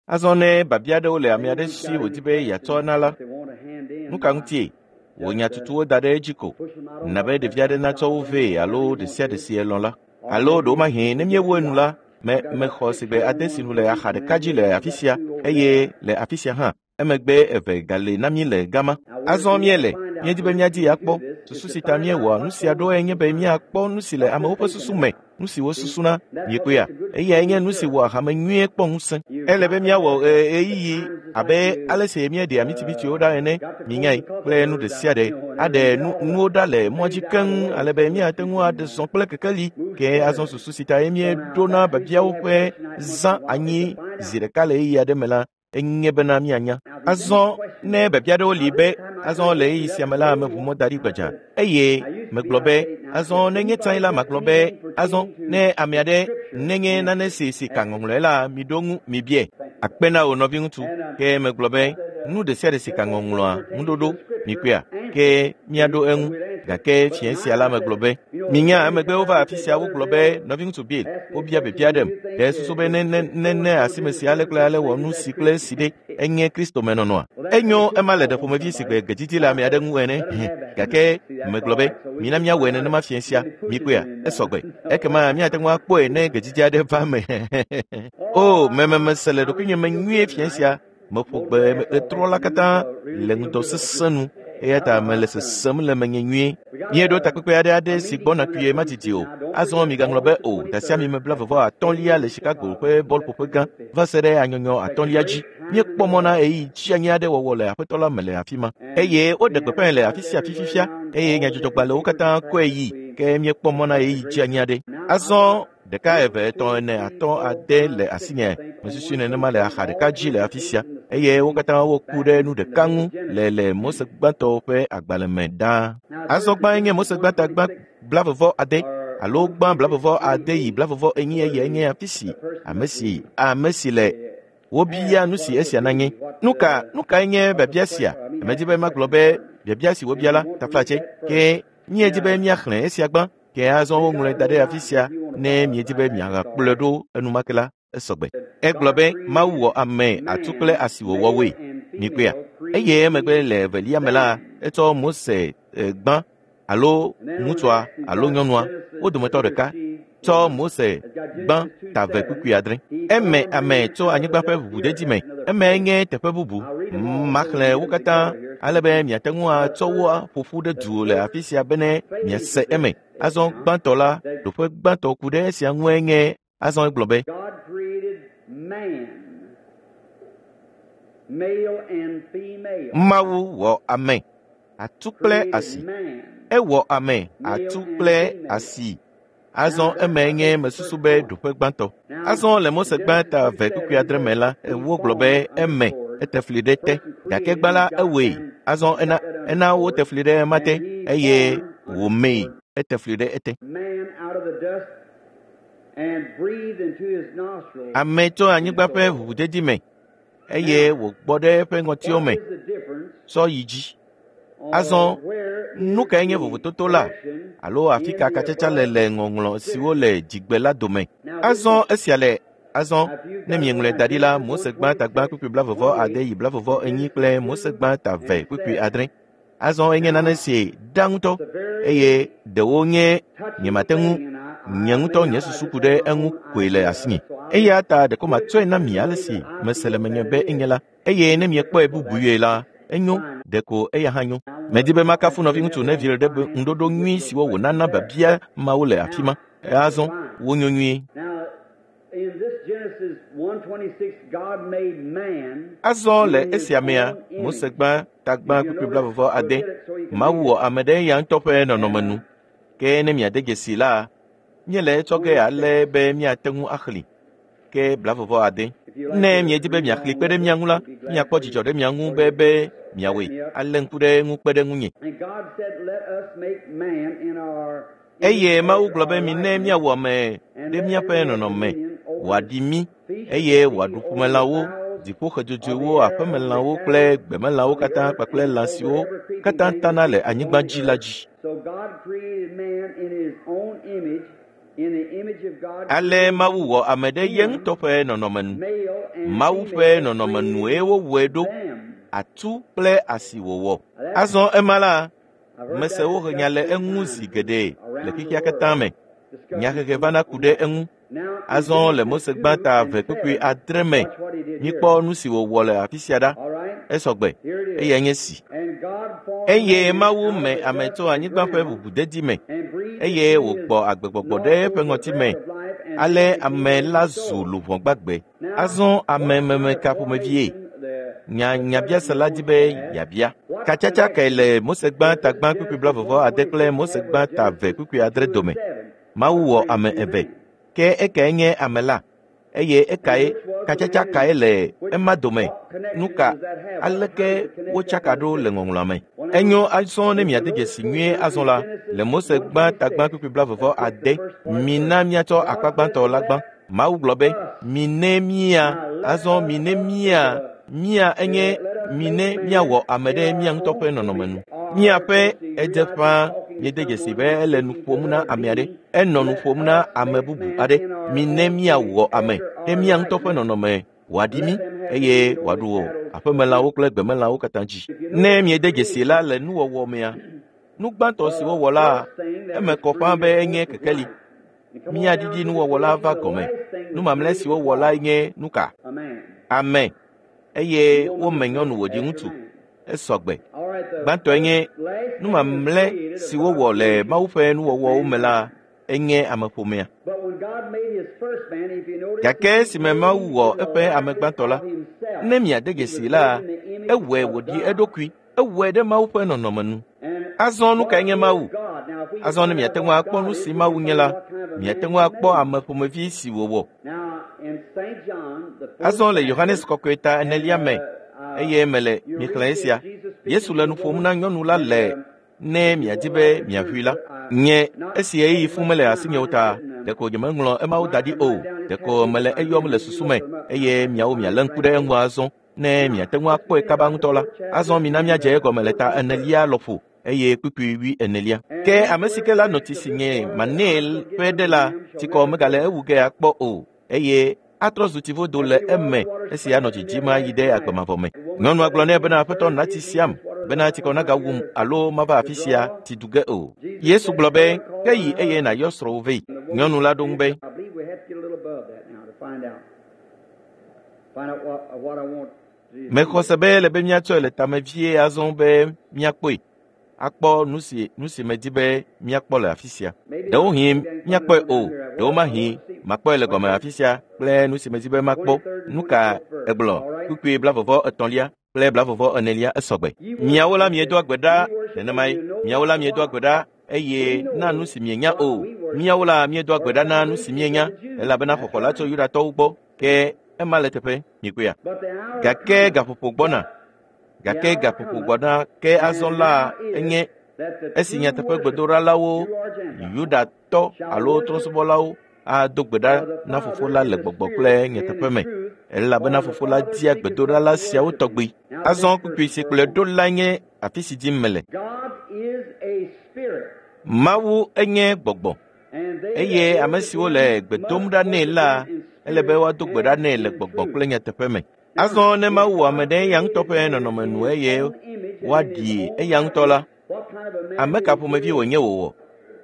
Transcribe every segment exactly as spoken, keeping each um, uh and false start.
Azɔ ne biabia aɖewo le ame aɖe si wòdi be yeatsɔ na la, They want to hand in. nu ka ŋutie? Wò nyatutuwo da ɖe edzi ko. Na be ɖevi aɖe natsɔ wo vɛ alo ɖe sia ɖe si elɔ̃ la. Alo ɖewomahi ne míewu enu la, me mexɔ sigbe ade si nu le axa ɖeka dzi le afi sia eye le afi sia hã. Emegbe eve gale na mí le gama. Azɔ míele, míedi be míadi akpɔ. Susu si ta míewɔa nu sia ɖo enye be míakpɔ nu si le amewo ƒe susu me, nu si wosusuna, miekpɔea? Eyae nye nu si wɔa hame nyuie kpɔ ŋusẽ. Ele be míawɔ ɣe- ɣeyiɣi abe ale si míeɖea mitsimitiwo ɖa ene, minyae, kple nu ɖe sia ɖe aɖe nu nuwo ɖa le mɔa dzi keŋ ale be míate ŋu aɖe zɔ kple kekeli. Ke azɔ susu si ta ye míeɖona biabiawo ƒe zã anyi zi ɖeka le ɣeyiɣi aɖe me la, enye bena míanya. Azɔ ne biabia aɖewo li be azɔ le ɣeyiɣi sia me la meʋu mɔ da ɖi gbadza eye megblɔ be azɔ ne nye tsã la magblɔ be azɔ ne ame aɖe nenye nane si si ka ŋɔŋlɔe la miɖo ŋu mibiae. Akpe na wò nɔviŋutsu ke megblɔ be nu ɖe sia ɖe si ka ŋɔŋlɔa ŋuɖoɖo mikpɔea ke míaɖo eŋu gake fiẽ sia la megblɔ be minya emegbe wova afi sia wogblɔ be nɔviŋutsu Bill wobia biabia ɖem ɖe susu be ne ne ne ne asime si ale kple ale wɔ nu si kple esi ɖe enye Kristo me nɔnɔa enyo ema le ɖe ƒomevi si gbe gedzidzi le ame aɖe ŋu ene gake megblɔ be mina míawɔe nenema fiẽ sia mikpɔea esɔgbe ekema míate ŋu akpɔe ne gedzidzi aɖe va eme o mememese le ɖokuinye me nyuie fiẽ sia meƒo gbe etrɔ la katã le ŋudɔ sesẽ nu eya ta mele sesem le menye nyuie. Míeɖo takpekpe aɖe aɖe si gbɔna kpuie madidi o. Azɔ migaŋlɔ be o dasiami me blaeve vɔ atɔ̃lia le Chicago ƒe bɔlƒoƒe gã va se ɖe anyɔnyɔ atɔ̃lia dzi. Míekpɔ mɔ na ɣeyiɣi tsianyi aɖe wɔwɔ le aƒetɔ la me le afi ma eye woɖe gbeƒãe le afi sia afi fifia eye nyadzɔdzɔgbalẽwo katã kɔe yi ke míekpɔ mɔ na ɣeyiɣi tsianyi aɖe. Azɔ ɖeka eve etɔ̃ ene atɔ̃ ade le asinye mesusu nenema le axa ɖeka dzi le afi sia eye wo katã woku ɖe nu ɖeka ŋu le le Mose gbãtɔ ƒe agbalẽ me ɖaa. Azɔ gbãe nye Mose gbãta gbã blaeve vɔ ade alo gbã blaeve vɔ ade yi blaeve vɔ enyi eyae nye afi si ame si ame si le wobia nu si esia nanye. Nu ka nu kae nye biabia sia? Medi be magblɔ be biabia si wobia la taflatse ke míedi be míaxlẽ esia gbã ke azɔ woŋlɔe da ɖe afi sia ne miedi be miagakplɔe ɖo enumake la esɔgbe. Egblɔ be Mawu wɔ ame atu kple asi wòwɔ woe. Mikpɔea? Eye emegbe le evelia me la etsɔ Mose eh, gbã alo ŋutsua alo nyɔnua wo dometɔ ɖeka tsɔ Mose gbã ta ve kpukpui adre. Eme ame tso anyigba ƒe ʋuʋudedi me. Eme nye teƒe bubu. Maxlẽ wo katã ale be miate ŋu atsɔ wo aƒo ƒu ɖe du le afi sia bene miase eme. Azɔ gbãtɔ la, ɖoƒe gbãtɔ ku ɖe esia ŋue nye azɔ egblɔ be God created man, male and female. Mawu wɔ ame atu kple Created asi. man. Ewɔ ame atu kple asi. Azɔ eme nye mesusu be ɖoƒe gbãtɔ. Azɔ le Mose gbãta ve kpukpui adre me la, wogblɔ be eme ete fli ɖe te gake gbã la ewɔe. Azɔ ena ena wote fli ɖe ema te eye wòmee ete fli ɖe ete. Man out of the dust and breathed into his nostrils. Ame tso anyigba ƒe ʋuʋudedi me eye wògbɔ ɖe eƒe ŋɔtiwo What me is the difference sɔ yi dzi. or Azɔ where nu is kae nye the vovototo la connection alo afi in ka the katsatsa le above le ŋɔŋlɔ siwo le dzigbe la dome? Azɔ esia le azɔ ne mieŋlɔe da ɖi la Mose gbã ta gbã kpukpui blaeve vɔ ade yi blaeve vɔ enyi kple Mose gbã ta ve kpukpui adre. Azɔ enye nane si ɖa ŋutɔ It's a very eye ɖewo nye touching nyemate ŋu thing, and I, I nye may ŋutɔ not, nye I susu just ku have ɖe my eŋu own koe le idea of asinye. it, so I Eya ta ɖeko put matsɔe it na in mi the ale way si that I mese le feel menye that be it enye is. la eye ne miekpɔe bubue la enyo Fine. ɖeko eya hã nyo. I want Medi be to, makafu if nɔviŋutsu Neville Neville won't ɖe be find ŋuɖoɖo with nyui your siwo wònana question there. biabia mawo le afi ma. Now, Azɔ fine. wonyo nyuie. Now, in this Genesis one twenty-six, God made man Azɔ le in his esia mea, own Mose image. gbã ta gbã Did you kpukpui notice? blaeve vɔ We'll ade. get it so you can Mawu read wɔ it. ame ɖe eya ŋutɔ ƒe nɔnɔme And nu. uh, Ke ne miade dzesi la, míele etsɔ ge ale twenty-six. be míate ŋu axlẽ ke blaeve vɔ ade. If you like Ne to miedi be read miaxlẽ along kpe ɖe with mía us, ŋu la, we'd be glad míakpɔ for you dzidzɔ ɖe mia ŋu for be you be to catch miawɔe. me up. Alé ŋku ɖe eŋu kpe ɖe ŋunye. And God said, Let us make man in our image Eye Mawu after gblɔ be our mi ne likeness, míawɔ ame and ɖe let them míaƒe have nɔnɔme, dominion over the wòaɖi mí fish of eye the sea, wòaɖu over the ƒumelãwo, fowls of dziƒoxe the dzodzoewo, air, over the aƒemelãwo kple cattle gbemelãwo of the katã earth, kpakple and lã over siwo every creeping katã thing tana that le creepeth anyigba upon the dzi la earth. dzi. So God created man in his own image. Ale Mawu wɔ ame ɖe ye ŋutɔ ƒe nɔnɔme nu. Mawu ƒe nɔnɔme nue wowɔe ɖo, atu kple asi wòwɔ. Azɔ ema la, mese wohe nya le eŋu zi geɖe le xexea katã me. Nyahehe vana ku ɖe eŋu. Azɔ le Mose gbãta eve kpukpui adre me, míkpɔ nu si wòwɔ le afi sia ɖa. Esɔgbe, eyae nye si. Eye Mawu me ame tso anyigba ƒe ʋuʋudedi me, eye wògbɔ agbegbɔgbɔ ɖe eƒe ŋɔti me. Ale ame la zu luʋɔ gbagbe. Azɔ ame meme ka ƒomevie? Nya nyabiasela di be yeabia. Katsatsa kae le Mose gbãta gbã kpukpui blaeve ade kple Mose gbãta eve kpukpui adre dome? Mawu wɔ ame eve. Ke ekae nye ame la? Eye ekae katsatsa kae le ema dome? Nu ka aleke wotsaka ɖo le ŋɔŋlɔa me? Enyo azɔ ne miade dzesi nyuie azɔ la, le Mose gbãta gbã kpukpui blaeve ade, mina míatsɔ akpa gbãtɔ la gbã. Mawu gblɔ be, mine mía, azɔ mine mía, mía enye mine míawɔ ame ɖe mía ŋutɔ ƒe nɔnɔme nu. Míaƒe edze ƒãa míede dzesi be ele nu ƒom na ame aɖe, enɔ nu ƒom na ame bubu aɖe. Mine míawɔ ame ɖe mía ŋutɔ ƒe nɔnɔme wòaɖi mí eye wòaɖu aƒemelãwo kple gbemelãwo katã dzi. Ne míede dzesi la le nuwɔwɔ mea, nu gbãtɔ si wowɔ la, eme kɔ ƒãa be enye kekeli. Míaɖiɖi nuwɔwɔ la va gɔme. Nu mamlɛ si wowɔ la nye nu ka? Ame. Eye wome nyɔnu wòdzi ŋutsu. Esɔgbe. Gbãtɔe nye nu mamlɛ si wowɔ le Mawu ƒe nuwɔwɔwo me la, enye ameƒomea. Gake esime Mawu wɔ eƒe ame gbãtɔ la, ne miade dzesi la, ewɔe wòɖi eɖokui. Ewɔe ɖe Mawu ƒe nɔnɔme nu. Azɔ nu kae nye Mawu? Azɔ ne miate ŋu akpɔ nu si Mawu nye la, miate ŋu akpɔ ame ƒomevi si wòwɔ. Azɔ le Yohanes kɔkɔe ta enelia me, eye mele mixlẽ esia. Yesu le nu ƒom na nyɔnu la le ne miadi be miaʋui la. Nye esi ɣeyiɣi fũ mele asinye o ta, ɖeko nyemeŋlɔ emawo da ɖi o. Ɖeko mele eyɔm le susu me, eye miawo mialé ŋku ɖe eŋu azɔ ne miate ŋu akpɔe kaba ŋutɔ la. Azɔ mina míadze egɔme le ta enelia lɔƒo eye kpukpui wui enelia. Ke ame si ke la nɔ tsi si nye manɛ ƒe ɖe la, tsikɔ megale ewu ge akpɔ o, eye atrɔ zu tsivodo le eme esi anɔ dzidzim ayi ɖe agbemavɔ me. Nyɔnua gblɔ nɛ bena, Aƒetɔ na tsi siam bena tsikɔ nagawum alo mava afi sia tsi du ge o. Yesu gblɔ be, ke yi eye nàyɔ srɔ̃wò vɛ. Nyɔnu la ɖo ŋu be, mexɔ se be ele be míatsɔe le tame vie azɔ be míakpɔe, akpɔ nu si nu si medi be míakpɔ le afi sia. Ɖewohĩ míakpɔe o, ɖewomahi makpɔe le gɔme afi sia kple nu si medi be makpɔ. Nu ka egblɔ? Kpukpui blaeve etɔ̃lia kple blaeve enelia esɔgbe. Miawo la miedoa gbe ɖa nenemae. Miawo la miedoa gbe ɖa eye na nu si mienya o. Miawo la miedoa gbe ɖa na nu si mienya, elabena xɔxɔ la tso Yudatɔwo gbɔ. Ke ema le teƒe mikpɔea. Gake gaƒoƒo gbɔna. Gake gaƒoƒo gbɔna ke azɔ la enye esi nyateƒe gbedoɖalawo, Yudatɔ alo trɔ̃subɔlawo ado gbe ɖa na Fofo la le gbɔgbɔ kple nyateƒe me, elabena Fofo la dia gbedoɖala siawo tɔgbi. Azɔ kpukpui si kplɔe ɖo la nye afi si dim mele. Mawu enye gbɔgbɔ, eye ame siwo le gbe dom ɖa nɛ la, ele be woado gbe ɖa nɛ le gbɔgbɔ kple nyateƒe me. Azɔ ne Mawu wɔ ame ɖe eya ŋutɔ ƒe nɔnɔme nu eye woaɖi eya ŋutɔ la, ame ka ƒomevi wònye wòwɔ?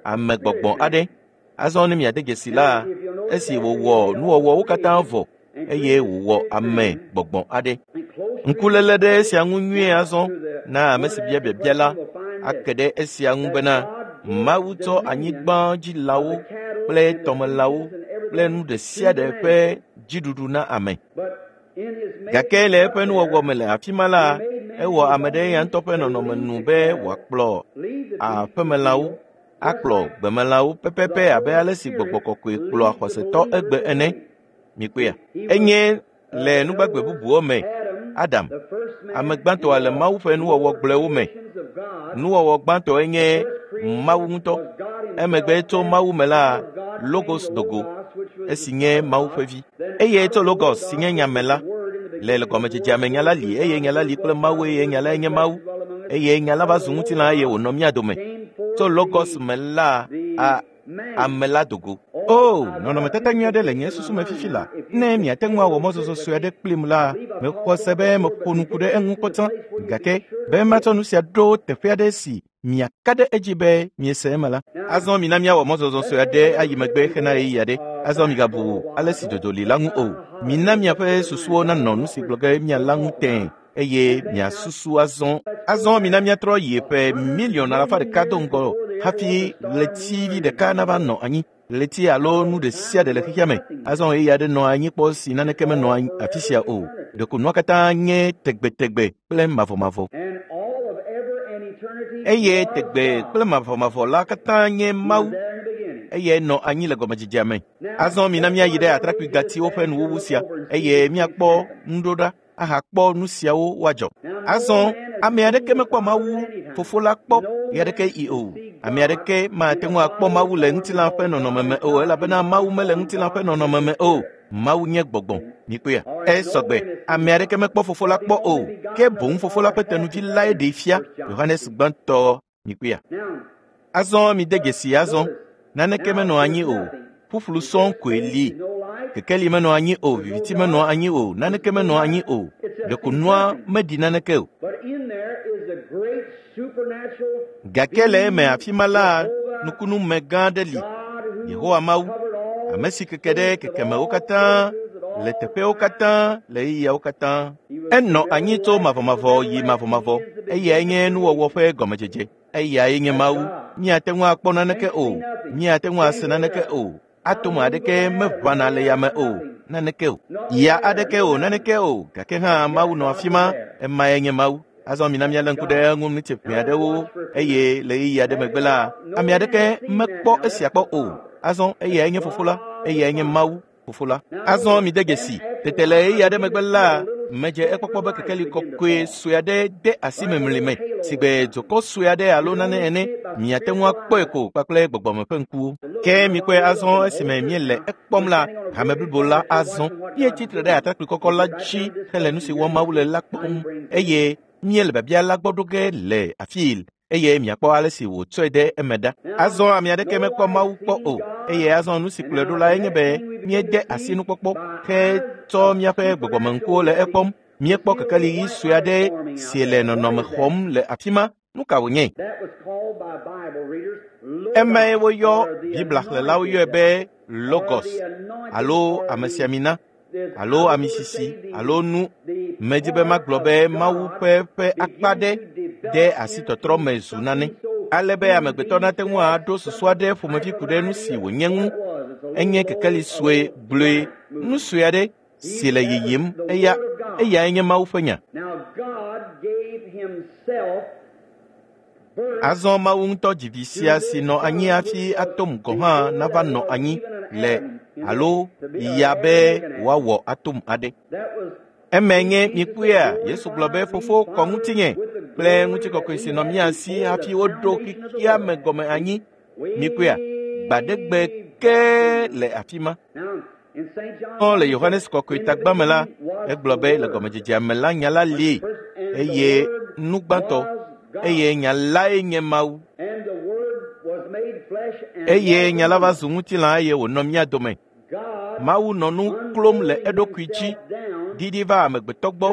Ame gbɔgbɔ aɖe. Azɔ ne miade dzesi la, esi wòwɔ nuwɔwɔwo katã vɔ eye wòwɔ ame gbɔgbɔ aɖe. Ŋkuléle ɖe esia ŋu nyuie azɔ na ame si bia biabia la ake ɖe esia ŋu bena Mawu tsɔ anyigbadzilawo kple tɔmelãwo kple nu ɖe sia ɖe ƒe dziɖuɖu na ame. Gake le eƒe nuwɔwɔ me le afi ma la, ewɔ ame ɖe eya ŋutɔ ƒe nɔnɔme nu be wòakplɔ aƒemelãwo, akplɔ gbemelãwo pɛpɛpɛ abe ale si gbɔgbɔ kɔkɔe kplɔa xɔsetɔ egbe ene. Mikpɔea? Enye le nugbagbe bubuwo me, Adam, ame gbãtɔa le Mawu ƒe nuwɔwɔ gblɔewo me. Nuwɔwɔ gbãtɔe nye Mawu ŋutɔ. Emegbe tso Mawu me la, Logos dogo, esi nye Mawu ƒe vi. Eye tso Logos si nye nyame la, le gɔmedzedzea me nya la li, eye nya la li kple Mawu, eye nya lae nye Mawu. Eye nya la va zu ŋutilã eye wònɔ mía dome. Tso Logos me la, a ame la dogo. O, nɔnɔmetata nyui aɖe le nye susu me fifi la. Ne miate ŋu awɔ mɔzɔzɔ sue aɖe kplim la, mexɔ se be meƒo nu ku ɖe eŋu kpɔtɔ. Gake be matsɔ nu sia ɖo teƒe aɖe si miaka ɖe edzi be miese eme la. Azɔ mina míawɔ mɔzɔzɔ sue aɖe ayi megbe hena ɣeyiɣi aɖe. Azɔ migabu ale si dodo li la ŋu o. Mina miaƒe susuwo nanɔ nu si gblɔ ge miala ŋu tẽe eye miasusu azɔ. Azɔ mina míatrɔ yi ƒe miliɔn alafa ɖeka do ŋgɔ hafi ɣletivi ɖeka nava nɔ anyi. Ɣleti alo nu ɖe sia ɖe le xexea me. Azɔ ɣeyiɣi aɖe nɔ anyi kpɔ si naneke menɔ afi sia o. Ɖeko nua katã nye tegbetegbe kple mavɔmavɔ. Eye tegbe kple mavɔmavɔ la katã nye Mawu. Eye nɔ anyi le gɔmedzedzea me. Azɔ mina míayi ɖe atrakpui gatiwo ƒe nuwuwu sia eye míakpɔ nuɖoɖa ahakpɔ nu siawo woadzɔ. Azɔ ame aɖeke mekpɔ Mawu fofo la kpɔ ɣe aɖeke yi o. Ame aɖeke mate ŋu akpɔ Mawu le ŋutilã ƒe nɔnɔme me o elabena Mawu mele ŋutilã ƒe nɔnɔme me o. Mawu nye gbɔgbɔ. Mikpɔea? Esɔgbe. Ame aɖeke mekpɔ fofo la kpɔ o. Ke boŋ fofo la ƒe tenuvi lae ɖee fia. Yohanes gbãtɔ. Mikpɔea? Azɔ mide dzesi azɔ. Naneke menɔ anyi o. Ƒuƒlu sɔŋ koe li. Kekeli menɔ anyi o, viviti menɔ anyi o, naneke menɔ anyi o. Ɖeko nua meɖi naneke o. Gake le eme afi ma la, nukunume gã aɖe li. Yehowa Mawu, ame si keke ɖe kekemewo katã, le teƒewo katã, le ɣeyiɣiawo katã. Enɔ anyi tso mavɔmavɔ yi mavɔmavɔ. Eyae nye nuwɔwɔ ƒe gɔmedzedze. Eyae nye Mawu. Míate ŋu akpɔ naneke o. Míate ŋu ase naneke o. Atom aɖeke meʋãna le yame o, naneke o. Ya aɖeke o, naneke o. Gake hã Mawu nɔ afi ma. Emae nye Mawu. Azɔ mina míalé ŋku ɖe eŋu ŋuti aɖewo eye le ɣeyiɣi aɖe megbe la, ame aɖeke mekpɔ esia kpɔ o. Azɔ eyae nye fofo la, eyae nye Mawu fofo la. Azɔ mide dzesi. Tete le ɣeyiɣi aɖe megbe la, medze ekpɔkpɔ be kekeli kɔkɔe sue aɖe de asi memli me sigbe dzokɔ sue aɖe alo nane ene. Miate ŋu akpɔe ko kpakple gbɔgbɔme ƒe ŋkuwo. Ke mikpɔe azɔ esime míele ekpɔm la, hame blibo la azɔ. Míetsi tre ɖe atrakpui kɔkɔ la dzi hele nu si wɔm Mawu le la kpɔm eye míele biabia la gbɔ ɖo ge le afii eye miakpɔ ale si wòtsɔe ɖe eme ɖa. Azɔ ame aɖeke mekpɔ Mawu kpɔ o. Eye azɔ nu si kplɔe ɖo lae nye be míede asi nukpɔkpɔ hetsɔ míaƒe gbɔgbɔmeŋkuwo le ekpɔm. Míekpɔ kekeli ɣi sue aɖe si le nɔnɔme xɔm le afi ma. Nu ka wònye? Emae woyɔ Biblia xlẽlawo yɔe be Logos alo amesiamina alo amisisi alo nu. Medi be magblɔ be Mawu ƒe ƒe akpa ɖe de asi tɔtrɔ me zu nane ale be amegbetɔ nate ŋu aɖo susu aɖe ƒomevi ku ɖe nu si wònye ŋu. Enye kekeli sue gblɔe, nu sue aɖe si le yiyim. Eya eyae nye Mawu ƒe nya. Azɔ Mawu ŋutɔ dzi vi sia si nɔ anyi hafi atom gɔ̃ hã nava nɔ anyi le alo ya be wòawɔ atom aɖe. Eme nye mikpɔea, Yesu gblɔ be fofo kɔ ŋutinye kple ŋutikɔkɔe si nɔ mía si hafi woɖo xexea me gɔme anyi. Mikpɔea, gbaɖegbe ke le afi ma. Le Yohanes kɔkɔe tagbã me la, egblɔ be le gɔmedzedzea me la nya la li eye nu gbãtɔ eye nya lae nye Mawu. Eye nya la va zu ŋutilã eye wònɔ mía dome. Mawu nɔ nu klom le eɖokui dzi ɖiɖi va amegbetɔ gbɔ.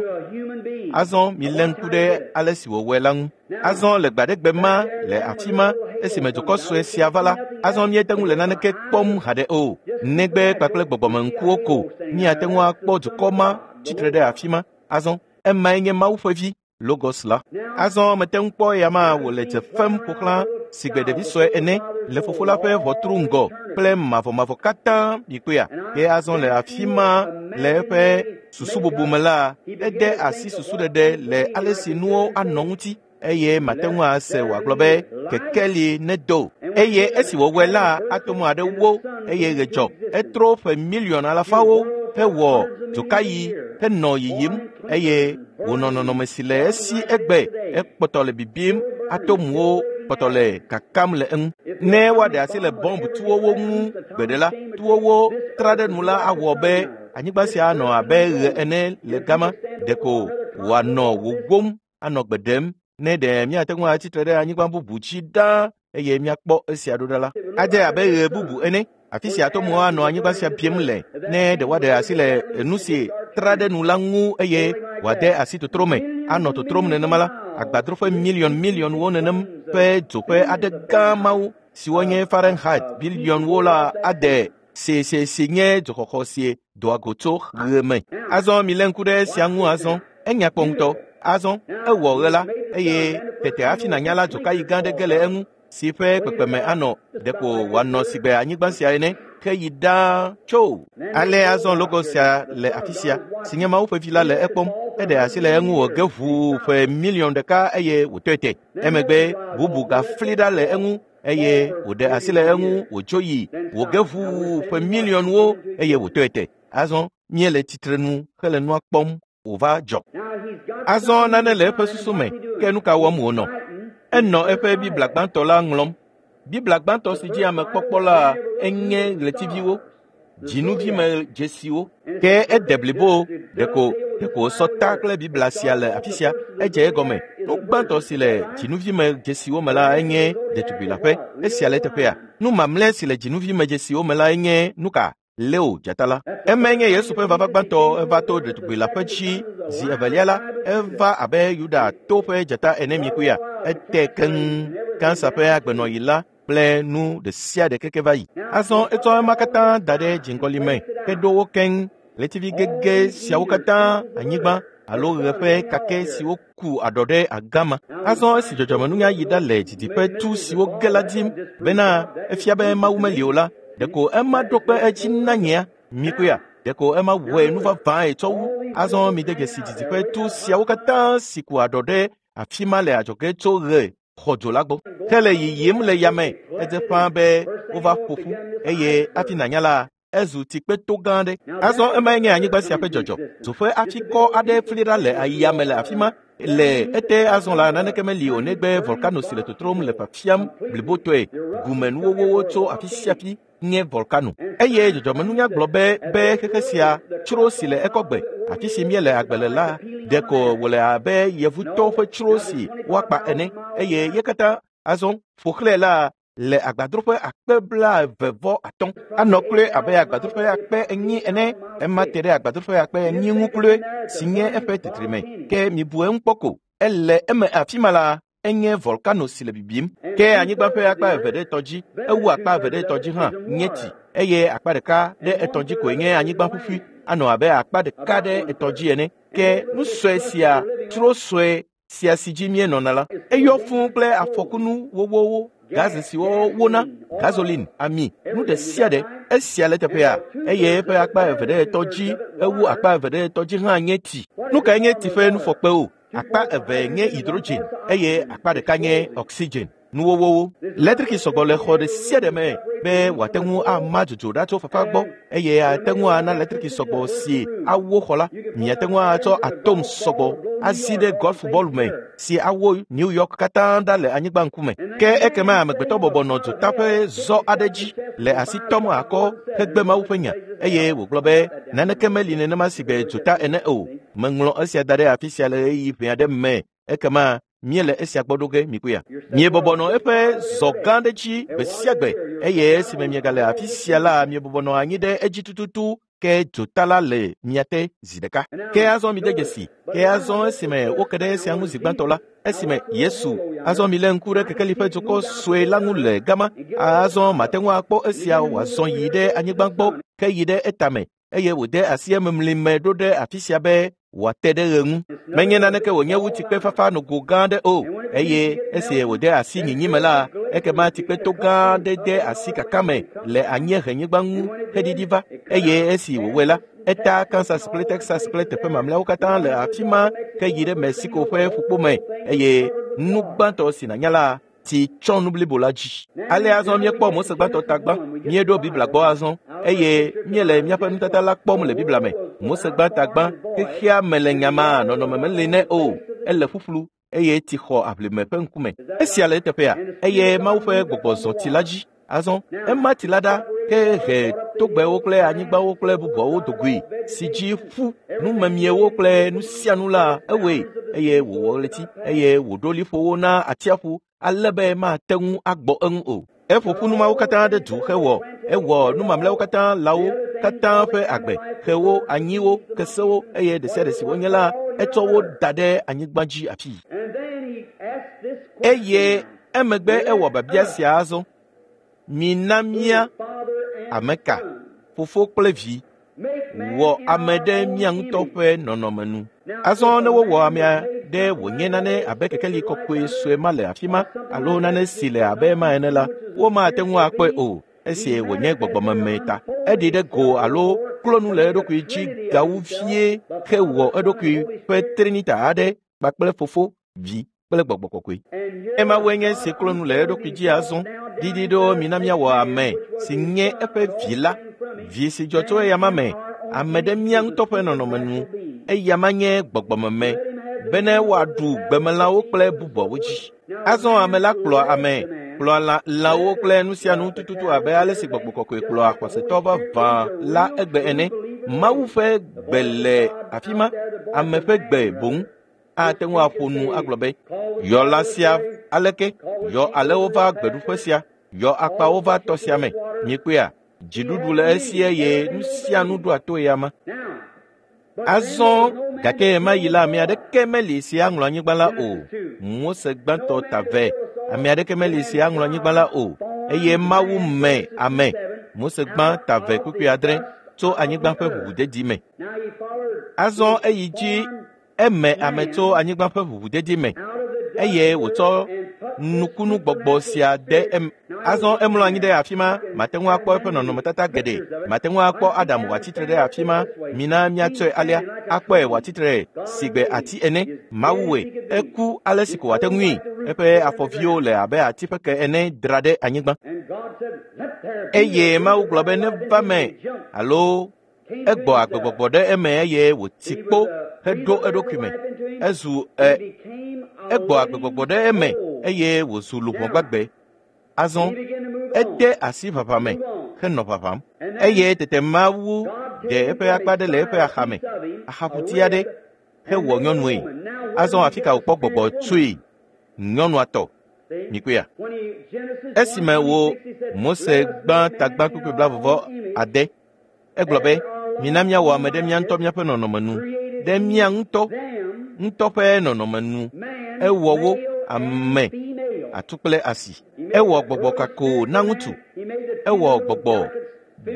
Azɔ milé ŋku ɖe ale si wòwɔe la ŋu. Azɔ le gbaɖegbe ma le afi ma esime dukɔ sue sia va la, azɔ míete ŋu le naneke kpɔm haɖe o. Negbe kpakple gbɔgbɔmeŋkuwo ko míate ŋu akpɔ dukɔ ma tsitre ɖe afi ma. Azɔ emae nye Mawu ƒe vi. Logos la. Azɔ mete ŋu kpɔ eya ma wòle dze fem ƒo xlã sigbe ɖevi sue ene le fofo la ƒe ʋɔtru ŋgɔ kple mavɔmavɔ katã mikpɔea. Ke azɔ le afi ma le eƒe susu bubu me la, ede asi susuɖeɖe le ale si nuwo anɔ ŋuti eye mate ŋu ase wòagblɔ be kekeli nedo. Eye esi wòwɔe la, atom aɖe wo eye ɣe dzɔ. Etrɔ ƒe miliɔn alafawo hewɔ dzokayi henɔ yiyim eye wònɔ nɔnɔme si le esi egbe ekpɔtɔ le bibim. Atomwo kpɔtɔ le kakam le eŋu. Ne woaɖe asi le bɔmb tuwowo ŋu gbe ɖe la, tuwowo tra ɖe nu la awɔ be anyigba sia anɔ abe ɣe ene le gama. Ɖeko wòanɔ wòwom anɔ gbe ɖem. Ne ɖe míate ŋu atsitre ɖe anyigba bubu dzi ɖaa eye míakpɔ esia ɖo ɖa la, adze abe ɣe bubu ene. Afi sia atomuwo anɔ anyigba sia biem le ne ɖe woaɖe asi le nu si tra ɖe nu la ŋu eye wòade asi totro me anɔ totrom nenema la agbadroƒe miliɔn miliɔnwo nenem ƒe dzoƒe aɖe gã mawo siwo nye Fahrenheit biliɔnwo la ade si si si nye dzoxɔxɔ si doa go tso ɣe me. Azɔ milé ŋku ɖe esia ŋu azɔ enya kpɔ ŋutɔ. Azɔ ewɔ ɣe la eye tete hafi nànya la dzokayi gã aɖe ge le eŋu si ƒe kpekpeme anɔ ɖeko wòanɔ sigbe anyigba sia ene ke yi ɖaa tso. Ale azɔ logo sia le afi sia si nye Mawu ƒe vi la le ekpɔm. Eɖe asi le eŋu wòge ʋuu ƒe miliɔn ɖeka eye wòtɔe te. Emegbe bubu gafli ɖa le eŋu eye wòɖe asi le eŋu wòdzo yi wòge ʋuu ƒe miliɔnwo eye wòtɔe te. Azɔ míele tsitrenu hele nua kpɔm wòva dzɔ. Azɔ nane le eƒe susu me ke nu ka wɔm wònɔ? Enɔ eƒe Biblia gbãtɔ la ŋlɔm. Biblia gbãtɔ si dzi amekpɔkpɔ la enye ɣletiviwo, dzinuvime dzesiwo. Ke ede blibo ɖeko ɖeko wòsɔ ta kple Biblia sia le afi sia. Edze egɔme. Nu gbãtɔ si le dzinuvime dzesiwo me la enye ɖetugbi la ƒe. Esia le teƒea. Nu mamlɛ si le dzinuvime dzesiwo me la enye nu ka? Leo dzata la. Emae nye Yesu ƒe vava gbãtɔ eva to ɖetugbi la ƒe dzi zi evelia la eva abe Yuda to ƒe dzata ene mikuya. Ete keŋ kansa ƒe agbenɔɣi la kple nu ɖe sia ɖe keke va yi. Azɔ etsɔ ema katã da ɖe dziŋgɔli me heɖo wo keŋ. Ɣletivi gege siawo katã anyigba alo ɣe ƒe kake siwo ku aɖɔ ɖe agama. Azɔ esi dzɔdzɔmenunya yi ɖa le didiƒe tu siwo ge la dim bena efia be Mawu meli o la, ɖeko ema ɖo kpe edzi na nyea mikuya. Ɖeko ema wɔe nu vavãe tsɔ wu. Azɔ mide dzesi didiƒe tu siawo katã si ku aɖɔ ɖe afi ma le adzɔge tso ɣe xɔdzo la gbɔ. Hele yiyim le yame edze ƒãa be wova ƒo ƒu eye hafi nànya la ezu tsikpeto gã aɖe. Azɔ emae nye anyigba sia ƒe dzɔdzɔ. Dzoƒe atikɔ aɖe fli ɖa le yame le afi ma. Le ete azɔ la naneke meli o negbe volcano si le totrom le fiafiam blibotɔe. Gumenuwowowo tso afi sia afi nye volcano. Eye dzɔdzɔmenunya gblɔ be be xexe sia tsro si le ekɔgbe afi si míele agbe le la ɖeko wòle abe yevutɔwo ƒe tsro si woakpa ene eye ye katã azɔ ƒo xlãe la le agbadroƒe akpe blaeve vɔ atɔ̃ anɔ kloe abe agbadroƒe akpe enyi ene. Ema te ɖe agbadroƒe akpe enyi ŋu kloe si nye eƒe titrime. Ke mibu eŋu kpɔ ko ele eme afi ma la enye volcano si le bibim. Ke anyigba ƒe akpa eve ɖe etɔ̃ dzi ewu akpa eve ɖe etɔ̃ dzi hã nye tsi eye akpa ɖeka ɖe etɔ̃ dzi koe nye anyigba ƒuƒui anɔ abe akpa ɖeka ɖe etɔ̃ dzi ene. Ke nu sue sia tsro sue sia si dzi míenɔna la eyɔ fũu kple afɔkunu wowowo. Gaze siwo wona, gasoline, ami, nu ɖe sia ɖe esia le teƒea eye eƒe akpa eve ɖe etɔ̃ dzi ewu akpa eve ɖe etɔ̃ dzi hã nye tsi. Nu kae nye tsi ƒe nufɔkpewo? Akpa eve nye hydrogen eye akpa ɖeka nye oxygen. Nuwowowo. Letriki sɔgbɔ le xɔ ɖe sia ɖe me be wòate ŋu ama dzodzo ɖa tso fafa gbɔ eye ate ŋu ana letriki sɔgbɔ si awo xɔ la. Miate ŋu atsɔ atom sɔgbɔ azi ɖe golf bɔl me si awo New York katã ɖa le anyigba ŋkume. Ke ekema amegbetɔ bɔbɔ nɔ dzota ƒe zɔ aɖe dzi le asi tɔm akɔ hegbe Mawu ƒe nya eye wògblɔ be naneke meli nenema sigbe dzota ene o. Meŋlɔ esia da ɖe afi sia le ɣeyiɣi ʋɛ aɖe me ekema míele esia gbɔ ɖo ge mikuya. Miebɔbɔ nɔ eƒe zɔ gã ɖe dzi gbe sia gbe eye esime miegale afi sia la miebɔbɔ nɔ anyi ɖe edzi tututu ke dzota la le mia te zi ɖeka. Ke azɔ mide dzesi. Ke azɔ esime woke ɖe esia ŋu zi gbãtɔ la esime Yesu azɔ milé ŋku ɖe kekeli ƒe dzokɔ sue la ŋu le gama. Azɔ mate ŋu akpɔ esia wòazɔ yi ɖe anyigba gbɔ ke yi ɖe etame eye wòde asi ememli me ɖo ɖe afi sia be wòate ɖe ɣe ŋu. Menye naneke wònye wu tsikpe fafa nogo gã aɖe o eye esi wòde asi nyinyi me la ekema tsikpeto gã aɖe de asi kaka me le anyiehenyigba ŋu heɖiɖi va eye esi wòwɔe la eta Kansas kple Texas kple teƒe mamlɛawo katã le afi ma ke yi ɖe Mexico ƒe ƒukpo me eye nu gbãtɔ si nànya la tsi tsɔ nu blibo la dzi. Ale azɔ míekpɔ Mose gbãtɔ ta gbã, míeɖo Biblia gbɔ azɔ eye míele míaƒe nutata la kpɔm le Biblia me. Mose gbãta gbã, xexea me le nyamaa nɔnɔme meli nɛ o, ele ƒuƒlu eye tsi xɔ aʋlime ƒe ŋkume. Esia le eteƒea eye Mawu ƒe gbɔgbɔ zɔ tsi la dzi. Azɔ ema tsi la ɖa ke he togbɛwo kple anyigbawo kple bubuawo dogoe si dzi ƒu numemiewo kple nu sia nu la ewɔe eye wòwɔ ɣleti eye wòɖo liƒowo na atsiaƒu ale be mate ŋu agbɔ eŋu o. Eƒo ƒu numawo katã ɖe du hewɔ ewɔ nu mamlɛawo katã lãwo katã ƒe agbe xewo anyiwo kesewo eye ɖe sia ɖe si wonye la etsɔ wo da ɖe anyigba dzi afii. Eye emegbe ewɔ biabia sia azɔ. Mina mía ame ka fofo kple vi wɔ ame ɖe mía ŋutɔ ƒe nɔnɔme nu. Azɔ ne wowɔ amea ɖe wònye nane abe kekeli kɔkɔe sue ma le afi ma alo nane si le abe ma ene la, womate ŋu akpɔe o esi wònye gbɔgbɔmeme ta. Eɖi ɖe go alo klo nu le eɖokui dzi gawu vie hewɔ eɖokui ƒe trinita aɖe kpakple fofo, vi kple gbɔgbɔ kɔkɔe. Emawoe nye si klo nu le eɖokui dzi azɔ. Didi ɖo mina míawɔ ame si nye eƒe vi la, vi si dzɔ tso eyama me, ame ɖe mía ŋutɔ ƒe nɔnɔme nu. Eyama nye gbɔgbɔmeme bene woaɖu gbemelãwo kple bubuawo dzi. Azɔ ame la kplɔa ame, kplɔa lã, lãwo kple nu sia nu tututu abe ale si gbɔgbɔ kɔkɔe kplɔa xɔsetɔ vavã la egbe ene. Mawu ƒe gbe le afi ma, ame ƒe gbe boŋ ate ŋu aƒo nu agblɔ be, yɔ lã sia aleke, yɔ alewo va gbeɖuƒe sia, yɔ akpawo va tɔ sia me. Miekpɔea, dziɖuɖu le esi eye nu sia nu ɖoa to eyama. Azɔ gake ɣemaɣi la ame aɖeke meli si aŋlɔ anyigba la o. Mose gbãtɔ ta ve. Ame aɖeke meli si aŋlɔ anyigba la o. Eye Mawu me ame. Mose gbã ta ve kpukpui adre tso anyigba ƒe ʋuʋudedi me. Azɔ eyi dzi eme ame tso anyigba ƒe ʋuʋudedi me eye wòtsɔ nukunu gbɔgbɔ sia de em. Azɔ emlɔ anyi ɖe afi ma, mate ŋu akpɔ eƒe nɔnɔmetata geɖe. Mate ŋu akpɔ Adam wòatsitre ɖe afi ma. Mina míatsɔe alea, akpɔe wòatsitre sigbe ati ene. Mawu wɔe, eku ale si ko wòate ŋui. Eƒe afɔviwo le abe ati ƒe ke ene dra ɖe anyigba. Eye Mawu gblɔ be neva me alo egbɔ agbegbɔgbɔ ɖe eme eye wòti kpo heɖo eɖokui me. Ezu e egbɔ agbegbɔgbɔ ɖe eme eye wòzu luʋɔ gbagbe. Azɔ ede asi ʋaʋã me henɔ ʋaʋãm. Eye tete Mawu ɖe eƒe akpa ɖe le eƒe axame, axaƒuti aɖe hewɔ nyɔnue. Azɔ afi ka wòkpɔ gbɔgbɔ tsoe? Nyɔnua tɔ. Mikpɔea? Esime wo Mose gbã tagbã kpukpui blaeve ade, egblɔ be, mina míawɔ ame ɖe mía ŋutɔ míaƒe nɔnɔme nu, ɖe mía ŋutɔ ŋutɔ ƒe nɔnɔme nu. Ewɔ wo ame atu kple asi. Ewɔ gbɔgbɔ kako na ŋutsu. Ewɔ gbɔgbɔ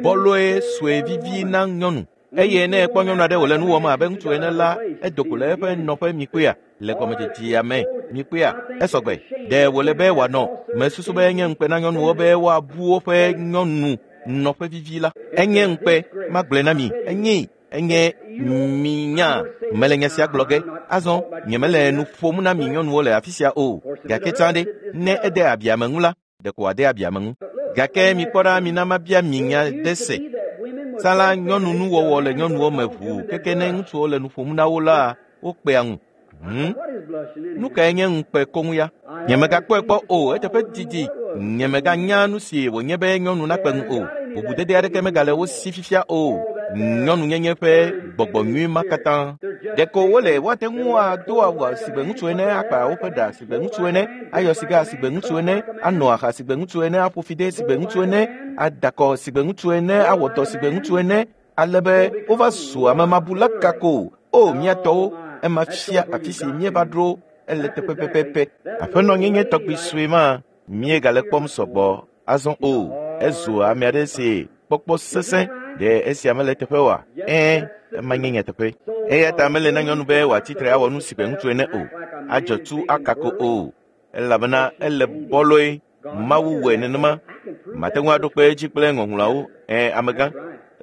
bɔlɔe sue vivi na nyɔnu. Eye ne ekpɔ nyɔnu aɖe wòle nu wɔm abe ŋutsu ene la, edo go le eƒe nɔƒe mikpɔea le gɔmedzedzea me mikpɔea esɔgbe. Ɖe wòle be wòanɔ mesusu be enye ŋukpe na nyɔnuwo be woabu woƒe nyɔnu nɔƒe vivi la. Enye ŋukpe, magblɔe na mi, enye enye minya mele nya sia gblɔ ge. Azɔ nyemele nu ƒom na mi nyɔnuwo le afi sia o. Gake tsã ɖe, ne ede abi ame ŋu la, ɖeko wòade abi ame ŋu. Gake mikpɔ ɖa, mina mabia mi nya ɖe se. Tsã la, nyɔnu nuwɔwɔ le nyɔnuwo me ʋuu keke ne ŋutsuwo le nu ƒom na wo la, wokpea ŋu. Hmm? Nu kae nye ŋukpe koŋ ya? Nyemegakpɔe kpɔ o, eteƒe didi. Nyemeganya nu si wònye be nyɔnu nakpe ŋu o. Bubudede aɖeke megale wo si fifia o. Nyɔnunyenye ƒe gbɔgbɔ nyui ma katã. Ɖeko wole woate ŋu ado awu sigbe ŋutsu ene, akpa woƒe ɖa sigbe ŋutsu ene, ayɔ siga sigbe ŋutsu ene, anɔ aha sigbe ŋutsu ene, aƒo fi de sigbe ŋutsu ene, adakɔ sigbe ŋutsu ene, awɔ dɔ sigbe ŋutsu ene, ale be wova zu amemabula kako. O mía tɔwo, ema fia afi si míeva ɖo ele teƒe pɛpɛpɛ. Aƒenɔnyenye tɔgbi sue ma míegale kpɔm sɔgbɔ azɔ o. Ezu ame aɖe si kpɔkpɔ sesẽ. Ɖe esia mele teƒe oa? Ɛ̃, ema nye nyateƒe. Eya ta mele na nyɔnu be wòatsitre awɔ nu sigbe ŋutsu ene o, adzɔ tu akako o, elabena ele bɔlɔe. Mawu wɔe nenema. Mate ŋu aɖo kpe edzi kple ŋɔŋlɔawo. Ɛ̃, amegã,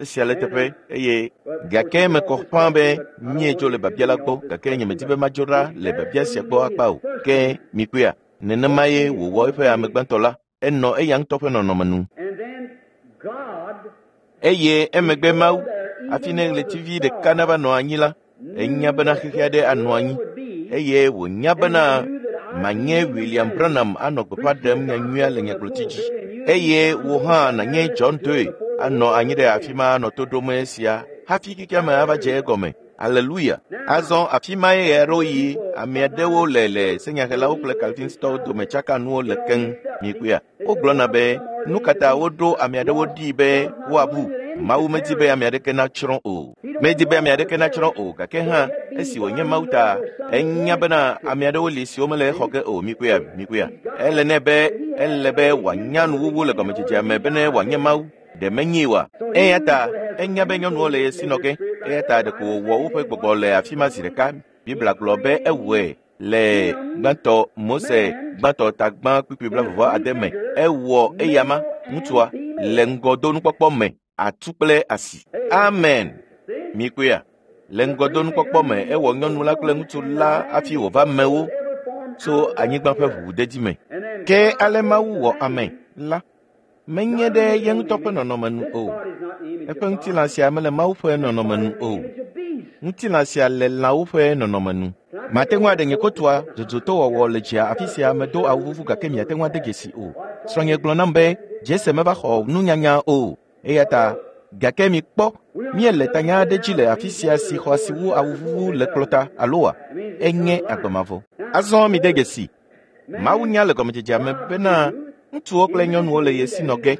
esia le teƒe eye gake mekɔ ƒã be míedzo le biabia la gbɔ gake nyemedi be madzo ɖa le biabia sia gbɔ akpa o. Ke mikpɔea, nenema ye wòwɔ eƒe ame gbãtɔ la. Enɔ eya ŋutɔ ƒe nɔnɔme nu. Eye emegbe Mawu, hafi ne ɣletivi ɖeka nava nɔ anyi la, enya bena xexe aɖe anɔ anyi eye wònya bena manye William Branham anɔ gbeƒã ɖem nyanyuia le nyagblɔti dzi. Eye wò hã nànye John Doe anɔ anyi ɖe afi ma anɔ to ɖom esia hafi xexeame ava dze egɔme. Aleluya. Azɔ afi mae ɣeaɖewoɣi ame aɖewo le le senyahelawo kple Calvinistɔwo dome tsaka nuwo le keŋ. Mikpɔea? Wogblɔna be nu ka ta woɖo ame aɖewo ɖi be woabu. Mawu medi be ame aɖeke natsrɔ̃ o. Medi be ame aɖeke natsrɔ̃ o, gake hã esi wònye Mawu ta, enya bena ame aɖewo li siwo mele exɔ ge o. Mikpɔea, mikpɔea. Ele nɛ be ele be wòanya nuwuwu le gɔmedzedzea me bene wòanye Mawu. Ɖe menyi oa? Eya ta enya be nyɔnuwo le ye si nɔ ge. Eya ta ɖeko wòwɔ woƒe gbɔgbɔ le afi ma zi ɖeka. Biblia gblɔ be ewɔe le gbãtɔ Mose gbãtɔ ta gbã kpukpui blaeve ade me. Ewɔ eyama ŋutsua le ŋgɔdonukpɔkpɔ me atu kple asi. Amen. Mikpɔea? Le ŋgɔdonukpɔkpɔ me ewɔ nyɔnu la kple ŋutsu la hafi wòva mewo tso anyigba ƒe ʋuʋudedi me. Ke ale Mawu wɔ ame la menye ɖe ye ŋutɔ ƒe nɔnɔme nu o. Eƒe ŋutilã sia mele Mawu ƒe nɔnɔme nu o. Ŋutilã sia le lãwo ƒe nɔnɔme nu. Mate ŋu aɖe nye kotoa dzodzotɔwɔwɔ le dzia afi sia medo awu vuvu gake miate ŋu ade dzesi o. Srɔ̃nye gblɔ nam be Jese meva xɔ nunyanya o. Eya ta gake mikpɔ míele tanya aɖe dzi le afi sia si xɔ asi wu awu vuvu le kplɔta aloa? Enye agbemavɔ. Azɔ mide dzesi. Mawu nya le gɔmedzedzea me bena ŋutsuwo kple nyɔnuwo le ye si nɔ ge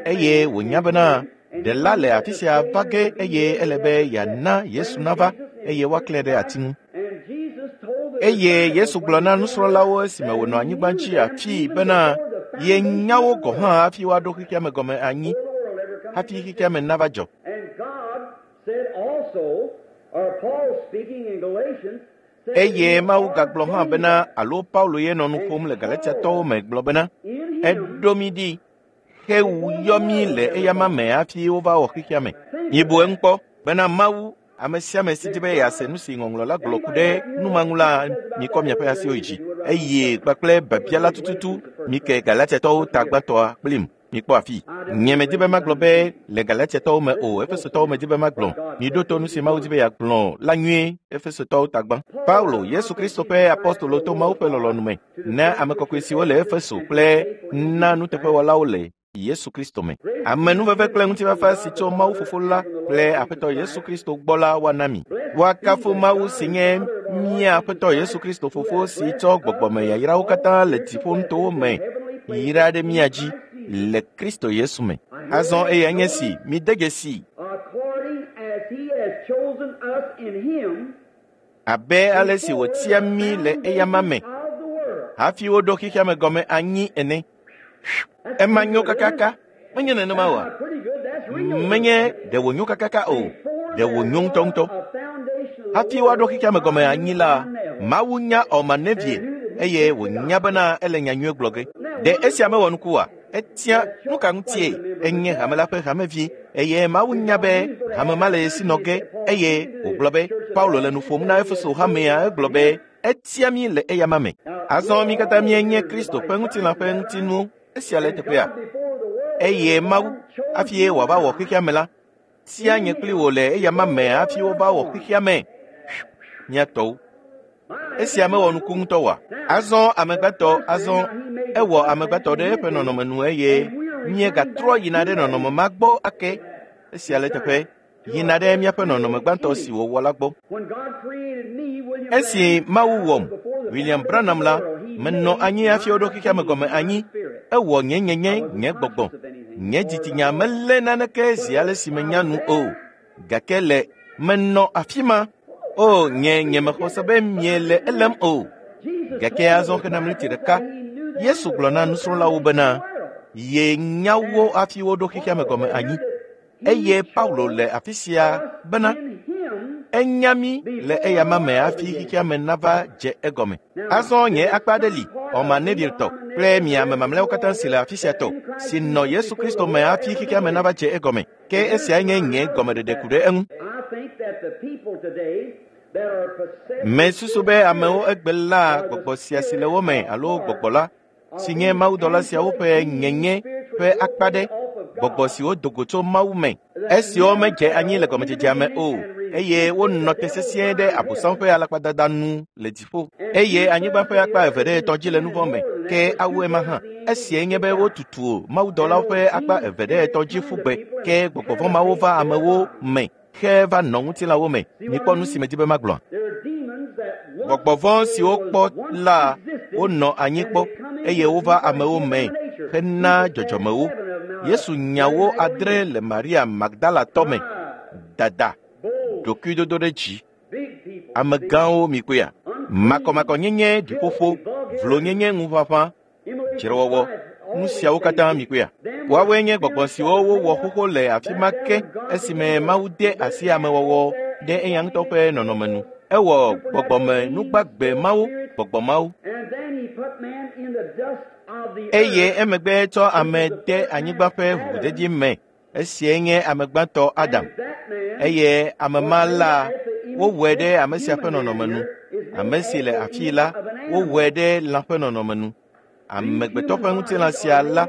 eye wònya bena ɖela le afi sia va ge eye ele be yeana Yesu nava eye woaklẽ ɖe ati ŋu. Eye Yesu gblɔ na nusrɔ̃lawo esime wònɔ anyigba dzi afii bena yenya wo gɔ̃ hã hafi woaɖo xexea me gɔme anyi hafi xexea me nava dzɔ. Eye Mawu gagblɔ hã bena alo Paulo ye nɔ nu ƒom le Galatiatɔwo me gblɔ bena eɖo mí ɖi hewu yɔ mí le eyama me hafi wova wɔ xexea me. Mibu eŋu kpɔ bena Mawu ame sia ame si di be yease nu si ŋɔŋlɔ la gblɔ ku ɖe nu ma ŋu la mikɔ miaƒe asiwo yi dzi eye kpakple biabia la tututu mike Galatiatɔwo ta gbãtɔa kplim. Mikpɔ afi. Nye medi be magblɔ be le Galatiatɔwo me o, Efesotɔwo medi be magblɔ. Miɖo to nu si Mawu di be yeagblɔ la nyuie, Efesotɔwo ta gbã. Paulo, Yesu Kristo ƒe apostolo to Mawu ƒe lɔlɔ̃nu me, na ame kɔkɔe siwo le Efeso kple na nuteƒewɔlawo le Yesu Kristo me. Amenuveve kple ŋutifafa si tso Mawu Fofo la kple Aƒetɔ Yesu Kristo gbɔ la woana mi. Woakafu Mawu si nye mía Aƒetɔ Yesu Kristo Fofo si tsɔ gbɔgbɔme yayrawo katã le dziƒonutowo me yra ɖe mía dzi le Kristo Yesu me. Azɔ eya nye si mide dzesi abe ale si wòtia mí le eyama me hafi woɖo xexea me gɔme anyi ene. Ema nyo kakaka, menye nenema oa? Menye ɖe wònyo kakaka o, ɖe wònyo ŋutɔŋutɔ. Hafi woaɖo xexea me gɔme anyi la, Mawu nya Ɔmanevie eye wònya bena ele nyanyuie gblɔ ge. Ɖe esia mewɔ nuku oa? Etia nu ka ŋutie enye hame la ƒe hamevi eye Mawu nya be hame ma le esi nɔ ge eye wògblɔ be Paulo le nu ƒom na Efeso hamea egblɔ be etia mí le eyama me. Azɔ mí katã míenye Kristo ƒe ŋutilã ƒe ŋutinuwo. Esia le teƒea. Eye Mawu hafi wòava wɔ xexea me la, tia nye kpli wò le eyama me hafi wova wɔ xexea me. Mía tɔwo. Esia mewɔ nuku ŋutɔ oa? Azɔ amegbetɔ azɔ ewɔ amegbetɔ ɖe eƒe nɔnɔme nu eye míegatrɔ yina ɖe nɔnɔme ma gbɔ ake. Esia le teƒe yina ɖe míaƒe nɔnɔme gbãtɔ si wòwɔ la gbɔ. Esi Mawu wɔm, William Branham la, menɔ anyi hafi woɖo xexea me gɔme anyi. Ewɔ nye nyenye nye gbɔgbɔ. Nye dzitsinya melé naneke zi ale si menya nu o. Gake le menɔ afi ma. O, nye nye mexɔ se be miele elém o. Gake azɔ xena miniti ɖeka, Yesu gblɔ na nusrɔ̃lawo bena yenya wo hafi woɖo xexea me gɔme anyi. Eye Paulo le afi sia bena enya mí le eyama me hafi xexea me nava dze egɔme. Azɔ nye akpa aɖe li, Ɔmanevie tɔ kple mi ame mamlɛawo katã si le afi sia tɔ, si nɔ Yesu Kristo me hafi xexea me nava dze egɔme. Ke esia nye nye gɔmeɖeɖe ku ɖe eŋu. Mesusu be amewo egbe la gbɔgbɔ sia si le wo me alo gbɔgbɔ la si nye mawudɔla siawo ƒe nyenye ƒe akpa ɖe, gbɔgbɔ siwo do go tso Mawu me, esiwo medze anyi le gɔmedzedzea me o, eye wonɔ te sesĩe ɖe Abosam ƒe alakpadada nu le dziƒo, eye anyigba ƒe akpa eve ɖe etɔ̃ dzi le nu vɔ̃ me, ke awu ema hã. Esiae nye be wotutu mawudɔlawo ƒe akpa eve ɖe etɔ̃ dzi ƒu gbe, ke gbɔgbɔ vɔ̃ mawo va amewo me xe va nɔ ŋutilãwo me. Mikpɔ nu si medi be magblɔa? Gbɔgbɔ vɔ̃ siwo kpɔ la wonɔ anyi kpɔ eye wova amewo me hena dzɔdzɔmewo. Yesu nya wo adre le Maria Magdalatɔ me, dada, ɖokuidodo ɖe dzi. Amegãwo mikpɔea? Makɔmakɔnyenye, ɖiƒoƒo, vlonyenye, ŋuʋaʋã, dzrewɔwɔ, nu siawo katã mikpɔea? Woawoe nye gbɔgbɔ siwo wowɔ xoxo le afi ma ke esime Mawu de asi amewɔwɔ ɖe eya ŋutɔ ƒe nɔnɔme nu. Ewɔ gbɔgbɔme nugbagbe mawo, gbɔgbɔ mawo. Eye emegbe tsɔ ame de anyigba ƒe ʋuʋudedi me. Esiae nye ame gbãtɔ Adam. Eye ame ma la, wowɔe ɖe ame sia ƒe nɔnɔme nu. Ame si le afii la, wowɔe ɖe lã ƒe nɔnɔme nu. Amegbetɔ ƒe ŋutilã sia la,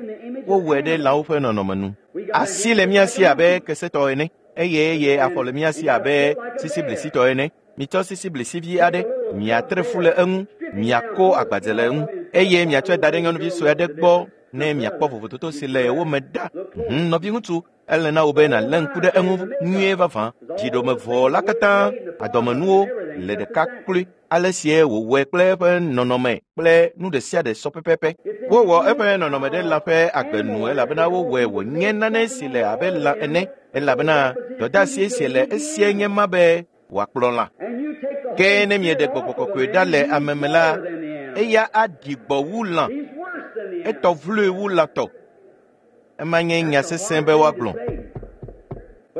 wowɔe ɖe lãwo ƒe nɔnɔme nu. Asi le mía si abe kesetɔ ene, eye eye afɔ le mía si abe sisiblисitɔ ene. Mitsɔ sisiblisivi aɖe, miatre fu le eŋu, miako agbadze le eŋu, eye miatsɔe da ɖe nyɔnuvi sue aɖe gbɔ ne miakpɔ vovototo si le wo me ɖa. Hũm, nɔviŋutsu, ele na wò be nàlé ŋku ɖe eŋu nyuie vavã. Dziɖomevɔ la katã, adɔmenuwo le ɖeka kloe. Ale sie wòwɔe kple eƒe nɔnɔme kple nu ɖe sia ɖe sɔ pɛpɛpɛ. Wowɔ eƒe nɔnɔme ɖe lã ƒe agbe nu elabena wowɔe wònye nane si le abe lã ene elabena dɔdeasi si le esie nye ma be wòakplɔ lã. Ke ne mieɖe gbɔgbɔ kɔkɔe ɖa le ame me la, eya aɖi gbɔ wu lã, etɔ vloe wu lã tɔ. Ema nye nya sesẽ be woagblɔ.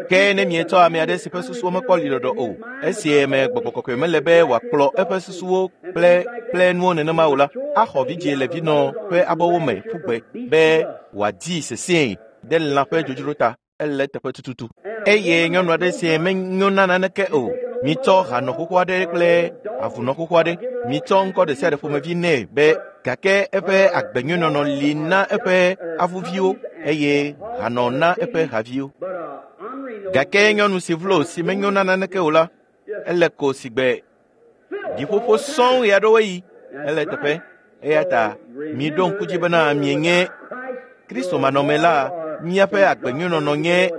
Ke ne mietsɔ ame aɖe si ƒe susuwo mekpɔ liɖɔɖɔ o, esi me gbɔgbɔ kɔkɔe mele be wòakplɔ eƒe susuwo kple kple nuwo nenema o la, axɔ vidzĩe le vinɔ ƒe abɔwo me ƒu gbe be wòadii sesĩe ɖe lã ƒe dzodzro ta. Ele teƒe tututu. Eye nyɔnu aɖe si menyo na naneke o, mitsɔ hanɔ xoxo aɖe kple avunɔ xoxo aɖe, mitsɔ ŋkɔ ɖe sia ɖe ƒomevi nɛ be gake eƒe agbenyuinɔnɔ li na eƒe avuviwo eye hanɔ na eƒe haviwo. Gake nyɔnu si vlo si menyo na naneke o la, ele ko sigbe ɖiƒoƒo sɔŋ ɣeaɖewoɣi. Ele teƒe. Eya ta miɖo ŋku dzi bena mienye Kristo manɔme la, míaƒe agbenyuinɔnɔ nye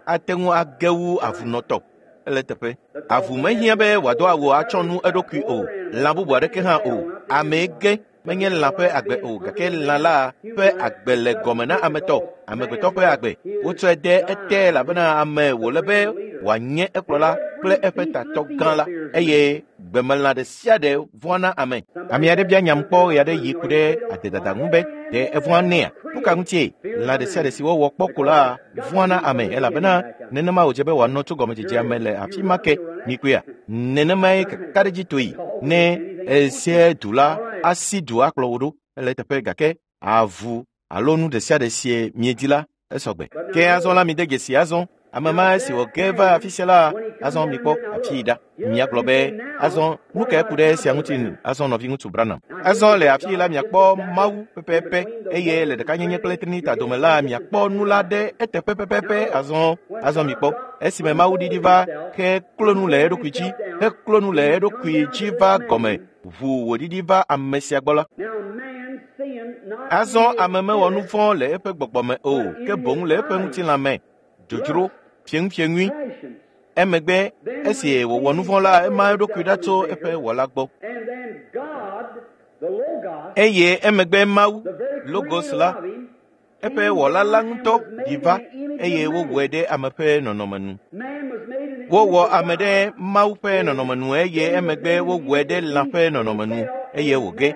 ate ŋu age wu avunɔtɔ. Ele teƒe. Avu mehiã be wòado awu atsɔ nu eɖokui o, lã bubu aɖeke hã o. Amee ge menye lã ƒe agbe o, gake lã la ƒe agbe le gɔme na ametɔ, amegbetɔ ƒe agbe. Wotsɔe de ete elabena ame wòle be wòanye ekplɔla kple eƒe tatɔ gã la, eye gbemelã ɖe sia ɖe vɔ̃a na ame. Ame aɖe bia nyam kpɔ ɣe aɖe yi ku ɖe adedada ŋu be, ɖe evɔ̃a nɛa? Nu ka ŋutie? Lã ɖe sia ɖe si wowɔ kpɔ ko la vɔ̃a na ame elabena nenema wòdze be wòanɔ tso gɔmedzedzea me le afi ma ke. Mikpɔea? Nenemae kakaɖedzitɔe ne esie du la asi du akplɔ wò ɖo. Ele teƒe gake avu alo nu ɖe sia ɖe sie miedi la esɔgbe. Ke azɔ la mide dzesi azɔ. Ame ma esi wòge va afi sia la, azɔ mikpɔ afii ɖa. Miagblɔ be azɔ nu kae ku ɖe esia ŋuti azɔ nɔviŋutsu Branham. Azɔ le afii la miakpɔ Mawu pɛpɛpɛ eye le ɖekanyenye kple Trinita dome la miakpɔ nu la ɖe eteƒe pɛpɛpɛ azɔ. Azɔ mikpɔ esime Mawu ɖiɖi va heklo nu le eɖokui dzi, heklo nu le eɖokui dzi va gɔme ʋu wòɖiɖi va ame sia gbɔ la. Azɔ ame mewɔ nu vɔ̃ le eƒe gbɔgbɔ me o, ke boŋ le eƒe ŋutilã me, dzodzro, fieŋufieŋui. Emegbe esi wòwɔ nu vɔ̃ la, ema eɖokui ɖa tso eƒe wɔla gbɔ. Eye emegbe Mawu, Logos la, eƒe wɔla la ŋutɔ ɖi va eye wowɔe ɖe ame ƒe nɔnɔme nu. Wowɔ ame ɖe Mawu ƒe nɔnɔme nu eye emegbe wowɔe ɖe lã ƒe nɔnɔme nu eye wòge.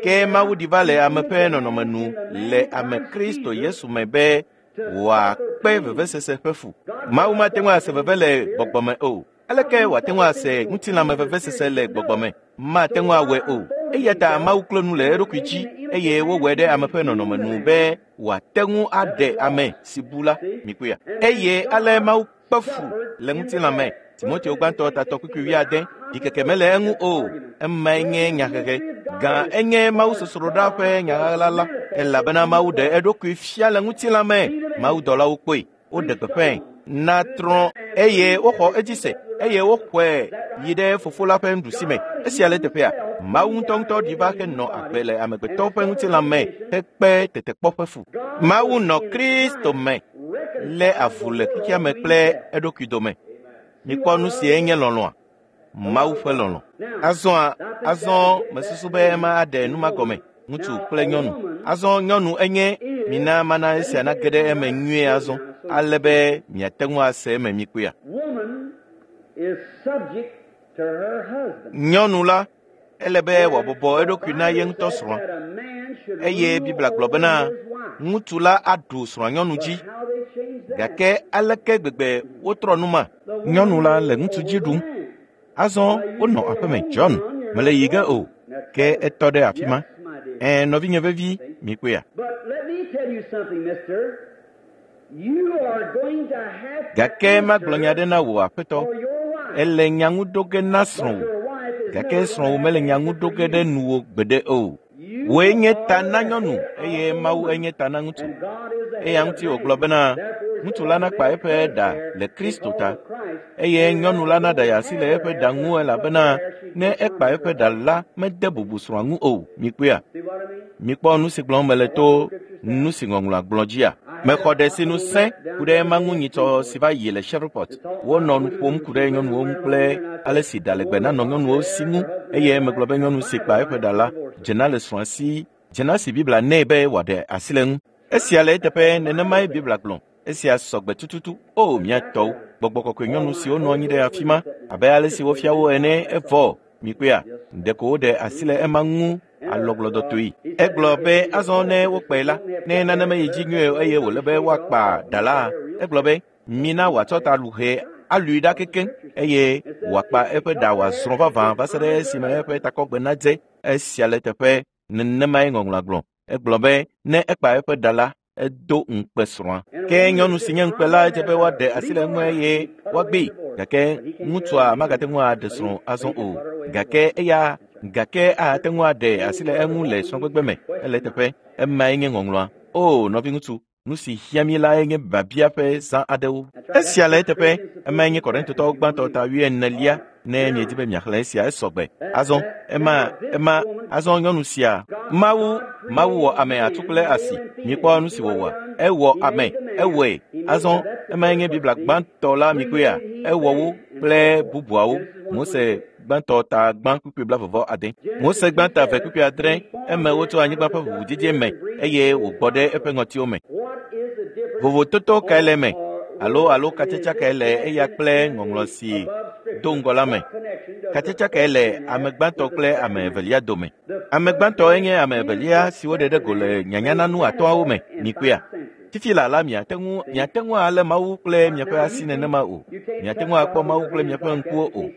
Ke Mawu ɖi va le ame ƒe nɔnɔme nu le ame Kristo Yesu me be wòakpe vevesese ƒe fu. Mawu mate ŋu ase veve le gbɔgbɔ me o. Aleke wòate ŋu ase ŋutilãme vevesese le gbɔgbɔ me? Mate ŋu awɔe o. Eya ta Mawu klo nu le eɖokui dzi eye wowɔe ɖe ame ƒe nɔnɔme nu be wòate ŋu aɖe ame si bu la. Mikpɔea? Eye ale Mawu kpe fu le ŋutilã me. Timoteo gbãtɔ tatɔ kpukpui wuiade. Ɖikeke mele eŋu o. Emae nye nyahehe. Gã enye Mawu sosroɖa ƒe nyaɣaɣla la elabena Mawu ɖe eɖokui fia le ŋutilã me. Mawudɔlawo kpɔe, woɖe gbeƒãe na trɔ̃ eye woxɔ edzi se eye woxɔe yi ɖe fofo la ƒe nuɖusi me. Esia le teƒea, Mawu ŋutɔŋutɔ ɖi va henɔ agbe le amegbetɔ ƒe ŋutilã me hekpe tetekpɔ ƒe fu. Mawu nɔ Kristo me lé avu le xexea me kple eɖokui dome. Mikpɔ nu sie nye lɔlɔ̃a, Mawu ƒe lɔlɔ̃. Azɔa, azɔ mesusu be ema aɖe nu ma gɔme. Ŋutsu kple nyɔnu. Azɔ nyɔnu enye mina mana esia nage ɖe eme nyuie azɔ ale be miate ŋu ase eme mikpɔea. Nyɔnu la ele be wòabɔbɔ eɖokui na ye ŋutɔ srɔ̃a eye Biblia gblɔ bena ŋutsu la aɖu srɔ̃anyɔnu dzi. Gake aleke gbegbe wotrɔ nu ma? Nyɔnu la le ŋutsu dzi ɖum. Azɔ wonɔ aƒeme John mele yi ge o ke etɔ ɖe afi ma. Ɛ nɔvinye vevi mikpɔea. Gake magblɔ nya ɖe na wò aƒetɔ. Ele nya ŋu ɖo ge na srɔ̃wò. Gake srɔ̃wò mele nya ŋu ɖo ge ɖe nuwò gbeɖe o. Wòe nye ta na nyɔnu eye Mawu enye ta na ŋutsu. Eya ŋuti wògblɔ bena ŋutsu la nakpa eƒe ɖa le Kristo ta eye nyɔnu la naɖe asi le eƒe ɖa ŋu elabena ne ekpa eƒe ɖa la mede bubu srɔ̃a ŋu o. Mikpɔea? Mikpɔ nu si gblɔm mele to nu si ŋɔŋlɔa gblɔ dzia. Mexɔ ɖe sinu sẽ ku ɖe ema ŋu nyitsɔ si va yi le Shreveport. Wonɔ nu ƒom ku ɖe nyɔnuwo ŋu kple ale si ɖa legbe nanɔ nyɔnuwo si ŋu eye megblɔ be nyɔnu si kpa eƒe ɖa la dzena le srɔ̃a si dzena si Biblia nɛ be wòaɖe asi le ŋu. Esia le eteƒe nenemae Biblia gblɔ. Esia sɔgbe tututu. O mía tɔwo, gbɔgbɔ kɔkɔe nyɔnu siwo nɔ anyi ɖe afi ma abe ale si wofia wo ene evɔ. Mikpɔea? Ɖeko woɖe asi le ema ŋu alɔgblɔdɔtoe. Egblɔ be azɔ ne wokpae la, ne nane meyi dzi nyuie o eye wòle be woakpa ɖa la, egblɔ be mina wòatsɔ ta luhɛ alui ɖa kekeŋ eye wòakpa eƒe ɖa wòazrɔ̃ vavã va se ɖe esime eƒe takɔgbe nadze. Esia le teƒe nenemae ŋɔŋlɔa gblɔ. Egblɔ be ne ekpa eƒe ɖa la, edo ŋukpe srɔ̃a. Ke nyɔnu si nye ŋukpe la edze be woaɖe asi le eŋu eye woagbee. Gake ŋutsua magate ŋu aɖe srɔ̃ azɔ o. Gake eya gake ate ŋu aɖe asi le eŋu le srɔ̃gbegbe me. Ele teƒe emae nye ŋɔŋlɔa. O nɔviŋutsu, nu si hiã mí lae nye biabia ƒe zã aɖewo. Esia le eteƒe emae nye Korintotɔwo gbãtɔ ta wuienelia ne miedi be miaxlẽ esia esɔgbe. Azɔ ema ema azɔ nyɔnu sia Mawu Mawu wɔ ame atu kple asi. Mikpɔ nu si wòwɔ. Ewɔ ame ewɔe. Azɔ emae nye Biblia gbãtɔ la mikpɔea. Ewɔ wo kple bubuawo. Mose gbãtɔ ta gbã kpukpui blaeve ade. Mose gbãtɔ eve kpukpui adre eme wotsɔ anyigba ƒe ʋuʋudede me eye wògbɔ ɖe eƒe ŋɔtiwo me. Vovototo kae le eme? Alo alo katsatsa kae le eya kple ŋɔŋlɔ si do ŋgɔ la me? Katsatsa kae le ame gbãtɔ kple ame evelia dome? Ame gbãtɔ enye ame evelia si woɖe ɖe go le nyanyananu atɔ̃awo me. Mikpɔea? Fifi la la miate ŋu miate ŋu alé Mawu kple miaƒe asi nenema o. Miate ŋu akpɔ Mawu kple miaƒe ŋkuwo o.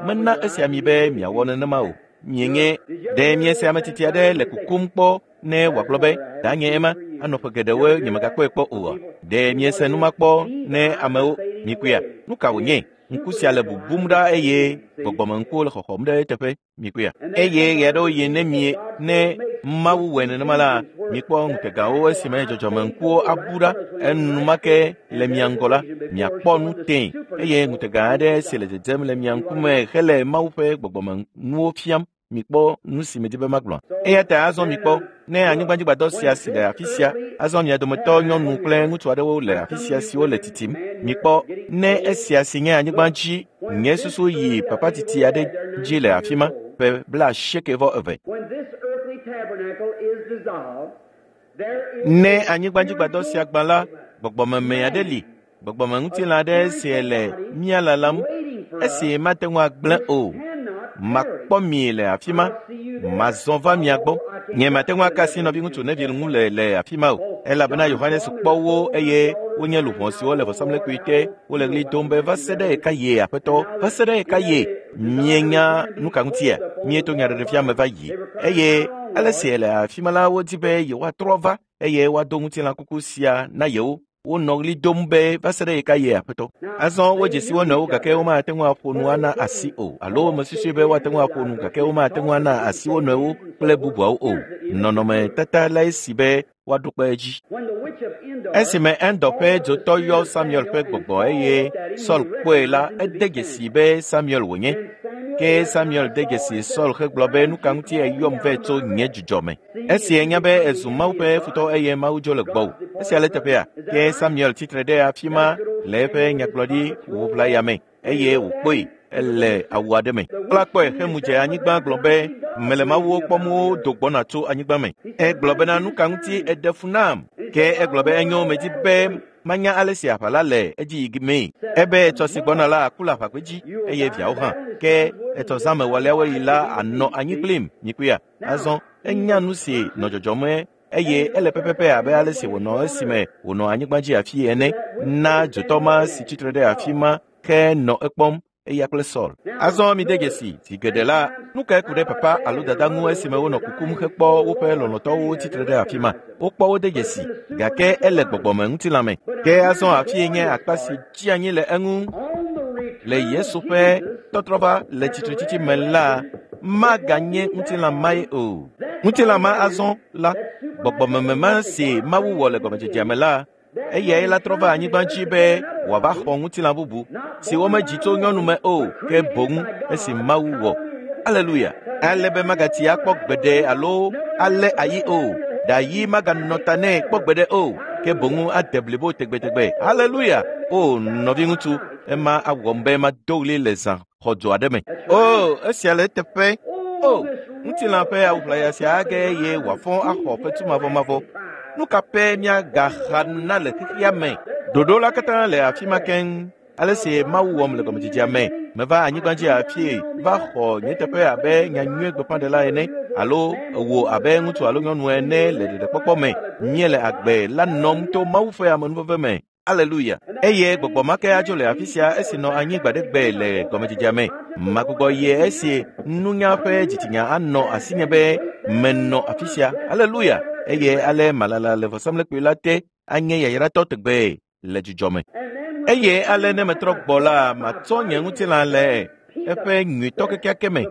Mena esia mi be miawɔ nenema o. Mienye ɖe miese ame tsitsi aɖe le kukum kpɔ ne wòagblɔ be danye ema anɔ ƒe geɖewoe nyemegakpɔe kpɔ oa? Ɖe miese nu ma kpɔ ne amewo mikpɔea? Nu ka wònye? Ŋku sia le bubum ɖa eye gbɔgbɔmeŋkuwo le xɔxɔm ɖe eteƒe. Mikpɔea? Eye ɣe aɖewo yi ne mie ne Mawu wɔe nenema la, mikpɔ ŋutegawo esime dzɔdzɔmeŋkuwo abu ɖa enumake le mia ŋgɔ la, miakpɔ nu tẽ eye ŋutega aɖe si le dzedzem le mia ŋkume hele Mawu ƒe gbɔgbɔmenuwo fiam. Mikpɔ nu si medi be magblɔ. Eya ta azɔ mikpɔ ne anyigbadzigbadɔ sia si le afi sia, azɔ mia dometɔ nyɔnu kple ŋutsu aɖewo le afi sia siwo le titim. Mikpɔ ne esia si nye anyigba dzi, nye susu yi papa titi aɖe dzi le afi ma ƒe blaasieke vɔ eve. Ne anyigbadzigbadɔ sia gbã la, gbɔgbɔmeme aɖe li, gbɔgbɔmeŋutilã aɖe si le mía lalam, esi mate ŋu agblẽ o. Makpɔ mi le afi ma, mazɔ va mia gbɔ. Nye mate ŋu aka asi nɔviŋutsu Neville ŋu le le afi ma o, elabena Yohanes kpɔ wo eye wonye luʋɔ siwo le vɔsamlekpui te wole ɣli dom be va se ɖe ɣeka ye aƒetɔ, va se ɖe ɣeka ye. Mienya nu ka ŋutia? Mieto nyaɖeɖefia me va yi eye ale si le afi ma la wodi be yewoatrɔ va eye woado ŋutilã kuku sia na yewo. Wonɔ ɣli dom be va se ɖe ɣeka ye aƒetɔ. Azɔ wodze si wo nɔewo gake womate ŋu aƒo nu ana asi o, alo mesusui be woate ŋu aƒo nu gake womate ŋu ana asi wo nɔewo kple bubuawo o. Nɔnɔmetata lae si be woaɖo kpe edzi. Esime Endor ƒe dzotɔ yɔ Samuel ƒe gbɔgbɔ eye Saul kpɔe la, ede dzesi be Samuel wònye. Ke Samuel de dzesi Saul hegblɔ be nu ka ŋuti eyɔm vɛ tso nye dzudzɔ me. Esi enya be ezu Mawu ƒe futɔ eye Mawu dzo le gbɔwò. Esia le teƒea. Ke Samuel tsitre ɖe afi ma le eƒe nyagblɔɖi ʋuʋlaya me eye wòkpɔe. Ele awu aɖe me. Kpla kpɔe hemu dze anyigba gblɔ be mele mawuwo kpɔm wo do gbɔna tso anyigba me. Egblɔ bena nu ka ŋuti eɖe fu nam? Ke egblɔ be enyo medzi be manya ale si aʋa la le edzi yi mee. Ebe etsɔ si gbɔna la aku le aʋagbedzi eye viawo hã. Ke etsɔ zã me wɔleawo yi la anɔ anyi kplim nyikpuia. Azɔ enya nu si nɔ dzɔdzɔme eye ele pɛpɛpɛ abe ale si wònɔ esime wònɔ anyigba dzi afi ene na dzotɔ ma si tsitre ɖe afi ma ke nɔ ekpɔm eya kple Saul. Azɔ mi de dzesi zi geɖe la, nu kae ku ɖe papa alo dada ŋu esime wonɔ kukum hekpɔ woƒe lɔlɔ̃tɔwo tsitre ɖe afi ma. Wokpɔ wo de dzesi gake ele gbɔgbɔme ŋutilã me. Ke azɔ afie nye akpa si tsi anyi le eŋu le Yesu ƒe tɔtrɔva le tsitretsitsi me la maganye ŋutilã mae o. Ŋutilã ma azɔ la gbɔgbɔmeme ma si Mawu wɔ le gɔmedzedzea me la eyae la trɔ va anyigba dzi be wòava xɔ ŋutilã bubu si womedzi tso nyɔnu me o ke boŋ esi Mawu wɔ. Aleluya! Ale be magati akpɔ gbeɖe alo alé ayi o. Ɖayi maganɔ ta nɛ kpɔ gbeɖe o ke boŋ ade blibo tegbetegbe. Aleluya! O nɔviŋutsu, ema awɔm be mado ɣli le zã xɔdzo aɖe me. O esia le eteƒe. O ŋutilã ƒe awu ʋlaya sia age eye wòafɔ axɔ fetu mavɔmavɔ. Nu ka pɛ míagaxa na le xexea me? Ɖoɖo la katã le afi ma keŋ. Ale si Mawu wɔm le gɔmedzedzea me. Meva anyigba dzi afie va xɔ nye teƒe abe nyanyui gbeƒãɖela ene alo wò abe ŋutsu alo nyɔnu ene le ɖeɖekpɔkpɔ me. Míele agbe la nɔm to Mawu ƒe amenuveve me. Aleluya! Eye gbɔgbɔ ma ke adzo le afi sia esi nɔ anyi gbaɖegbe le gɔmedzedzea me. Magbugbɔ ye esi nunya ƒe dzitsinya anɔ asinye be menɔ afi sia. Aleluya! Eye ale malala le vɔsamlekpui la te anye yayratɔ tegbee le dzidzɔ me. Eye ale ne metrɔ gbɔ la, matsɔ nye ŋutilã le eƒe nyuitɔ kekeake me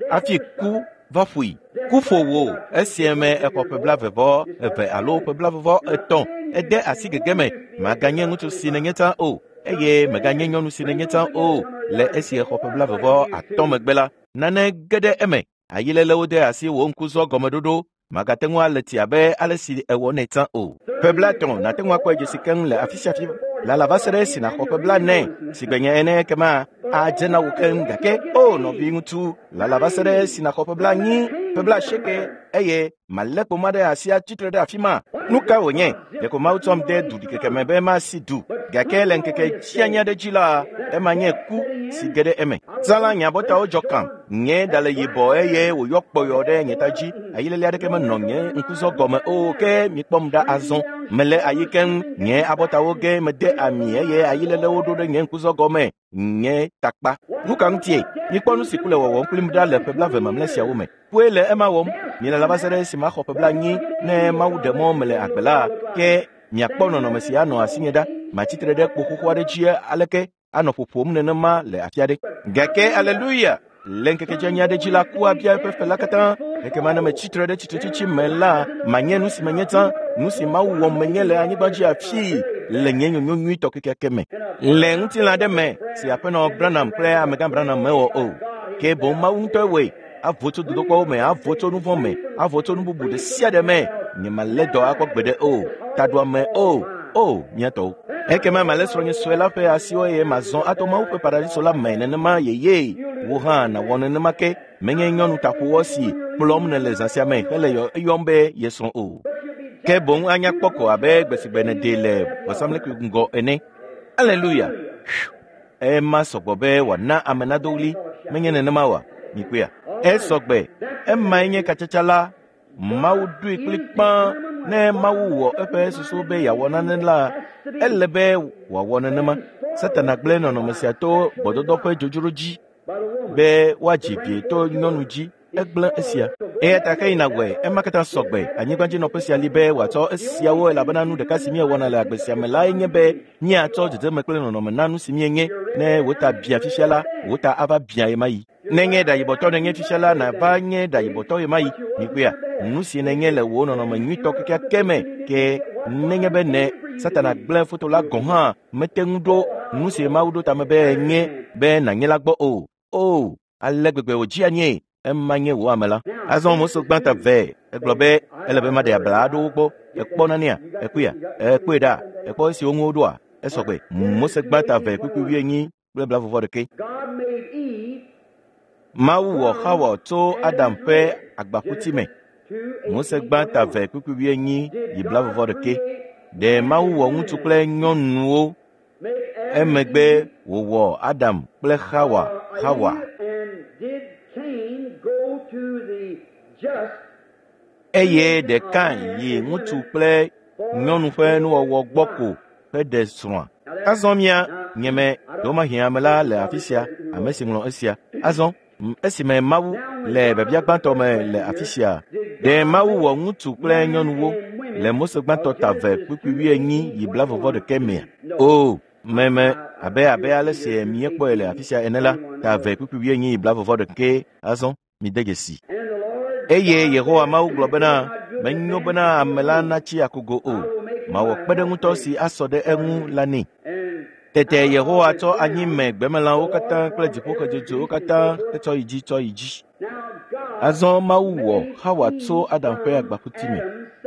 hafi ku va ƒoe. Ku ƒo wò esie me exɔ ƒe blaeve vɔ eve alo ƒe blaeve vɔ etɔ̃. Ede asi gege me. Maganye ŋutsu si nenye tsã o eye meganye nyɔnu si nenye tsã o. Le esi exɔ ƒe blaeve vɔ atɔ̃ megbe la, nane ge ɖe eme. Ayilelewo de asi wò ŋkuzɔ gɔmeɖoɖo. Magate ŋu ale tsi abe ale si ewɔnɛ tsã o. Ƒe blaetɔ̃ nàte ŋu akpɔe dzesi keŋ le afi sia afi lala va se ɖe esi nàxɔ ƒe blaene si gbe nye ene ekema adze na wò keŋ gake o nɔviŋutsu lala va se ɖe esi nàxɔ ƒe blaenyi ƒe blaasieke eye malé kpoma ɖe asi atsitre ɖe afi ma. Nu ka wònye? Ɖeko Mawu tsɔm de du ɖikeke me be masi du gake le ŋkeke dzianyi aɖe dzi la ema nye ku si ge ɖe eme. Zã la nye abɔtawo dzɔ kam. Nye ɖa le yibɔ eye wòyɔ kpɔyɔ ɖe nye ta dzi. Ayilele aɖeke menɔ nye ŋkuzɔ gɔme o ke mikpɔm ɖa azɔ. Mele ayi keŋ. Nye abɔtawo ge mede ami eye ayilelewo ɖo ɖe nye ŋkuzɔ gɔme. Nye takpa. Nu ka ŋutie? Mikpɔ nu si ku le wɔwɔm kplim ɖa le ƒe blaeve mamlɛ siawo me. Kue le ema wɔm. Mielala va se ɖe esi maxɔ ƒe blaenyi ne Mawu ɖe mɔ mele agbe la ke miakpɔ nɔnɔme si anɔ asinye ɖa. Matsitre ɖe kpo xoxo aɖe dzi aleke anɔ ƒoƒom nenema le afi aɖe. Gake aleluya! Le ŋkeke dzianyi aɖe dzi la, ku abia eƒe fe la katã. Ekema ne metsitre ɖe tsitretsitsi me la, manye nu si menye tsã, nu si Mawu wɔm menye le anyigba dzi afii le nye nyonyo nyuitɔ kekeake me. Le ŋutilã aɖe me si aƒenɔ Branham kple amegã Branham mewɔ o. Ke boŋ Mawu ŋutɔe wɔe. Avo tso dodokpɔwo me, avo tso nu vɔ̃ me, avo tso nu bubu ɖe sia ɖe me. Nyemalé dɔ akpɔ gbeɖe o, taɖuame o, o mía tɔwo. Ekema malé srɔ̃nye sue la ƒe asiwo eye mazɔ ato Mawu ƒe paradiso la me nenema yeye. Wò hã nàwɔ nenema ke. Menye nyɔnu taƒowɔ si kplɔm nèle zã sia me hele eyɔm be ye srɔ̃ o. Ke boŋ anya kpɔ ko abe gbe si gbe nèdee le vɔsamlekpui ŋgɔ ene. Aleluya! Ema sɔgbɔ be wòana ame nado ɣli. Menye nenema oa? Mikpɔea? Esɔgbe. Emae nye katsatsa la. Mawu ɖoe kplikpã ne Mawu wɔ eƒe susu be yeawɔ nane la, ele be wòawɔ nenema. Satana gblẽ nɔnɔme sia to gbɔdɔdɔ ƒe dzodzro dzi be woadzi vi to nyɔnu dzi. Egblẽ esia. Eya ta ke yina wɔe. Ema katã sɔgbe. Anyigbadzinɔƒe sia li be wòatsɔ esiawo elabena nu ɖeka si míewɔna le agbe sia me lae nye be míatsɔ dzedzeme kple nɔnɔme na nu si míenye. Ne wò ta bia fifia la, wò ta ava bia ɣemaɣi. Nenye ɖayibɔtɔ nenye fifia la, nàva nye ɖayibɔtɔ ɣemaɣi. Mikpɔea? Nu si nenye le wò nɔnɔme nyuitɔ kekeake me ke nenye be ne Satana gblẽ foto la gɔ̃ hã mete ŋu ɖo nu si Mawu ɖo tame be nye be nànye la gbɔ o. O, ale gbegbe wòdzi anyee. Ema nye wò ame la. Azɔ Mose gbã ta vɛ. Egblɔ be ele be maɖe abla aɖewo gbɔ. Ekpɔ nanea? Ekpɔea? Ekpɔe ɖa? Ekpɔ esiwo ŋu woɖoa? Esɔgbe. Mose gbã ta vɛ kpukpui wuienyi kple blaeve vɔ ɖeke. Mawu wɔ Xawa tso Adam ƒe agbaƒuti me. Mose gbã ta eve kpukpui wuienyi yi blaeve vɔ ɖeke. Ɖe Mawu wɔ ŋutsu kple nyɔnuwo emegbe wòwɔ Adam kple Xawa Xawa. Eye ɖe Kain yi ŋutsu kple nyɔnu ƒe nuwɔwɔ gbɔ ko heɖe srɔ̃a. Azɔ mía nyeme ɖewomahi ame la le afi sia, ame si ŋlɔ esia. Azɔ esime Mawu le biabia gbãtɔ me le afi sia, ɖe Mawu wɔ ŋutsu kple nyɔnuwo le Mose gbãtɔ ta eve kpukpui wuienyi yi blaeve vɔ ɖeke mea? O, meme abe abe ale si míekpɔe le afi sia ene la, ta eve kpukpui wuienyi yi blaeve vɔ ɖeke. Azɔ mide dzesi. Eye Yehowa Mawu gblɔ bena, menyo bena ame la natsi akogo o, mawɔ kpeɖeŋutɔ si asɔ ɖe eŋu la nɛ. Tete Yehowa tsɔ anyi me gbemelãwo katã kple dziƒoxedzodzoewo katã hetsɔ yi dzi tsɔ yi dzi. Azɔ Mawu wɔ Xawa tso Adam ƒe agbaƒuti me.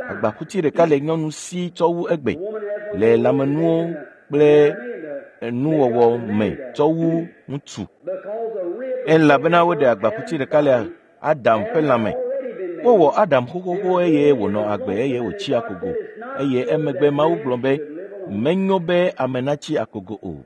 Agbaƒuti ɖeka le nyɔnu si tsɔ wu egbe le lãmenuwo kple nuwɔwɔ me tsɔ wu ŋutsu. Elabena woɖe agbaƒuti ɖeka le Adam ƒe lãme. Wowɔ Adam xoxoxo eye wònɔ agbe eye wòtsi akogo. Eye emegbe Mawu gblɔ be, menyo be ame natsi akogo o.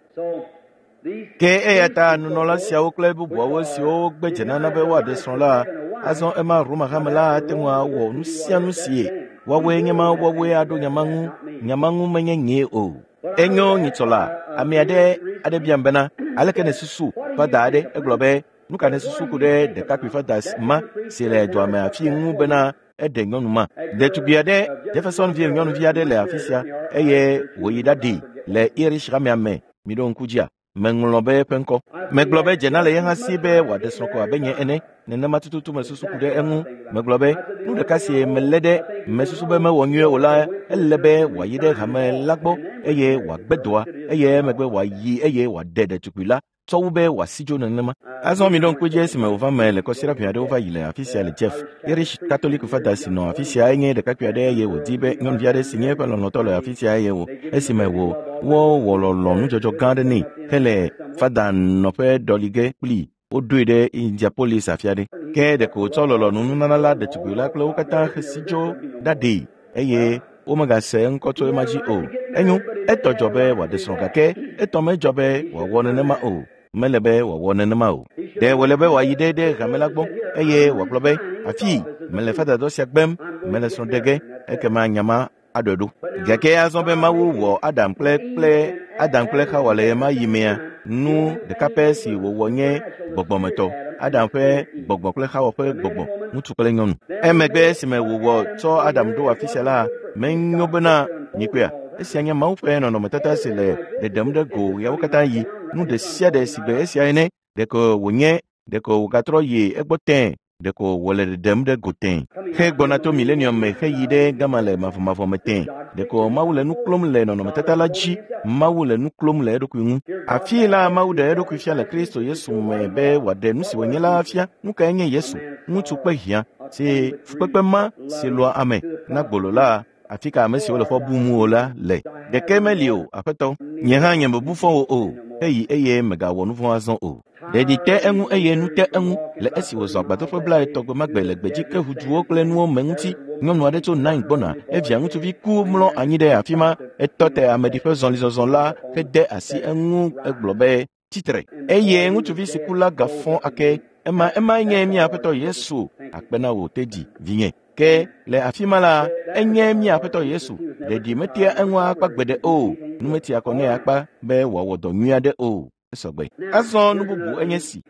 Ke eya ta nunɔla siawo kple bubuawo siwo wogbe dzenana be woaɖe srɔ̃ la, azɔ ema Roma hame la ate ŋu awɔ nu sia nu sie woawoe nye ma woawoe aɖo nya ma ŋu. Nya ma ŋu menye nyee o. Enyo nyitsɔ la, ame aɖe aɖe biam bena, aleke nèsusu fada aɖe egblɔ be, nu ka nèsusu ku ɖe ɖekakpui fada ma si le dua me afi ŋu bena eɖe nyɔnu ma. Ɖetugbi aɖe, Jefferson vi nyɔnuvi aɖe le afi sia eye wòyi ɖaɖi le Irish hamea me. Miɖo ŋku dzia? Meŋlɔ be eƒe ŋkɔ. Megblɔ be dzena le ye hã si be wòaɖe srɔ̃ ko abe nye ene. Nenema tututu mesusu ku ɖe eŋu. Megblɔ be nu ɖeka si melé ɖe mesusu be mewɔ nyuie o la, ele be wòayi ɖe hame la gbɔ eye wòagbe dɔa eye emegbe wòayi eye wòaɖe ɖetugbui la tsɔ wu be wòasi dzo nenema. Azɔ miɖo ŋku edzi esime wòva me le kɔsiɖa ʋɛ aɖewo va yi le afi sia le Jeff. Irish Catholic fada si nɔ afi sia enye ɖekakpui aɖe eye wòdi be nyɔnuvi aɖe si nye eƒe lɔlɔ̃tɔ le afi sia eye wò esime wò wowɔ lɔlɔ̃ nudzɔdzɔ gã aɖe nɛ hele fada nɔƒe ɖɔli ge kplii. Woɖoe ɖe Indianapolis afi aɖe. Ke ɖeko wòtsɔ lɔlɔ̃nu nunana la ɖetugbui la kple wo katã hesi dzo ɖaɖee eye womegase eŋkɔ tso ema dzi o. Enyo, etɔ dzɔ be wòaɖe srɔ̃ gake etɔ medzɔ be wòawɔ nenema o. Mele be wòawɔ nenema o. Ɖe wòle be wòayi ɖe ɖe hame la gbɔ eye wòagblɔ be, afii mele fadadɔ sia gbem, mele srɔ̃ ɖe ge, ekema nya ma aɖɔe ɖo. Gake azɔ be Mawu wɔ Adam kple kple Adam kple Xawa le ɣemaɣi yi mea, nu ɖeka pɛ si wòwɔ nye gbɔgbɔmetɔ. Adam ƒe gbɔgbɔ kple Xawa ƒe gbɔgbɔ, ŋutsu kple nyɔnu. Emegbe esime wòwɔ tsɔ Adam ɖo afi sia la, menyo bena mikpɔea, esia nye Mawu ƒe nɔnɔmetata si le ɖeɖem ɖe go ɣeawo katã yi. Nu ɖe sia ɖe si gbe esia ene, ɖeko wònye, ɖeko wògatrɔ yi egbɔ tẽe, ɖeko wòle ɖeɖem ɖe go tẽe. He gbɔna to milenium me heyi ɖe gama le mavɔmavɔ me tẽe. Ɖeko Mawu le nu klom le nɔnɔmetata la dzi. Mawu le nu klom le eɖokui ŋu. Afii la Mawu ɖe eɖokui fia le Kristo Yesu me be wòaɖe nu si wònye la fia. Nu kae nye Yesu? Ŋutsu kple hiã si fukpekpe ma si lɔa ame na gbolo la, afi ka ame siwo le fɔ bum o la le. Ɖeke meli o, aƒetɔ. Nye hã nye mebu fɔ wo o. Heyi eye megawɔ nu vɔ̃ azɔ o. Ɖeɖi te eŋu eye nu te eŋu le esi wòzɔ agbadɔƒe blaetɔ̃ gbe ma gbe le gbedzi ke ʋuduwo kple nuwo me ŋuti. Nyɔnu aɖe tso Nain gbɔna, evia ŋutsuvi ku mlɔ anyi ɖe afi ma. Etɔ te ameɖiƒe zɔlizɔzɔ la hede asi eŋu egblɔ be, tsitre. Eye ŋutsuvi si ku la gafɔ ake. Ema emae nye mía Aƒetɔ Yesu. Akpe na wò tedzi, vinye. Ke le afi ma la, enye mía Aƒetɔ Yesu. Ɖeɖi metea eŋu akpa gbeɖe o. Nu metia kɔ nɛ akpa be wòawɔ dɔ nyui aɖe o. Esɔgbe. Azɔ nu bubu enye si.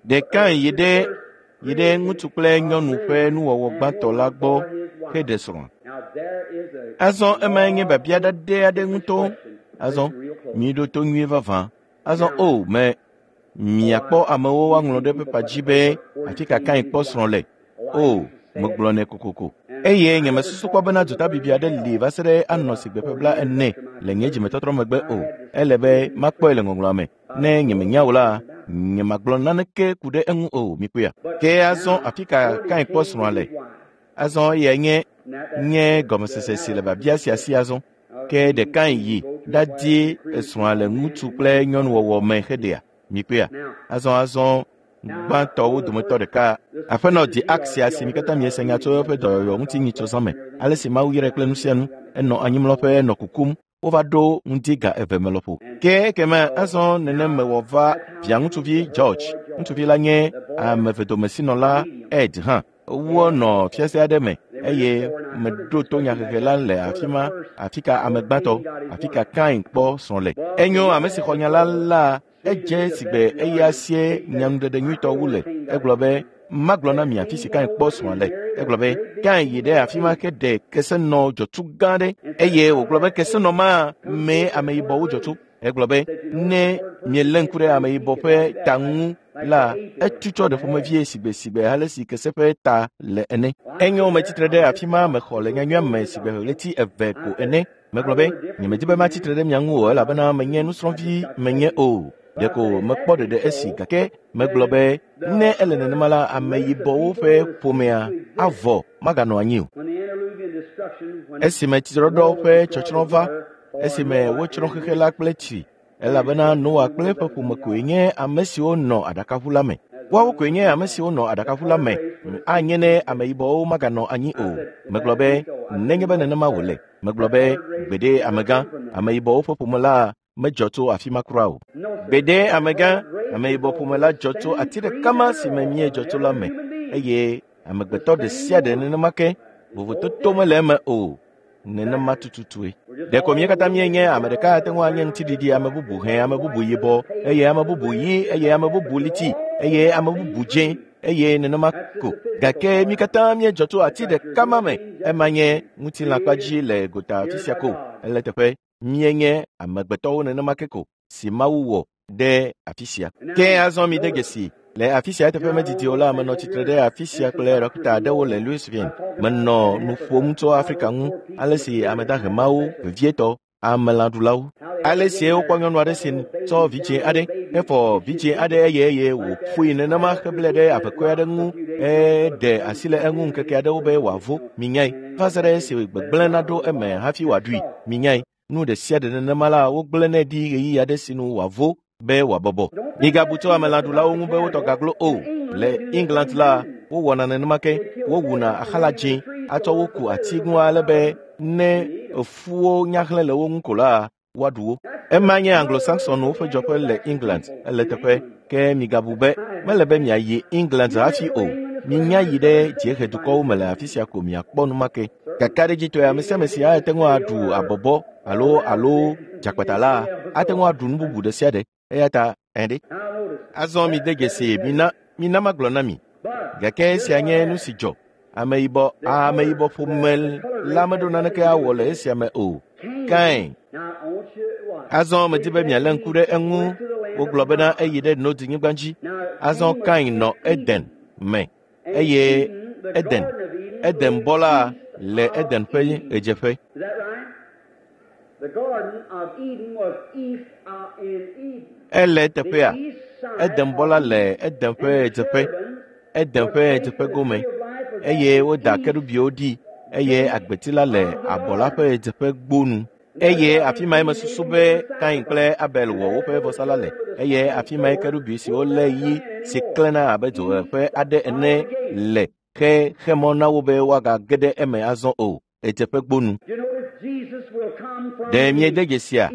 Ɖe Kain yi ɖe yi ɖe ŋutsu kple nyɔnu ƒe nuwɔwɔ gbãtɔ la gbɔ heɖe srɔ̃a. Azɔ emae nye biabia ɖaɖɛ aɖe ŋutɔ. Azɔ miɖo to nyuie vavã. Azɔ o me miakpɔ amewo woaŋlɔ ɖe pepa dzi be afi ka Kain kpɔ srɔ̃ le. O megblɔ nɛ kokoko. Eye nye mesusu kpɔ bena dzotabibi aɖe li va se ɖe anɔ sigbe ƒe bla ene le nye dzimetɔtrɔ megbe o. Ele be makpɔe le ŋɔŋlɔa me. Ne nye menya o la, nye magblɔ naneke ku ɖe eŋu o, mikpɔea. Ke azɔ afi ka Kain kpɔ srɔ̃a le? Azɔ eyae nye nye gɔmesese si le biabia sia si azɔ. Ke ɖekae yi ɖadi esrɔ̃a le ŋutsu kple nyɔnuwɔwɔ me heɖea. Mikpɔea? Azɔ azɔ gbãtɔwo dometɔ ɖeka aƒenɔ di Axia si mi katã miese nya tso eƒe dɔyɔyɔ ŋuti nyitsɔ me. Ale si Mawu yrae kple nu sia nu, enɔ anyimlɔƒe enɔ kukum. Wova ɖo ŋdi ga eve me lɔƒo. Ke ekema azɔ nenem mewɔ va via ŋutsuvi George. Ŋutsuvi la nye ame vedomesinɔla Ed hã. Wonɔ fiase aɖe me eye meɖo to nyahehe la le afi ma, afi ka ame gbãtɔ, afi ka Kain kpɔ srɔ̃ le. Enyo ame si xɔ nya la la edze sigbe eya sie nyanuɖeɖe nyuitɔ wu le. Egblɔ be magblɔ na mi afi si Kain kpɔ srɔ̃a le. Egblɔ be Kain yi ɖe afi ma ke ɖe kesenɔ dzɔtsu gã aɖe eye wògblɔ be kesenɔ ma mee ameyibɔwo dzɔ tso. Egblɔ be ne mielé ŋku ɖe ameyibɔ ƒe ta ŋu la, etutsɔ ɖe ƒomevie sigbe sigbe ale si kese ƒe ta le ene. Enyo metsitre ɖe afi ma mexɔ le nyanyuia me sigbe ɣleti eve ko ene. Megblɔ be nyemedi be matsitre ɖe mia ŋu o elabena menye nusrɔ̃vi menye o. Ɖeko mekpɔ ɖeɖe esi gake megblɔ be ne ele nenema la ameyibɔwo ƒe ƒomea avɔ maganɔ anyi o. Esime tsiɖɔɖɔ ƒe tsɔtsrɔ̃ va, esime wotsrɔ̃ xexe la kple tsi, elabena Noa kple eƒe ƒome koe nye ame siwo nɔ aɖakaʋu la me. Woawo koe nye ame siwo nɔ aɖakaʋu la me. Anye ne ameyibɔwo maganɔ anyi o. Megblɔ be nenye be nenema wòle. Megblɔ be gbeɖe amegã, ameyibɔwo ƒe ƒome la medzɔ tso afi ma kura o. Gbeɖe amegã, ameyibɔ ƒome la dzɔ tso ati ɖeka ma si me míedzɔ tso la me eye amegbetɔ ɖe sia ɖe nenema ke vovototo mele eme o. Nenema tututue. Ɖeko mí katã míenye ame ɖeka ate ŋu anye ŋutiɖiɖi, ame bubu hẽ, ame bubu yibɔ, eye ame bubu ɣi, eye ame bubu liti, eye ame bubu dzẽ, eye nenema ko. Gake mí katã míedzɔ tso ati ɖeka ma me. Ema nye ŋutilãkpa dzi le gota afi sia ko. Ele teƒe míenye amegbetɔwo nenema ke ko si Mawu wɔ ɖe afi sia. Ke azɔ mi de dzesi le afi sia eteƒe medidi o la, menɔ tsitre ɖe afi sia kple ɖɔkita aɖewo le Louisville. Menɔ nu ƒom tso Afrika ŋu, ale si ame dahe mawo, vevietɔ amelãɖulawo, ale si wokpɔ nyɔnu aɖe si tsɔ vidzĩ aɖe, hefɔ vidzĩ aɖe eye eye wòƒoe nenema heblɛ ɖe avekɔe aɖe ŋu eɖe asi le eŋu ŋkeke aɖewo be wòavo. Minyae va se ɖe esi gbegblẽ naɖo eme hafi wòaɖui. Minyae nu ɖe sia ɖe nenema la wogblẽnɛ ɖi ɣeyiɣi aɖe si nu wòavo be wòabɔbɔ. Migabu tso amelãɖulawo ŋu be wotɔ gaglo o. Le England la, wowɔna nenema ke. Wowuna axala dzĩ atsɔ wo ku ati ŋu ale be ne efuwo nyahlẽ le wo ŋu ko la, woaɖu wo. Ema nye Anglo-Saxonwo ƒe dzɔƒe le England. Ele teƒe ke migabu be mele be miayi England hafi o. Minya yi ɖe dziehedukɔwo me le afi sia ko miakpɔ nu ma ke. Kakaɖedzitɔe ame sia ame si ate ŋu aɖu abɔbɔ alo alo dzakpata la ate ŋu aɖu nu bubu ɖe sia ɖe. Eya ta ɛɖe. Azɔ mi de dzesi mina mina magblɔ na mi. Gake esia nye nu si dzɔ. Ameyibɔ ameyibɔ ƒome la meɖo naneke awɔ le esia me o. Kain. Azɔ medi be mialé ŋku ɖe eŋu. Wogblɔ bena eyi ɖe Nod-nyigba dzi. Azɔ Kain nɔ Eden me eye Eden Eden bɔ la le Eden ƒe ɣedzeƒe. Ele teƒea. Eden bɔ la le Eden ƒe ɣedzeƒe. Eden ƒe ɣedzeƒe gome eye woda kerubiwo ɖi eye agbeti la le abɔ la ƒe ɣedzeƒe gbonu. Eye afi mae mesusu be Kain kple Abel wɔ woƒe vɔsa la le. Eye afi mae kerubi siwo lé ɣi si klẽna abe dzoʋeʋe aɖe ene le ke xe mɔ na wo be woagage ɖe eme azɔ o. Ɣedzeƒe gbonu. Ɖe miede dzesia?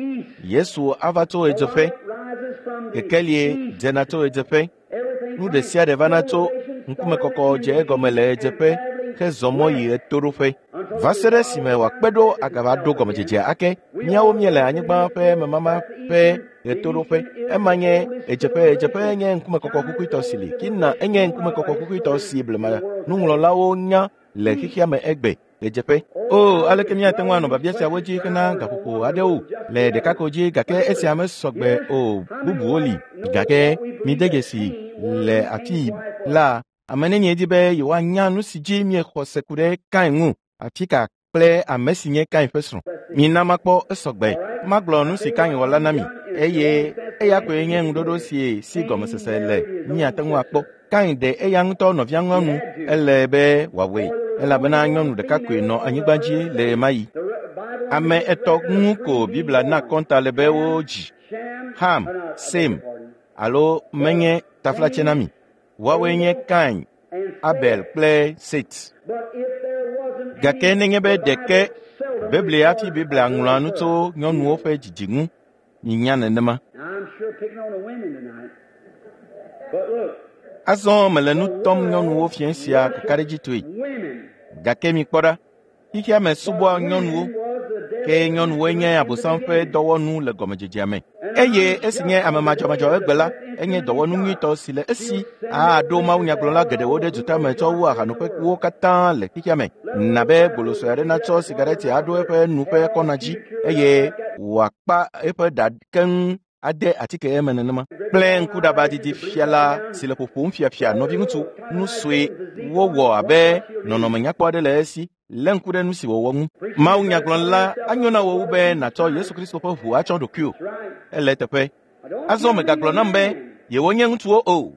Yesu ava tso ɣedzeƒe. Kekelie dzena tso ɣedzeƒe. Nu ɖe sia ɖe vana tso ŋkumekɔkɔ dze egɔme le ɣedzeƒe hezɔ mɔ yi ɣetoɖoƒe. Va se ɖe esime wòakpe ɖo agava ɖo gɔmedzedzea ake. Míawo míele anyigba ƒe memama ƒe ɣetoɖoƒe. Ema nye ɣedzeƒe. Ɣedzeƒe nye ŋkumekɔkɔ kukuitɔ si li. Kina enye ŋkumekɔkɔ kukuitɔ si blema nuŋlɔlawo nya le xexea me egbe. Ɣedzeƒe. O, aleke míate ŋu anɔ biabia siawo dzi hena gaƒoƒo aɖewo le ɖeka ko dzi gake esia mesɔgbe o. Bubuwo li. Gake mide dzesi le afi la ame nenie di be yewoanya nu si dzi miexɔ se ku ɖe Kain ŋu, afi ka kple ame si nye Kain ƒe srɔ̃. Mina makpɔ esɔgbe. Magblɔ nu si Kain wɔ la na mi eye eya koe nye ŋuɖoɖo si si gɔmesese le míate ŋu akpɔ. Kain ɖe eya ŋutɔ nɔvia nyɔnu ele be wòawɔe elabena nyɔnu ɖeka koe nɔ anyigba dzi le ɣemaɣi. Ame etɔ̃ ŋu ko Biblia na kɔnta le be wodzi. Ham, Sem, alo menye taflatse na mi. Woawoe nye Kain, Abel kple Set. Gake nenye be ɖeke Biblia hafi Biblia ŋlɔa nu tso nyɔnuwo ƒe dzidzi ŋu, minya nenema. Azɔ mele nu tɔm nyɔnuwo fiẽ sia kakaɖedzitɔe. Gake mikpɔ ɖa, xexea me subɔa nyɔnuwo, ke nyɔnuwoe nye Abosam ƒe dɔwɔnu le gɔmedzedzea me. Eye esi nye ame madzɔmadzɔ egbe la, enye dɔwɔnu nyuitɔ si le esi aɖo mawunyagblɔla geɖewo ɖe dutame tsɔ wu ahanoƒekuwo katã le xexea me. Na be gbolosɔe aɖe natsɔ sigareti aɖo eƒe nu ƒe kɔna dzi eye wòakpa eƒe ɖa keŋ ade atike eme nenema. Kple ŋkuɖaba didi fiala si le ƒoƒom fiafia nɔviŋutsu nu sue wowɔ abe nɔnɔme nyakpɔ aɖe le esi lé ŋku ɖe nu si wòwɔ ŋu. Mawunyagblɔla anyo na wò wu be nàtsɔ Yesu Kristo ƒe ʋu atsɔ ɖokuiwò. Ele eteƒe. Azɔ mègagblɔ nam be yewonye ŋutsuwo o.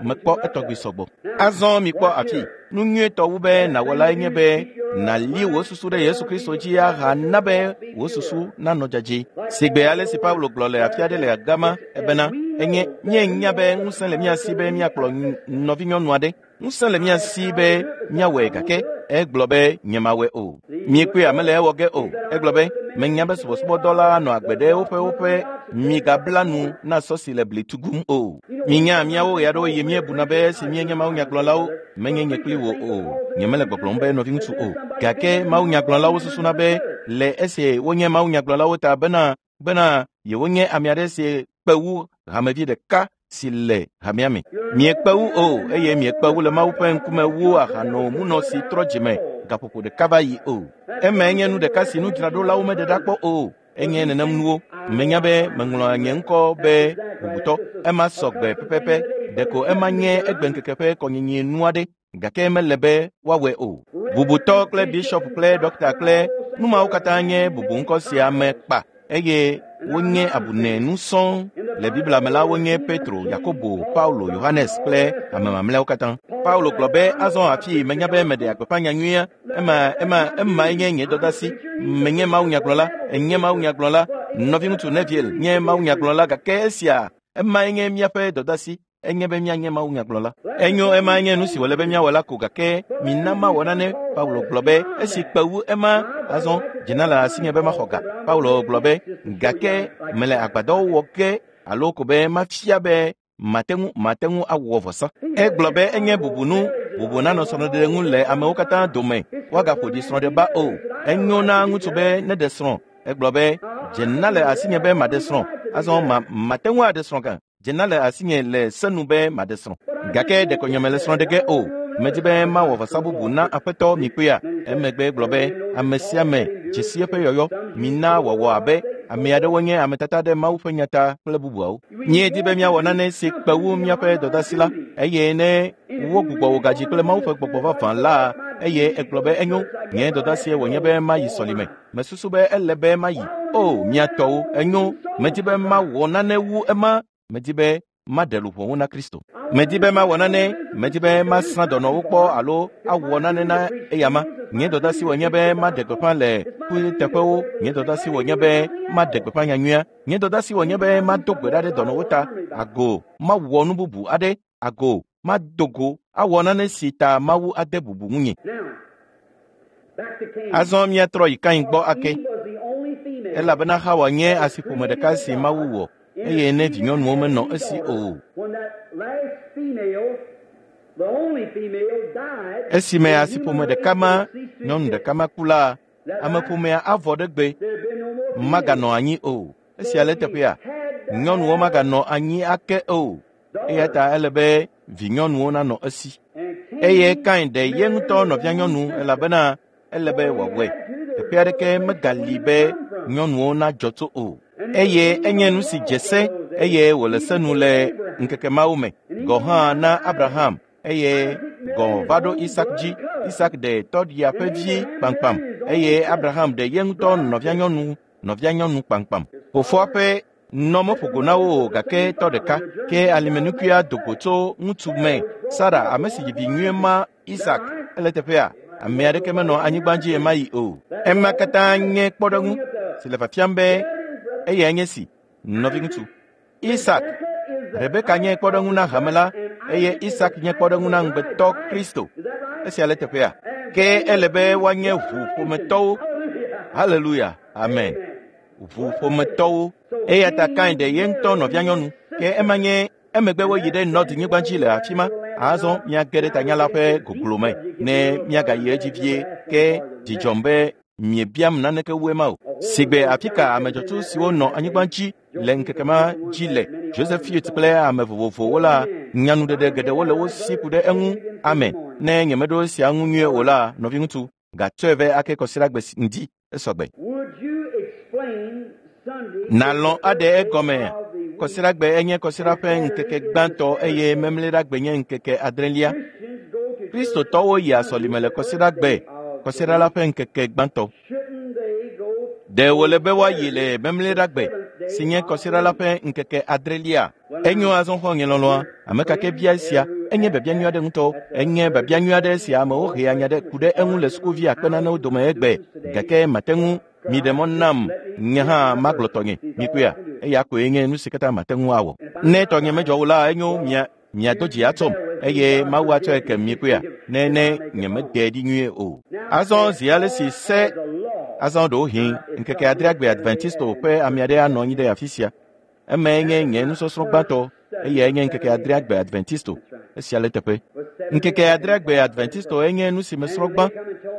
Mekpɔ etɔgbi sɔgbɔ. Azɔ mikpɔ afi. Nu nyuietɔ wu be nàwɔ lae nye be nàli wò susu ɖe Yesu Kristo dzi ahana be wò susu nanɔ dzadzɛ. Sigbe ale si Paulo gblɔ le afi aɖe le gama ebena enye míenya be ŋusẽ le mía si be míakplɔ nɔvinyɔnu aɖe. Ŋusẽ le mía si be míawɔe gake egblɔ be nyemawɔe o. Miekpɔe mele ewɔ ge o. Egblɔ be menya be subɔsubɔdɔla nɔ agbe ɖe woƒe woƒe migabla nu na sɔ si le bli tugum o. Minya míawo ɣe aɖewo eye míebuna be esi míenye mawunyagblɔlawo menye nye kpli wò o. Nyemele gbɔgblɔm be nɔviŋutsu o. Gake mawunyagblɔlawo susuna be le esi wonye mawunyagblɔlawo ta bena bena yewonye ame aɖe si kpe wu hamevi ɖeka si le hamea me. Miekpe wu o eye miekpe wu le Mawu ƒe ŋkume wu ahanomunɔ si trɔ dzime gaƒoƒo ɖeka va yi o. Emae nye nu ɖeka si nudzraɖolawo meɖe ɖa kpɔ o. Enye nenem nuwo. Menya be meŋlɔ nye ŋkɔ be bubutɔ. Ema sɔgbe pɛpɛpɛ. Ɖeko ema nye egbeŋkeke ƒe kɔnyinyi nu aɖe gake mele be woawɔe o. Bubutɔ kple bishɔp kple ɖɔkta kple nu mawo katã nye bubuŋkɔ sia me kpa eye wonye abunɛnu sɔŋ. Le Biblia me la wonye Petro, Yakobo, Paulo, Yohanes kple ame mamlɛawo katã. Paulo gblɔ be azɔ afi menya be meɖe gbeƒã nyanyuia. Ema ema emae nye nye dɔdasi. Menye mawunyagblɔla, enye mawunyagblɔla. Nɔviŋutsu Neville nye mawunyagblɔla gake esia emae nye míaƒe dɔdasi. Enye be míanye mawunyagblɔla. Enyo emae nye nu si wòle be míawɔ la ko gake mina mawɔ nane. Paulo gblɔ be esi kpe wu ema azɔ dzena le asinye be maxɔ ga. Paulo gblɔ be gake mele agbadɔwo wɔ ge alo ko be mafia be mate ŋu mate ŋu awɔ vɔsa. Egblɔ be enye bubunu bubu nanɔ srɔ̃ɖeɖe ŋu le amewo katã dome woagaƒo ɖi srɔ̃ɖeba o. Enyo na ŋutsu be neɖe srɔ̃. Egblɔ be dzena le asinye be maɖe srɔ̃. Azɔ ma mate ŋu aɖe srɔ̃ gã. Dzena le asinye le senu be maɖe srɔ̃. Gake ɖeko nye mele srɔ̃ ɖe ge o. Medi be mawɔ vɔsa bubu na aƒetɔ mikpɔea. Emegbe gblɔ be ame sia ame dzesi eƒe yɔyɔ. Mina wɔwɔ abe ame aɖewo nye ame tata ɖe Mawu ƒe nya ta kple bubuawo. Míedi be míawɔ nane si kpe wu míaƒe dɔdasi la eye ne wogbugbɔ wò gadzi kple Mawu ƒe gbɔgbɔ vavã la eye egblɔ be enyo nye dɔdasie wònye be mayi sɔlime. Mesusu be ele be mayi. O mía tɔwo enyo. Medi be mawɔ nane wu ema. Medi be maɖe luʋɔwo na Kristo. Medi be mawɔ nane. Medi be masrã dɔnɔwo kpɔ alo awɔ nane na eyama. Nye dɔdasi wònye be maɖe gbeƒã le kuteƒewo. Nye dɔdasi wònye be maɖe gbeƒã nyanyuia. Nye dɔdasi wònye be mado gbe ɖa ɖe dɔnɔwo ta. Ago mawɔ nu bubu aɖe. Ago mado go awɔ nane si ta Mawu ade bubu ŋunye. Azɔ míatrɔ yi Kain gbɔ ake. Elabena Xawa nye asiƒome ɖeka si Mawu wɔ eye ne vinyɔnuwo menɔ esi o. Esime asiƒome ɖeka ma nyɔnu ɖeka ma ku la, ameƒomea avɔ ɖe gbe maganɔ anyi o. Esia le teƒea, nyɔnuwo maganɔ anyi ake o. Eya ta ele be vinyɔnuwo nanɔ esi. Eye Kain ɖe ye ŋutɔ nɔvianyɔnu elabena ele be wòawɔe. Teƒe aɖeke megali be nyɔnuwo nadzɔ tso o. Eye enye nu si dze se eye wòle se nu le ŋkeke mawo me. Gɔ hã na Abraham eye gɔ va ɖo Isak dzi. Isak ɖe tɔɖia ƒe vi kpamkpam eye Abraham ɖe ye ŋutɔ nɔvianyɔnu nɔvianyɔnu kpamkpam. Fofoa ƒe nɔ meƒo go na wo o gake tɔ ɖeka ke alimenukuia do go tso ŋutsu me. Sara ame si dzi vi nyuie ma Isak ele teƒea. Ame aɖeke menɔ anyigba dzi ɣemaɣi o. Ema katã nye kpɔɖeŋu si le fiafiam be eyae nye si, nɔviŋutsu. Isak, Rebeka nye kpɔɖeŋu na hame la eye Isak nye kpɔɖeŋu na ŋugbetɔ Kristo. Esia le teƒea. Ke ele be woanye ʋuƒometɔwo. Haleluya, amen. Ʋuƒometɔwo. Eya ta Kain ɖe ye ŋutɔ nɔvianyɔnu. Ke ema nye emegbe woyi ɖe Nɔd nyigba dzi le afi ma. Azɔ míage ɖe tanya la ƒe goglo me ne míagayi edzi vie. Ke dzidzɔm be miebiam naneke wu ema o. Sigbe afi ka ame dzɔtsu siwo nɔ anyigba dzi le ŋkeke ma dzi le Joseph Fields kple ame vovovowo la, nyanuɖeɖe geɖewo le wo si ku ɖe eŋu. Amen. Ne nyemeɖo esia ŋu nyuie o la, nɔviŋutsu, gatsɔe vɛ ake kɔsiɖagbe ŋdi esɔgbe. Nalɔ̃ aɖe egɔme. Kɔsiɖagbe enye kɔsiɖa ƒe ŋkeke gbãtɔ eye memleɖagbe nye ŋkeke adrelia. Kristotɔwo yia sɔlime le kɔsiɖagbe, kɔsiɖa la ƒe ŋkeke gbãtɔ. Ɖe wòle be woayi le memleɖagbe si nye kɔsiɖa la ƒe ŋkeke adrelia? Enyo azɔ xɔ̃nye lɔlɔ̃a, ame ka ke bia esia, enye biabia nyui aɖe ŋutɔ. Enye biabia nyui aɖe si amewo hea nya ɖe ku ɖe eŋu le sukuvi akpe nanewo dome egbe. Gake mate ŋu miɖe mɔ nam nye hã magblɔ tɔnye. Mikpɔea, eya koe nye nu si katã mate ŋu awɔ. Ne tɔnye medzɔ o la, enyo mia miado dzi atsɔm eye Mawu atsɔe ke mikpɔea, ne ne nyemede ɖi nyuie o. Azɔ zi ale si se azɔ ɖewohĩ ŋkeke adreagbe Adventisto ƒe ame aɖe anɔ anyi ɖe afi sia. Emae nye nye nusɔsrɔ̃ gbãtɔ eyae nye ŋkeke adreagbe Adventisto. Esia le teƒe. Ŋkeke adreagbe Adventisto enye nu si mesrɔ̃ gbã.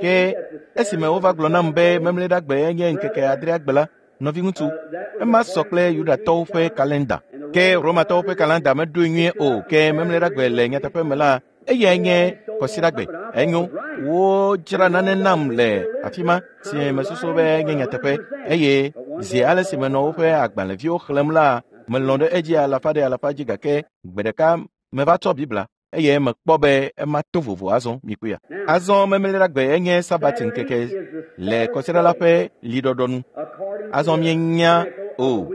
Ke esime wova gblɔ nam be memleɖagbe enye ŋkeke adreagbe la, nɔviŋutsu, ema sɔ kple Yudatɔwo ƒe kalenda. Ke Romatɔwo ƒe kalenda meɖoe nyuie o. Ke memleɖagbe le nyateƒe me la, eyae nye kɔsiɖagbe. Enyo, wodzra nane nam le afi ma si mesusu be nye nyateƒe. Eye zi ale si menɔ woƒe agbalẽviwo xlẽm la, melɔ̃ ɖe edzi alafa ɖe alafa dzi gake gbe ɖeka meva tsɔ Biblia eye mekpɔ be ema to vovo azɔ mikpɔea. Azɔ memleɖagbe enye Sabat ŋkeke le kɔsiɖa la ƒe liɖɔɖɔ nu. Azɔ míenya o,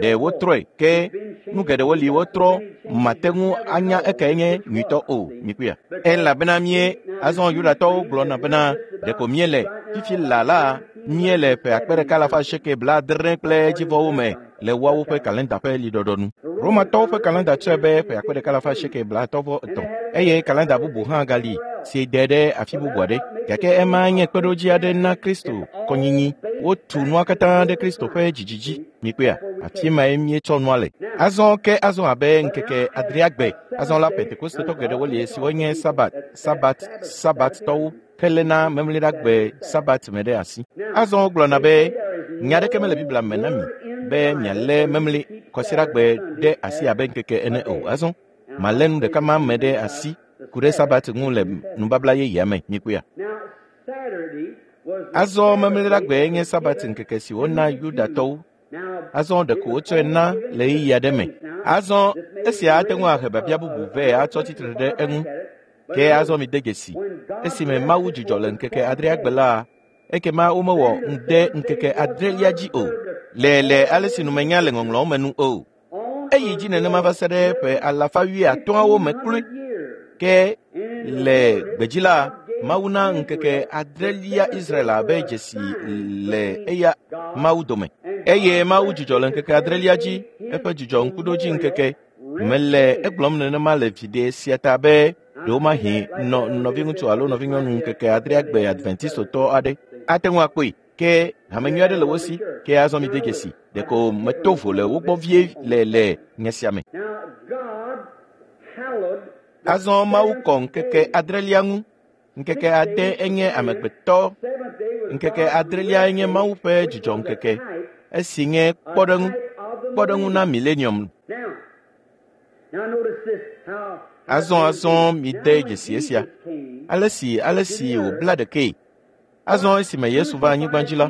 ɖe wotrɔe ke nu geɖewo li wotrɔ mate ŋu anya ekae nye nyuitɔ o mikpɔea. Elabena mie azɔ Yudatɔwo gblɔna bena ɖeko míele fifi la la míele ƒe akpe ɖeka alafa asieke blaadre kple edzivɔwo me le woawo ƒe kalenda ƒe liɖɔɖɔ nu. Romatɔwo ƒe kalenda tsɔe be ƒe akpe ɖeka alafa asieke blaatɔ̃ vɔ etɔ̃ eye kalenda bubu hã gali si de ɖe afi bubu aɖe. Gake ema nye kpeɖodzi aɖe na Kristo kɔnyinyi. Wotu nua katã ɖe Kristo ƒe dzidzi dzi. Mikpɔea, afi mae míetsɔ nua le. Azɔ ke azɔ abe ŋkeke adreagbe. Azɔ la Pentekostetɔ geɖewo li siwo nye Sabat, Sabat, Sabattɔwo heléna memleɖagbe Sabat me ɖe asi. Azɔ wogblɔna be nya aɖeke mele Biblia me na mi be mialé memle kɔsiɖagbe ɖe asi abe ŋkeke ene o. Azɔ malé nu ɖeka ma me ɖe asi ku ɖe Sabat ŋu le nubabla yeyea me. Mikpɔea. Azɔ memleɖagbe nye Sabat ŋkeke si wona Yudatɔwo. Azɔ ɖeko wotsɔe na le ɣeyiɣi aɖe me. Azɔ esia ate ŋu ahe biabia bubu vɛ atsɔ tsitre ɖe eŋu. Ke azɔ mide dzesi, esime Mawu dzudzɔ le ŋkeke adreagbe la, ekema womewɔ ŋde ŋkeke adrelia dzi o, le le ale si numenya le ŋɔŋlɔawo me nu o. Eyi dzi nenema va se ɖe ƒe alafa wuiatɔ̃awo me kloe. Ke le gbedzi la, Mawu na ŋkeke adrelia Israel abe dzesi le eya Mawu dome. Eye Mawu dzudzɔ le ŋkeke adrelia dzi, eƒe dzudzɔ ŋkuɖodzi ŋkeke. Mele egblɔm nenema le viɖe sia ta be ɖewomahi nɔ nɔviŋutsu alo nɔvinyɔnu ŋkeke adreagbe Adventistotɔ aɖe ate ŋu akpɔe. Ke hame nyui aɖe le wo si, ke azɔ mide dzesi. Ɖeko meto vo le wo gbɔ vie le le nya sia me. Azɔ Mawu kɔ ŋkeke adrelia ŋu. Ŋkeke ade enye amegbetɔ. Ŋkeke adrelia enye Mawu ƒe dzidzɔ ŋkeke. Esi nye kpɔɖeŋu, kpɔɖeŋu na millennium. Azɔ azɔ mide dzesi esia. Ale si ale si wòbla ɖekee. Azɔ esime Yesu va anyigba dzi la,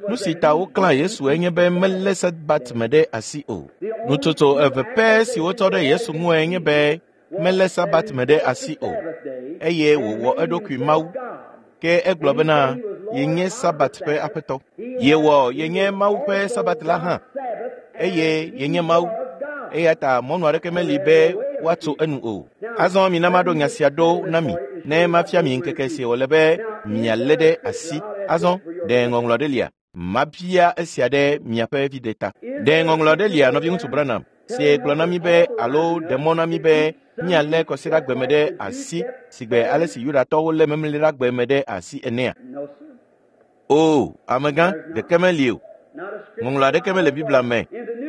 nu si ta woklã Yesu enye be melé Sabat me ɖe asi o. Nutsotso eve pɛ si wotsɔ ɖe Yesu ŋue nye be melé Sabat me ɖe asi o, eye wòwɔ eɖokui Mawu. Ke egblɔ bena yenye Sabat ƒe aƒetɔ. Yewɔ yenye Mawu ƒe Sabat la hã, eye yenye Mawu. Eya ta mɔnu aɖeke meli be woatso enu o. Azɔ mina maɖo nya sia ɖo na mi Ne mafia mi ŋkeke si wòle be mialé ɖe asi. Azɔ ɖe ŋɔŋlɔ ɖe lia? Mabia esia ɖe miaƒe viɖe ta. Ɖe ŋɔŋlɔ ɖe lia nɔviŋutsu Branham si gblɔ na mi be alo ɖe mɔ na mi be míalé kɔsiɖagbe me ɖe asi sigbe ale si Yudatɔwo lé memleɖagbe me ɖe asi enea? O, amegã, ɖeke meli o. Ŋɔŋlɔ aɖeke mele Biblia me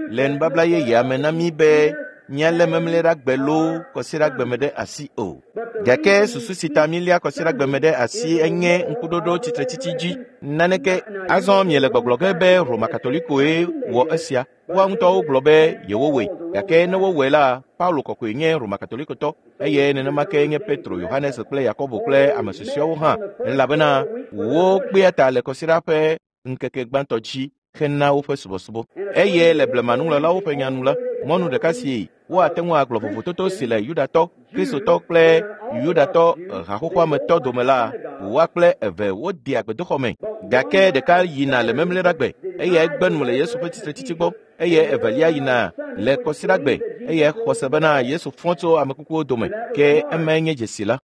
le nubabla yeyea me na mí be míalé memleɖagbe loo kɔsiɖagbe me ɖe asi o. Gake susu si ta mília kɔsiɖagbe me ɖe asi enye ŋkuɖoɖo tsitretsitsi dzi. Naneke azɔ miele gbɔgblɔ ge be Roma Katolikoe wɔ esia. Woa ŋutɔwo gblɔ be yewowɔe. Gake ne wowɔe la, Paulo kɔkɔe nye Roma Katolikotɔ eye nenema ke nye Petro, Yohanes kple Yakobo kple ame susɔeawo hã, elabena wokpea ta le kɔsiɖa ƒe ŋkeke gbãtɔ dzi hena woƒe subɔsubɔ. Eye le blemanuŋlɔlawo ƒe nya nu la, mɔnu ɖeka si woate ŋu agblɔ vovototo si le Yudatɔ, Kristotɔ kple Yudatɔ haxoxoa me tɔ dome la, woa kple eve wodea gbedoxɔ me. Gake ɖeka yina le memleɖagbe, eye egbe nu le Yesu ƒe tsitretsitsi gbɔ, eye evelia yina le kɔsiɖagbe, eye xɔ se bena Yesu fɔ tso ame kukuwo dome, ke emae nye dzesi la.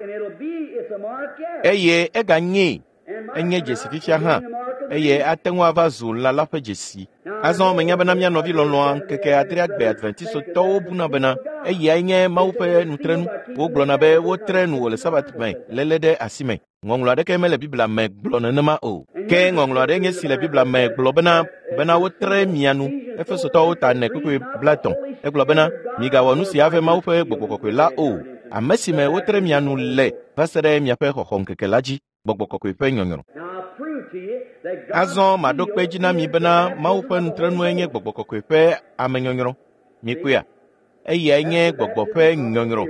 Eye eganyee, enye dzesi fifia hã, eye ate ŋu ava zu lã la ƒe dzesi. Azɔ menya bena mía nɔvi lɔlɔ̃a ŋkeke adreagbe Adventistɔwo buna bena eyae nye Mawu ƒe nutrenu. Wogblɔna be wotre nu wò le Sabat me léle ɖe asi me. Ŋɔŋlɔ aɖeke mele Biblia me gblɔ nenema o. Ke ŋɔŋlɔ aɖe nye si le Biblia me gblɔ bena bena wotre mia nu. Efesotɔwo ta ene kpukpui blaetɔ̃. Egblɔ bena migawɔ nu si ave Mawu ƒe Gbɔgbɔ Kɔkɔe la o. Ame si me wotre mia nu le va se ɖe miaƒe xɔxɔŋkeke la dzi. Gbɔgbɔ Kɔkɔe ƒe nyɔnyrɔ. Azɔ maɖo kpe dzi na mi bena Mawu ƒe nutrenue nye Gbɔgbɔ Kɔkɔe ƒe amenyɔnyrɔ. Mikpɔea? Eyae nye Gbɔgbɔ ƒe nyɔnyrɔ.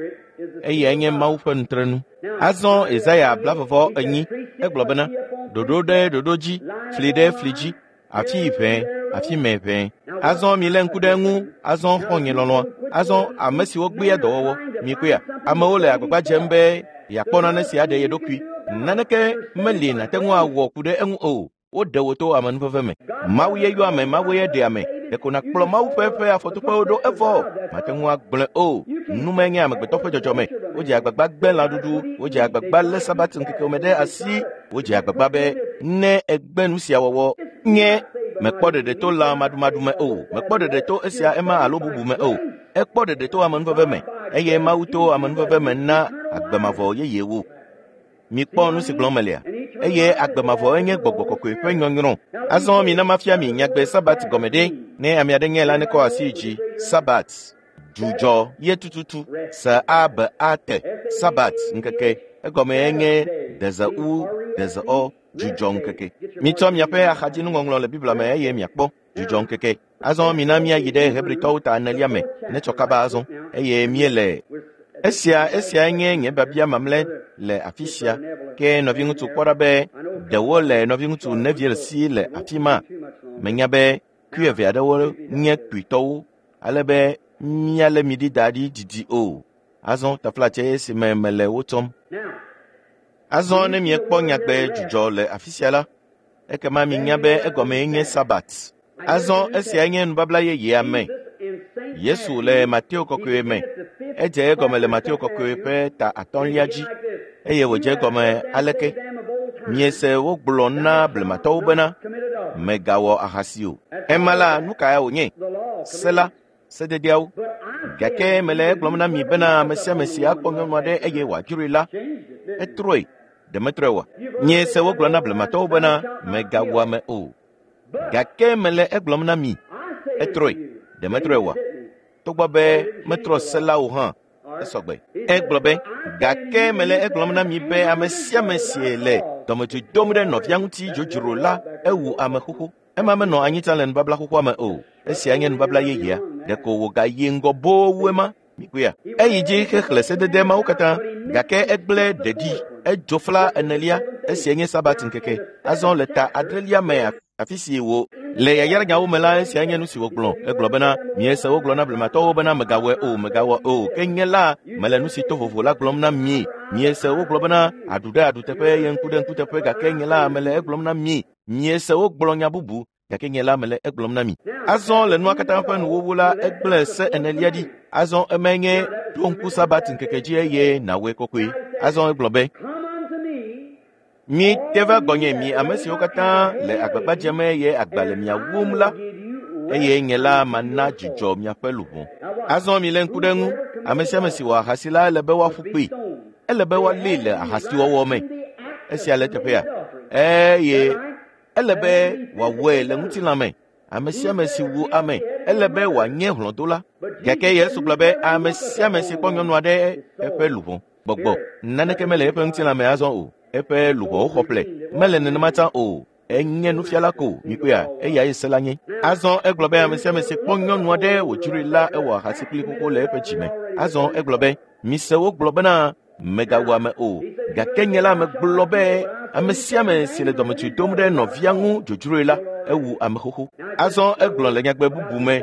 Eyae nye Mawu ƒe nutrenu. Azɔ Yesaya blavɔvɔ enyi egblɔ bena ɖoɖo ɖe ɖoɖo dzi, fli ɖe fli dzi, afi ʋɛ, afi mɛ ʋɛ. Azɔ milé ŋku ɖe eŋu, azɔ xɔ̃nye lɔlɔ̃a. Azɔ ame siwo gbea dɔwɔwɔ, mikpɔea? Amewo le agbagba dzem be yeakpɔ nane si aɖe ye ɖokui. Naneke meli nàte ŋu awɔ ku ɖe eŋu o. Woɖe wò to amenuveve me. Mawu ye yɔ ame, Mawu ye ɖe ame. Ɖeko nàkplɔ Mawu ƒe eƒe afɔtoƒewo ɖo evɔ. Mate ŋu agblɔe o. Numae nye amegbetɔ ƒe dzɔdzɔme. Wodze agbagba gbe lãɖuɖu, wodze agbagba lé Sabat ŋkekewo me ɖe asi, wodze agbagba be ne egbe nu sia wɔwɔ nye mekpɔ ɖeɖe to lã maɖumaɖu me o, mekpɔ ɖeɖe to esia ema alo bubu me o. Ekpɔ ɖeɖe to amenuveve me eye Mawu to amenuveve me na agbe mavɔ yeyewo. Mikpɔ nu si gblɔm melia? Eye agbe mavɔ enye Gbɔgbɔ Kɔkɔe ƒe nyɔnyrɔ. Azɔ mina mafia mi nyagbe Sabat gɔme ɖe. Ne ame aɖe nye la nekɔ asi dzi. Sabat, dzudzɔ ye tututu. S A B A T, Sabat ŋkeke. Egɔme enye deze u, deze ɔ, dzudzɔ ŋkeke. Mitsɔ miaƒe axadzinuŋɔŋlɔ le Biblia me eye miakpɔ dzudzɔ ŋkeke. Azɔ mina míayi ɖe Hebritɔwo ta enelia me netsɔ kaba azɔ eye míele esia esia nye nye biabia mamlɛ le afi sia. Ke nɔviŋutsu kpɔ ɖa be ɖewo le nɔviŋutsu Neville si le afi ma. Menya be kui eve aɖewo nye kpuitɔwo ale be míalé mi ɖi da ɖi didi o. Azɔ taflatse esi me mele wo tsɔm. Azɔ ne miekpɔ nyagbe dzudzɔ le afi sia la, ekema minya be egɔmee nye Sabat. Azɔ esia nye nubabla yeyea me. Yesu le Mateo kɔkɔe me. Edze egɔme le Mateo kɔkɔe ƒe ta atɔ̃lia dzi eye wòdze egɔme aleke? Miese wogblɔ na blematɔwo bena mègawɔ ahasi o. Ema la nu kae wònye? Se la, sededeawo. Gake mele egblɔm na mi bena ame sia ame si akpɔ nyɔnu aɖe eye wòadzroe la, etrɔe. Ɖe metrɔe oa? Miese wogblɔ na blematɔwo bena mègawu ame o. Gake mele egblɔm na mi, etrɔe. Ɖe metrɔe oa? Togbɔ be metrɔ se la o hã, esɔgbe. Egblɔ be, gake mele egblɔm na mi be ame sia ame si le dɔmedzoe dom ɖe nɔvia ŋuti dzodzro la, ewu ame xoxo. Ema menɔ anyi tsã le nubabla xoxoa me o. Esia nye nubabla yeyea. Ɖeko wògayi ŋgɔ boo wu ema. Mikpɔea? Eyi dzi xexlẽ sedede mawo katã, gake egblẽ ɖeɖi. Edzo fla enelia. Esia nye Sabat ŋkeke. Azɔ le ta adrelia me afi si wò le yayranyawo me la, esia nye nu si wògblɔ. Egblɔ bena miese wogblɔ na blematɔwo bena mègawɔe o, megawɔ o. Ke nye la mele nu si to vovo la gblɔm na mi. Miese wogblɔ bena aɖu ɖe aɖu teƒe eye ŋku ɖe ŋku teƒe, gake nye la mele egblɔm na mi. Miese wogblɔ nya bubu, gake nye la mele egblɔm na mi. Azɔ le nua katã ƒe nuwuwu la, egblẽ se enelia ɖi. Azɔ emae nye ɖo ŋku Sabat ŋkeke dzi eye nàwɔe kɔkɔe. Azɔ egblɔ be Mi te va gbɔnye mi ame siwo katã le agbagba dzem eye agba le mia wum la, eye nye la mana dzudzɔ miaƒe luʋɔ. Azɔ mi lé ŋku ɖe eŋu. Ame sia ame si wɔ ahasi la ele be woaƒu kpee. Ele be woalée le ahasiwɔwɔ me. Esia le teƒea. Eye ele be wòawɔe le ŋutilã me. Ame sia ame si wu ame, ele be wòanye hlɔ̃dola. Gake Yesu gblɔ be ame sia ame si kpɔ nyɔnu aɖe eƒe luʋɔ gbɔgbɔ naneke mele eƒe ŋutilã me azɔ o. Eƒe luʋɔwo xɔ ƒle. Mele nenema tsã o. Enye nufiala ko, mikpɔea, eyae se la nye. Azɔ egblɔ be ame sia ame si kpɔ nyɔnu aɖe wòdzroe la ewɔ ahasi kpli xoxo le eƒe dzime. Azɔ egblɔ be, mise wogblɔ bena megawu ame o. Gake nye la megblɔ be ame sia ame si le dɔmetsui dom ɖe nɔvia ŋu dzodzroe la, ewu ame xoxo. Azɔ egblɔ le nyagbe bubu me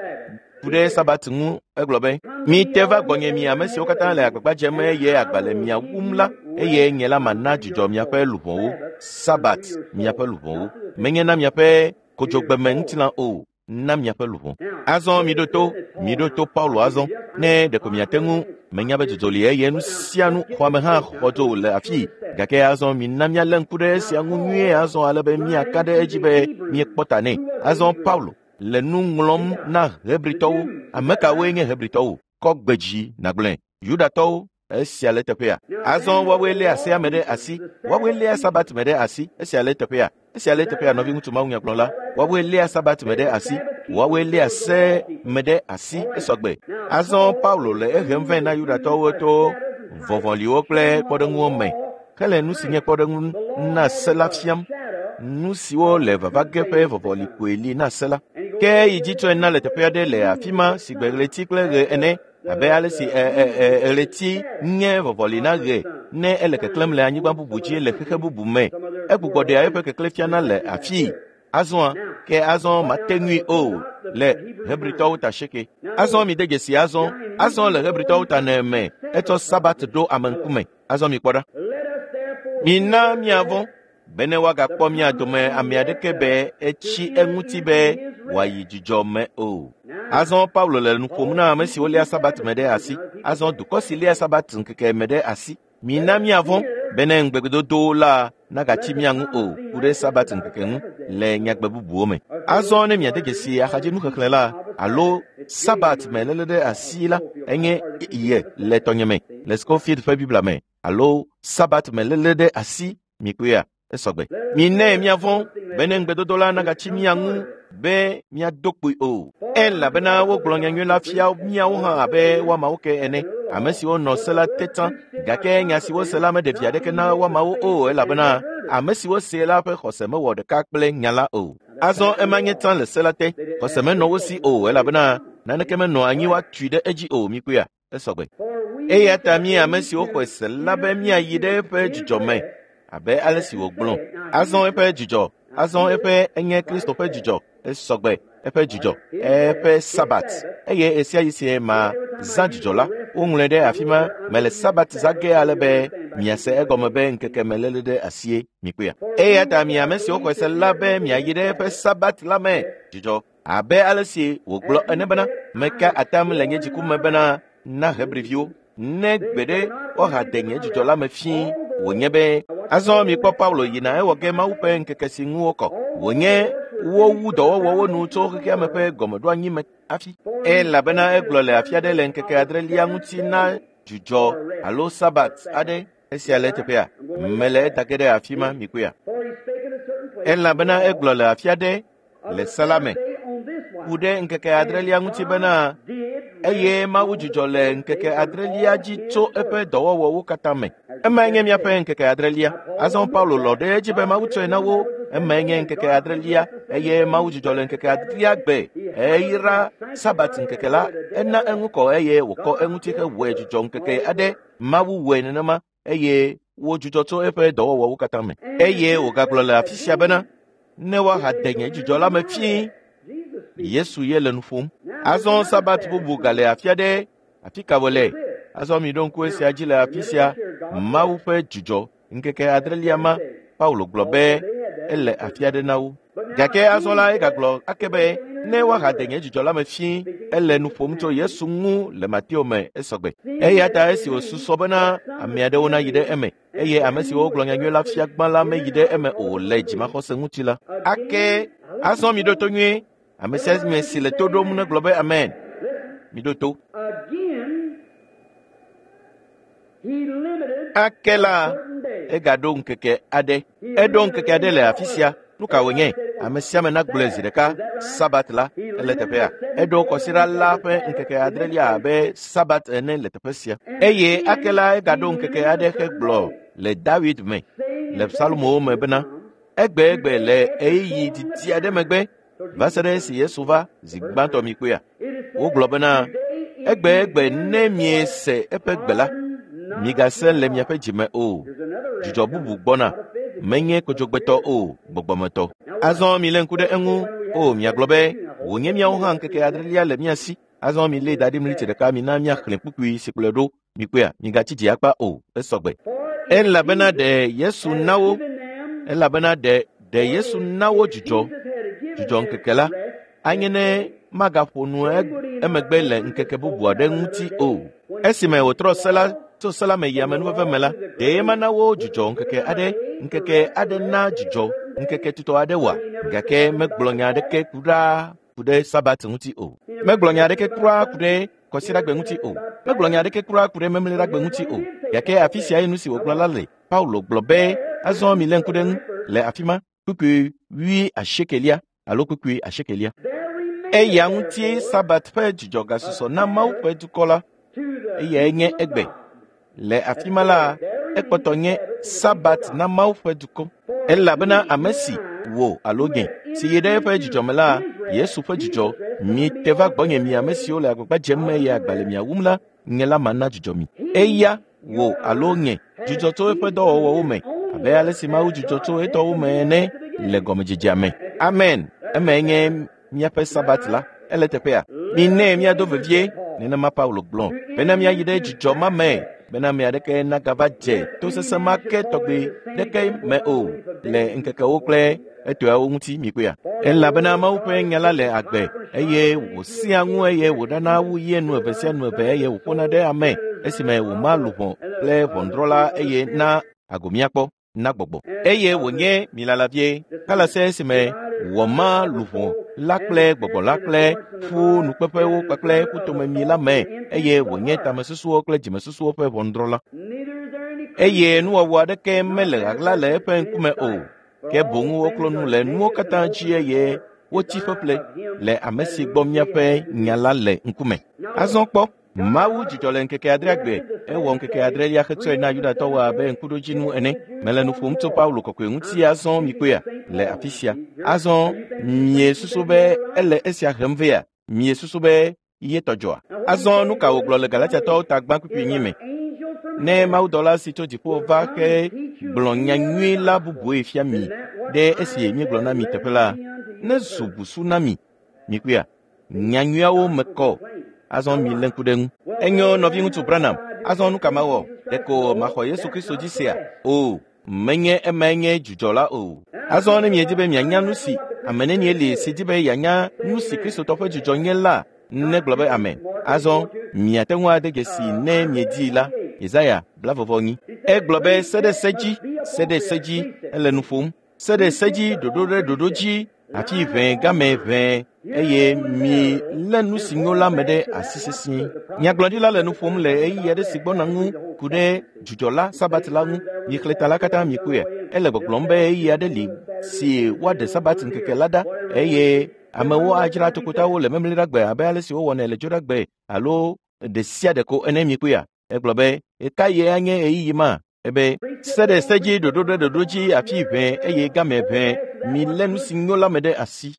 ku ɖe Sabat ŋu, egblɔ be, mi te va gbɔnye mi ame siwo katã le agbagba dzem eye agba le mia wum la, eye nye la mana dzudzɔ miaƒe luʋɔwo. Sabat miaƒe luʋɔwo. Menye na miaƒe kodzogbeme ŋutilã o, na miaƒe luʋɔ. Azɔ miɖo to, miɖo to Paulo azɔ. Ne ɖeko miate ŋu, menya be dzodzo li eye nu sia nu xɔame hã xɔ dzo le afii. Gake azɔ mina míalé ŋku ɖe esia ŋu nyuie azɔ ale be míaka ɖe edzi be míekpɔ ta nɛ. Azɔ Paulo le nu ŋlɔm na Hebritɔwo. Ame kawoe nye Hebritɔwo? Kɔ gbe dzi nàgblɔe. Yudatɔwo, esia le teƒea. Azɔ woawoe léa sea me ɖe asi. Woawoe léa Sabat me ɖe asi. Esia le teƒea. Esia le teƒea, nɔviŋutsu mawunyagblɔla. Woawoe léa Sabat me ɖe asi. Woawoe léa se me ɖe asi. Esɔgbe. Azɔ Paulo le ehem vɛ na Yudatɔwo to vɔvɔliwo kple kpɔɖeŋuwo me. Hele nu si nye kpɔɖeŋu na se la fiam. Nu siwo le vava ge ƒe vɔvɔli koe li na se la. Ke yi dzi tsɔe na le teƒe aɖe le afi ma si gbe ɣleti kple ɣe ene, abe ale si ɣleti nye vɔvɔli na ɣe ne ele keklẽm le anyigba bubu dzi le xexe bubu me. Egbugbɔ ɖea eƒe keklẽ fiana le afii. Azɔa, ke azɔ mate ŋui o le Hebritɔwo ta seke. Azɔ mi de dzesi azɔ. Azɔ le Hebritɔwo ta ne me, etsɔ Sabat ɖo ame ŋkume. Azɔ mi kpɔ ɖa. Mina miavɔ̃ bene woagakpɔ mia dome ame aɖeke be etsi eŋuti be wòayi dzudzɔ me o. Azɔ Paulo le nu ƒom na ame siwo léa Sabat me ɖe asi. Azɔ dukɔ si léa Sabat ŋkeke me ɖe asi. Mina miavɔ̃ bene ŋugbedodo la nagatsi mia ŋu o ku ɖe Sabat ŋkeke ŋu le nyagbe bubuwo me. Azɔ ne miade dzesi axadzinuxexlẽ la alo Sabat me léle ɖe asi la, enye ye le tɔnye me le Scofield ƒe Biblia me alo Sabat me léle ɖe asi mikpɔea. Esɔgbe. Minɛ miavɔ̃ bene ŋugbedodo la nagatsi mia ŋu be miado kpoe o. Elabena wogblɔ nyanyui la fia miawo hã abe woamawo ke ene, ame siwo nɔ se la te tsã. Gake nya siwo se la meɖe vi aɖeke na woamawo o, elabena ame siwo see la ƒe xɔse mewɔ ɖeka kple nya la o. Azɔ ema nye tsã le se la te. Xɔse menɔ wo si o, elabena naneke menɔ anyi woatui ɖe edzi o. Mikpɔea? Esɔgbe. Eya ta mi ame siwo xɔe se la be miayi ɖe eƒe dzudzɔ me abe ale si wògblɔ. Azɔ eƒe dzudzɔ, azɔ eƒe enye Kristo ƒe dzudzɔ, esɔgbe eƒe dzudzɔ, eƒe Sabat. Eye ɣesiaɣi si ma zã dzudzɔ la, woŋlɔe ɖe afi ma mele Sabat zã ge ale be miase egɔme be ŋkeke me léle ɖe asie mikpɔea. Eya ta mi ame siwo xɔe se la be miayi ɖe eƒe Sabat la me dzudzɔ abe ale si wògblɔ ene bena meka atam le nye dziku me bena na Hebriviwo ne gbe ɖe woahade nye dzudzɔ la me fĩi. Wònye be azɔ mikpɔ Paulo yina ewɔ ge Mawu ƒe ŋkeke si ŋu wokɔ. Wònye wowu dɔwɔwɔwo nu tso xexea me ƒe gɔmeɖoanyi me hafi. Elabena egblɔ le afi aɖe le ŋkeke adrelia ŋuti na dzudzɔ alo Sabat aɖe. Esia le teƒea. Mele eta ge ɖe afi ma mikpɔea. Elabena egblɔ le afi aɖe le se la me ku ɖe ŋkeke adrelia ŋuti bena eye Mawu dzudzɔ le ŋkeke adrelia dzi tso eƒe dɔwɔwɔwo katã me. Emae nye miaƒe ŋkeke adrelia. Azɔ Paulo lɔ̃ ɖe edzi be Mawu tsɔe na wo. Emae nye ŋkeke adrelia eye Mawu dzudzɔ le ŋkeke adrelia gbe. Eyra Sabat ŋkeke la, ena eŋu kɔ eye wòkɔ eŋuti hewɔe dzudzɔ ŋkeke aɖe. Mawu wɔe nenema eye wodzudzɔ tso eƒe dɔwɔwɔwo katã me. Eye wògagblɔ le afi sia bena ne woahade nye dzudzɔ la me fĩi. Yesu ye le nu ƒom. Azɔ Sabat bubu gale afi aɖe. Afi ka wòle? Azɔ miɖo ŋku esia dzi le afi sia. Mawu ƒe dzudzɔ ŋkeke adrelia ma, Paulo gblɔ be ele afi aɖe na wo. Gake azɔ la egagblɔ ake be Ne woahade nye dzidzɔ la me fie, ele nu ƒom tso Yesu ŋu le Mateo me esɔgbe. Eya ta esi wòsusɔ bena ame aɖewo nayi ɖe eme, eye ame siwo gblɔ nyanyui la fia gbã la meyi ɖe eme o le dzimaxɔse ŋuti la. Ake azɔ miɖo to nyuie. Ame sia ame si le to ɖom negblɔ be amen. Miɖo to. Ake la, egaɖo ŋkeke aɖe. Eɖo ŋkeke aɖe le afi sia. Nu ka wònye? Ame sia ame nagblɔe zi ɖeka. Sabat la ele teƒea. Eɖo kɔsiɖa la ƒe ŋkeke adrelia abe Sabat ene le teƒe sia. Eye ake la egaɖo ŋkeke aɖe hegblɔ le David me, le Psalmowo me bena, egbe egbe le ɣeyiɣi didi aɖe megbe, va se ɖe esi Yesu va zi gbãtɔ mi kpɔea. Wogblɔ bena, egbe egbe ne miese eƒe gbe la, migase le miaƒe dzime o. Dzidzɔ bubu gbɔna, menye kodzogbetɔ o, gbɔgbɔmetɔ. Azɔ milé ŋku ɖe eŋu. O, miagblɔ be, wònye míawo hã ŋkeke adrelia le mía si. Azɔ milé da ɖi mliti ɖeka mina míaxlẽ kpukpui si kplɔe ɖo. Mikpɔea, migatsi dzi akpa o, esɔgbe. Elabena ɖe Yesu na wo, elabena ɖe ɖe Yesu na wo dzidzɔ, dzidzɔ ŋkeke la, anye ne magaƒo nu emegbe le ŋkeke bubu aɖe ŋuti o. Esime wòtrɔ se la tso se la me yi amenuveve me la, ɖe mana wo dzidzɔ ŋkeke aɖe, ŋkeke aɖe na dzidzɔ, ŋkeke tutɔ aɖe wòa? Gake megblɔ nya aɖeke kura ku ɖe Sabat ŋuti o. Megblɔ nya aɖeke kura ku ɖe kɔsiɖagbe ŋuti o. Megblɔ nya aɖeke kura ku ɖe memleɖagbe ŋuti o. Gake afi siae nu si wògblɔ la le. Paulo gblɔ be, azɔ milé ŋku ɖe ŋu le afi ma, kpukpui wui asiekelia alo kpukpui asiekelia. Eya ŋutie Sabat ƒe dzidzɔ gasusɔ na Mawu ƒe dukɔ la. Eyae nye egbe. Le afi ma la, ekpɔtɔ nye Sabat na Mawu ƒe dukɔ. Elabena ame si wò alo nye si yi ɖe eƒe dzidzɔ me la, Yesu ƒe dzidzɔ, mi te va gbɔnye mi ame siwo le agbagba dzem eye agba le mia wum la, nye la mana dzidzɔ mi. Eya wò alo nye dzidzɔ tso eƒe dɔwɔwɔwo me, abe ale si Mawu dzidzɔ tso etɔwo me ene le gɔmedzedzea me. Amen. Emae nye míaƒe Sabat la. Ele teƒea. Minɛ míado vevie, nenema Paulo gblɔ, bena míayi ɖe dzidzɔ ma me, bena ame aɖeke nagava dze tosesẽ ma ke tɔgbe ɖeke me o le ŋkekewo kple etɔawo ŋuti mikpɔea. Elabena Mawu ƒe nya la le agbe eye wòsẽa ŋu eye wòɖana wu ye nu eve sia nu eve eye wòƒona ɖe ame esime wòma luʋɔ kple ʋɔnudrɔ̃la eye na ago míakpɔ na gbɔgbɔ. Eye wònye milala vie kalase esime wòma luʋɔ la kple gbɔgbɔ la kple ƒu nukpeƒewo kpakple ƒutomemi la me eye wònye tamesusuwo kple dzimesusuwo ƒe ʋɔnudrɔ̃la. Eye nuwɔwɔ aɖeke mele ɣaɣla le eƒe ŋkume o, ke boŋ woklo nu le nuwo katã dzi eye wotsi ƒeƒle le ame si gbɔ míaƒe nya la le ŋkume. Azɔ kpɔ, Mawu dzidzɔ le ŋkeke adreagbe, ewɔ ŋkeke adrelia hetsɔe na Yudatɔwo abe ŋkuɖodzinu ene. Mele nu ƒom tso Paulo kɔkɔe ŋuti azɔ mikpɔea le afi sia. Azɔ miesusu be ele esia hem vea? Miesusu be ye tɔ dzɔa? Azɔ nu ka wògblɔ le Galatiatɔwo ta gbã kpukpui enyi me? Ne mawudɔla si tso dziƒo va ke gblɔ nya nyui la bubue fia mi ɖe esi míegblɔ na mi teƒe la, ne zu busu na mi. Mikpɔea, nya nyuiawo me kɔ. Azɔ milé ŋku ɖe ŋu. Enyo nɔviŋutsu Branham, azɔ nu ka mawɔ? Ɖeko maxɔ Yesu Kristo dzi sea? O, menye emae nye dzudzɔ la o. Azɔ ne miedi be mianya nu si ame nenie li si di be yeanya nu si Kristotɔ ƒe dzudzɔ nye la, negblɔ be amen. Azɔ miate ŋu ade dzesi ne miedii la, Yesaya blavɔvɔ nyi. Egblɔ be se ɖe se dzi, se ɖe se dzi, ele nu ƒom. Se ɖe se dzi, ɖoɖo ɖe ɖoɖo dzi, afi ʋẽ game ʋẽ eye mi lé nu si nyo la me ɖe asi sesĩe. Nyagblɔɖila le nu ƒom le ɣeyiɣi aɖe si gbɔna ŋu ku ɖe dzudzɔ la, Sabat la ŋu. Mixlẽ ta la katã mikpɔe. Ele gbɔgblɔm be ɣeyiɣi aɖe li si woaɖe Sabat ŋkeke la ɖa eye amewo adzra tokotawo le memleɖagbe abe ale si wowɔnɛ le dzoɖagbe alo ɖe sia ɖe ko ene mikpɔea. Egblɔ be, ɣekaɣie anye ɣeyiɣi ma? Ebe, se ɖe se dzi, ɖoɖo ɖe ɖoɖo dzi, afi ʋẽ eye game ʋẽ, milé nu si nyo la me ɖe asi.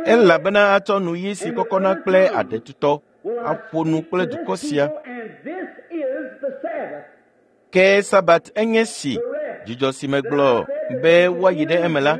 Elabena atsɔ nu ɣi si kɔkɔna kple aɖetutɔ aƒo nu kple dukɔ sia. Ke Sabat enye si dzidzɔ si megblɔ be woayi ɖe eme la,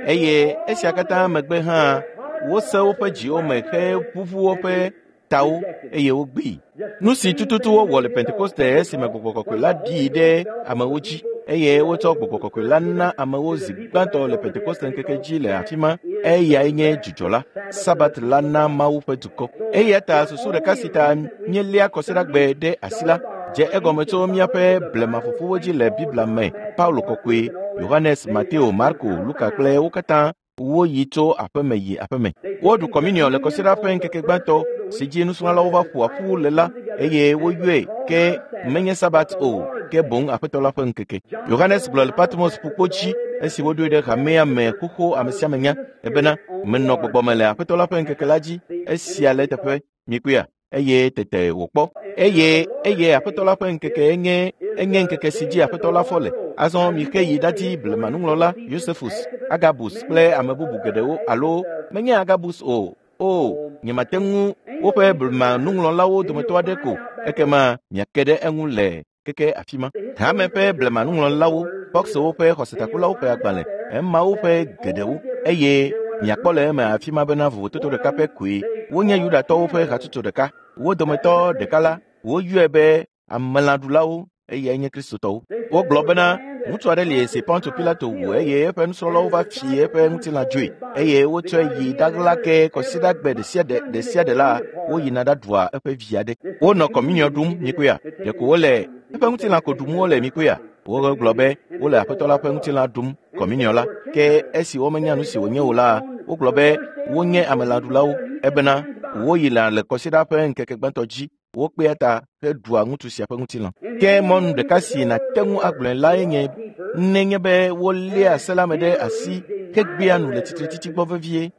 eye esia katã megbe hã wose woƒe dziwo me heʋuʋu woƒe tawo eye wogbee. Nu si tututu wowɔ le Pentekoste esime gbɔgbɔ kɔkɔe la ɖii ɖe amewo dzi. Eye wotsɔ gbɔgbɔ kɔkɔe la na amewo zi gbãtɔ le Pentekoste ŋkeke dzi le afi ma. Eyae nye dzudzɔ la, Sabat la na Mawu ƒe dukɔ. Eya ta susu ɖeka si ta míeléa kɔsiɖagbe ɖe asi la dze egɔme tso míaƒe blemafofowo dzi le Biblia me. Paulo kɔkɔe, Yohanes, Mateo, Marko, Luka kple wo katã woyi tso aƒeme yi aƒeme. Woɖu kɔminiɔ le kɔsiɖa ƒe ŋkeke gbãtɔ si dzi nusrɔ̃lawo va ƒo ƒu le la, eye woyɔe ke menye Sabat o, ke boŋ Aƒetɔ la ƒe ŋkeke. Yohanes gblɔ le Patmos ƒukpo dzi esi woɖoe ɖe hamea me xoxo ame sia ame nya ebena menɔ gbɔgbɔme le Aƒetɔ la ƒe ŋkeke la dzi. Esia le eteƒe mikpɔea, eye tete wòkpɔ. Eye eye Aƒetɔ la ƒe ŋkeke enye enye ŋkeke si dzi Aƒetɔ la fɔ le. Azɔ mixe yi ɖadi blemanuŋlɔla Yosefus, Agabus kple ame bubu geɖewo, alo menye Agabus o. O, nyemate ŋu woƒe blemanuŋlɔlawo dometɔ aɖe ko, ekema miake ɖe eŋu le keke afi ma. Hame ƒe blemanuŋlɔlawo, Foxwo ƒe xɔsetakulawo ƒe agbalẽ, emawo ƒe geɖewo, eye miakpɔ le eme afi ma bena vovototo ɖeka ƒe koe. Wonye Yudatɔwo ƒe hatsotso ɖeka. Wo dometɔ ɖeka la, woyɔe be amelãɖulawo, eyae nye Kristotɔwo. Wogblɔ bena ŋutsu aɖe li si Ponto Pilato wu, eye eƒe nusrɔ̃lawo va fi eƒe ŋutilã dzoe, eye wotsɔe yi ɖaɣla ke kɔsiɖagbe ɖe sia ɖe ɖe sia ɖe la, woyina ɖaɖua eƒe vi aɖe. Wonɔ kɔminiɔ ɖum mikpɔea, ɖeko wole eƒe ŋutilã ko ɖum wole mikpɔea. Wogblɔ be wole Aƒetɔ la ƒe ŋutilã ɖum kɔminiɔ la, ke esi womenya nu si wònye o la, wogblɔ be wonye amelãɖulawo, ebena woyina le kɔsiɖa ƒe ŋkeke gbãtɔ dzi. Wokpea ta heɖua ŋutsu sia ƒe ŋutilã. Ke mɔnu ɖeka si nàte ŋu agblɔe lae nye nenye be woléa se la me ɖe asi hegbea nu le tsitretsitsi gbɔ vevie,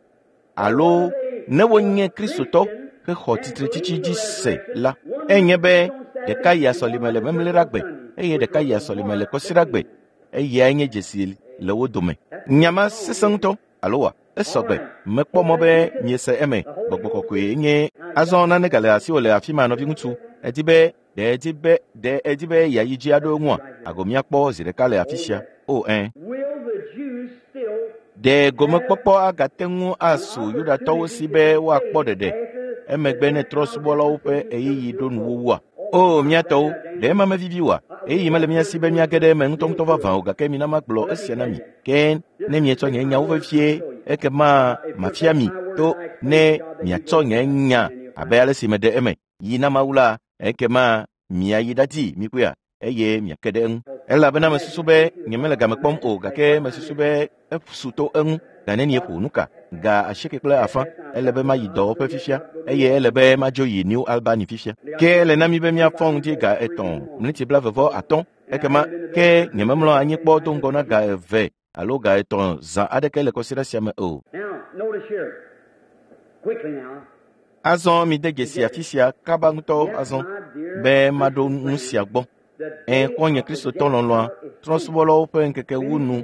alo ne wonye Kristotɔ hexɔ tsitretsitsi dzi se la, enye be ɖeka yia sɔlime le Memleɖagbe eye ɖeka yia sɔlime le Kɔsiɖagbe. Eyae nye dzesi le wo dome. Nya ma sesẽ ŋutɔ, alo wa? Esɔgbe. Mekpɔ mɔ be miese eme. Gbɔgbɔ kɔkɔe nye azɔ nane gale asiwò le afi ma, nɔviŋutsu. Edi be ɖe edi be ɖe edi be yeayi dzi aɖo eŋua? Ago míakpɔ zi ɖeka le afi sia. O ẽ. Ɖe gomekpɔkpɔ agate ŋu asu Yudatɔwo si be woakpɔ ɖeɖe emegbe ne trɔ̃subɔlawo ƒe ɣeyiɣi ɖo nuwuwua? O míatɔwo, ɖe ema mevivi oa? Ɣeyiɣi mele mía si be míage ɖe eme ŋutɔŋutɔ vavã o, gake mina magblɔ esia na mi. Ke ne mietsɔ nye nyawo vevie, ekema mafia mi to ne miatsɔ nye nya abe ale si meɖe eme yi na Mawu la, ekema miayi ɖadi mikpɔea, eye miake ɖe eŋu. Elabena mesusu be nyemele game kpɔm o, gake mesusu be esu to eŋu. Ga nenie ƒo nu ka? Ga asieke kple afã. Ele be mayi dɔwɔƒe fifia, eye ele be madzo yi New Albany fifia. Ke ele na mi be míafɔ ŋdi ga etɔ̃ miniti blaeve atɔ̃. Ekema ke nyememlɔ anyi kpɔ do ŋgɔ na ga eve alo ga etɔ̃ zã aɖeke le kɔsiɖa sia me o. Azɔ mide dzesi afi sia kaba ŋutɔ azɔ be maɖo nu sia gbɔ. Ẽ, xɔ̃nye Kristotɔ lɔlɔ̃a, trɔ̃subɔlawo ƒe ŋkeke wu nu,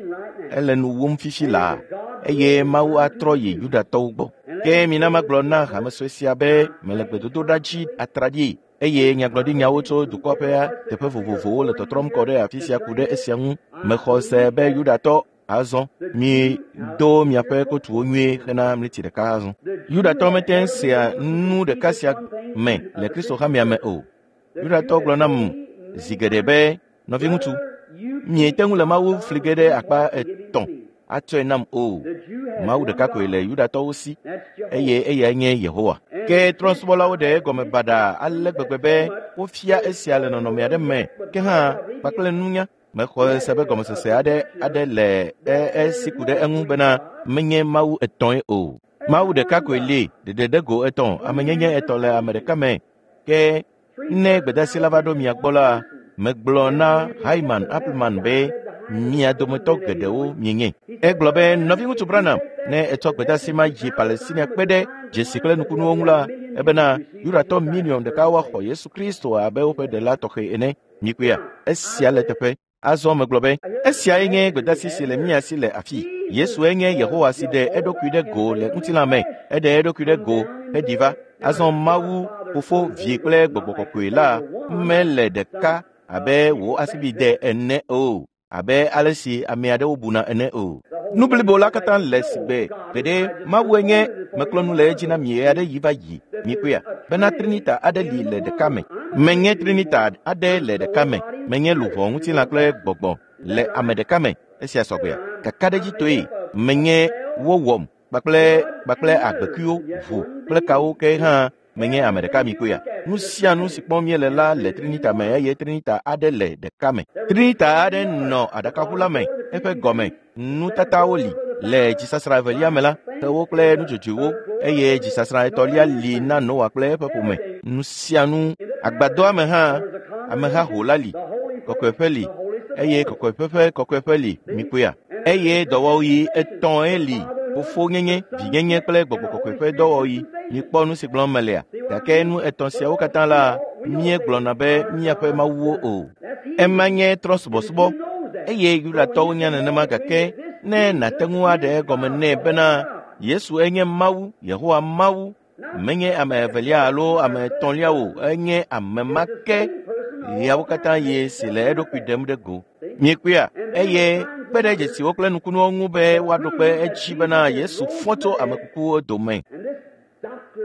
ele nu wum fifi laa, eye Mawu atrɔ yi Yudatɔwo gbɔ. Ke mina magblɔ na hame sue sia be mele gbedodoɖa dzi atraɖii, eye nyagblɔɖinyawo tso dukɔ ƒe teƒe vovovowo le tɔtrɔm kɔ ɖe afi sia ku ɖe esia ŋu. Mexɔ se be Yudatɔ azɔ mi do miaƒe kotuwo nyuie hena mliti ɖeka azɔ. Yudatɔ mete ŋu sea nu ɖeka sia me le Kristo hamea me o. Yudatɔ gblɔ nam zi geɖe be, nɔviŋutsu, miete ŋu le Mawu fli ge ɖe akpa etɔ̃ atsɔe nam o. Mawu ɖeka koe le Yudatɔwo si, eye eyae nye Yehowa. Ke trɔ̃subɔlawo ɖe egɔme baɖa ale gbegbe be wofia esia le nɔnɔme aɖe me, ke hã kpakple nunya. Mexɔ se be gɔmesese aɖe aɖe le esi ku ɖe eŋu bena menye Mawu etɔ̃e o. Mawu ɖeka koe li, ɖeɖe ɖe go etɔ̃, amenyenye etɔ̃ le ame ɖeka me. Ke ne gbedeasi la va ɖo mia gbɔ la, megblɔ na Hyman Appleman be mia dometɔ geɖewo mienye. Egblɔ be, nɔviŋutsu Branham, ne etsɔ gbedeasi ma yi Palestina kpe ɖe dzesi kple nukunuwo ŋu la, ebena Yudatɔ miliɔn ɖeka woaxɔ Yesu Kristo abe woƒe ɖela tɔxɛ ene. Mikpɔea, esia le teƒe. Azɔ megblɔ be, esiae nye gbedeasi si le mía si le afi. Yesue nye Yehowa si ɖe eɖokui ɖe go le ŋutilã me. Eɖe eɖokui ɖe go heɖi va. Azɔ Mawu, Fofo, Vi kple Gbɔgbɔ Kɔkɔe la mele ɖeka abe wò asibide ene o, abe ale si ame aɖewo buna ene o. Nu blibo la katã le sigbe gbeɖe Mawue nye meklɔ nu le edzi na mi aɖe yi va yi. Mikpɔea, bena Trinita aɖe li le ɖeka me. Menye Trinita aɖe le ɖeka me. Menye luʋɔ, ŋutilã kple gbɔgbɔ. le ame ɖeka me. Esia sɔgbea kakaɖedzitɔe menye wowɔm kpakple kpakple agbekuiwo, ʋu kple kawo ke hã menye ame ɖeka mi koya. Nu sia nu si kpɔm míele la le Trinita me eye Trinita aɖe le ɖeka me. Trinita aɖe nɔ aɖakaʋu la me, eƒe gɔme nutatawo li le dzisasra evelia me la, xewo kple nudzodzoewo, eye dzisasra etɔ̃lia li na Noa kple eƒe ƒome. Nu sia nu agbadɔa me hã ameha ho la li, kɔkɔeƒe li eye kɔkɔeƒe ƒe kɔkɔeƒe li mi koya. Eye dɔwɔɣi etɔ̃e li: fofonyenye, vinyenye kple gbɔgbɔ kɔkɔe ƒe dɔwɔɣi. Mikpɔ nu si gblɔm melea, gake nu etɔ̃ siawo katã la míegblɔna be míaƒe mawuwo o. Ema nye trɔ̃subɔsubɔ eye Yudatɔwo nya nenema, gake ne nàte ŋu aɖe egɔme nɛ bena Yesu enye Mawu, Yehowa Mawu, menye ame evelia alo ame etɔ̃lia o, enye ame ma ke ɣeawo katã ye si le eɖokui ɖem ɖe go. Miekpɔea? Eye kpe ɖe dzesiwo kple nukunuwo ŋu be woaɖo kpe edzi bena Yesu fɔ tso ame kukuwo dome.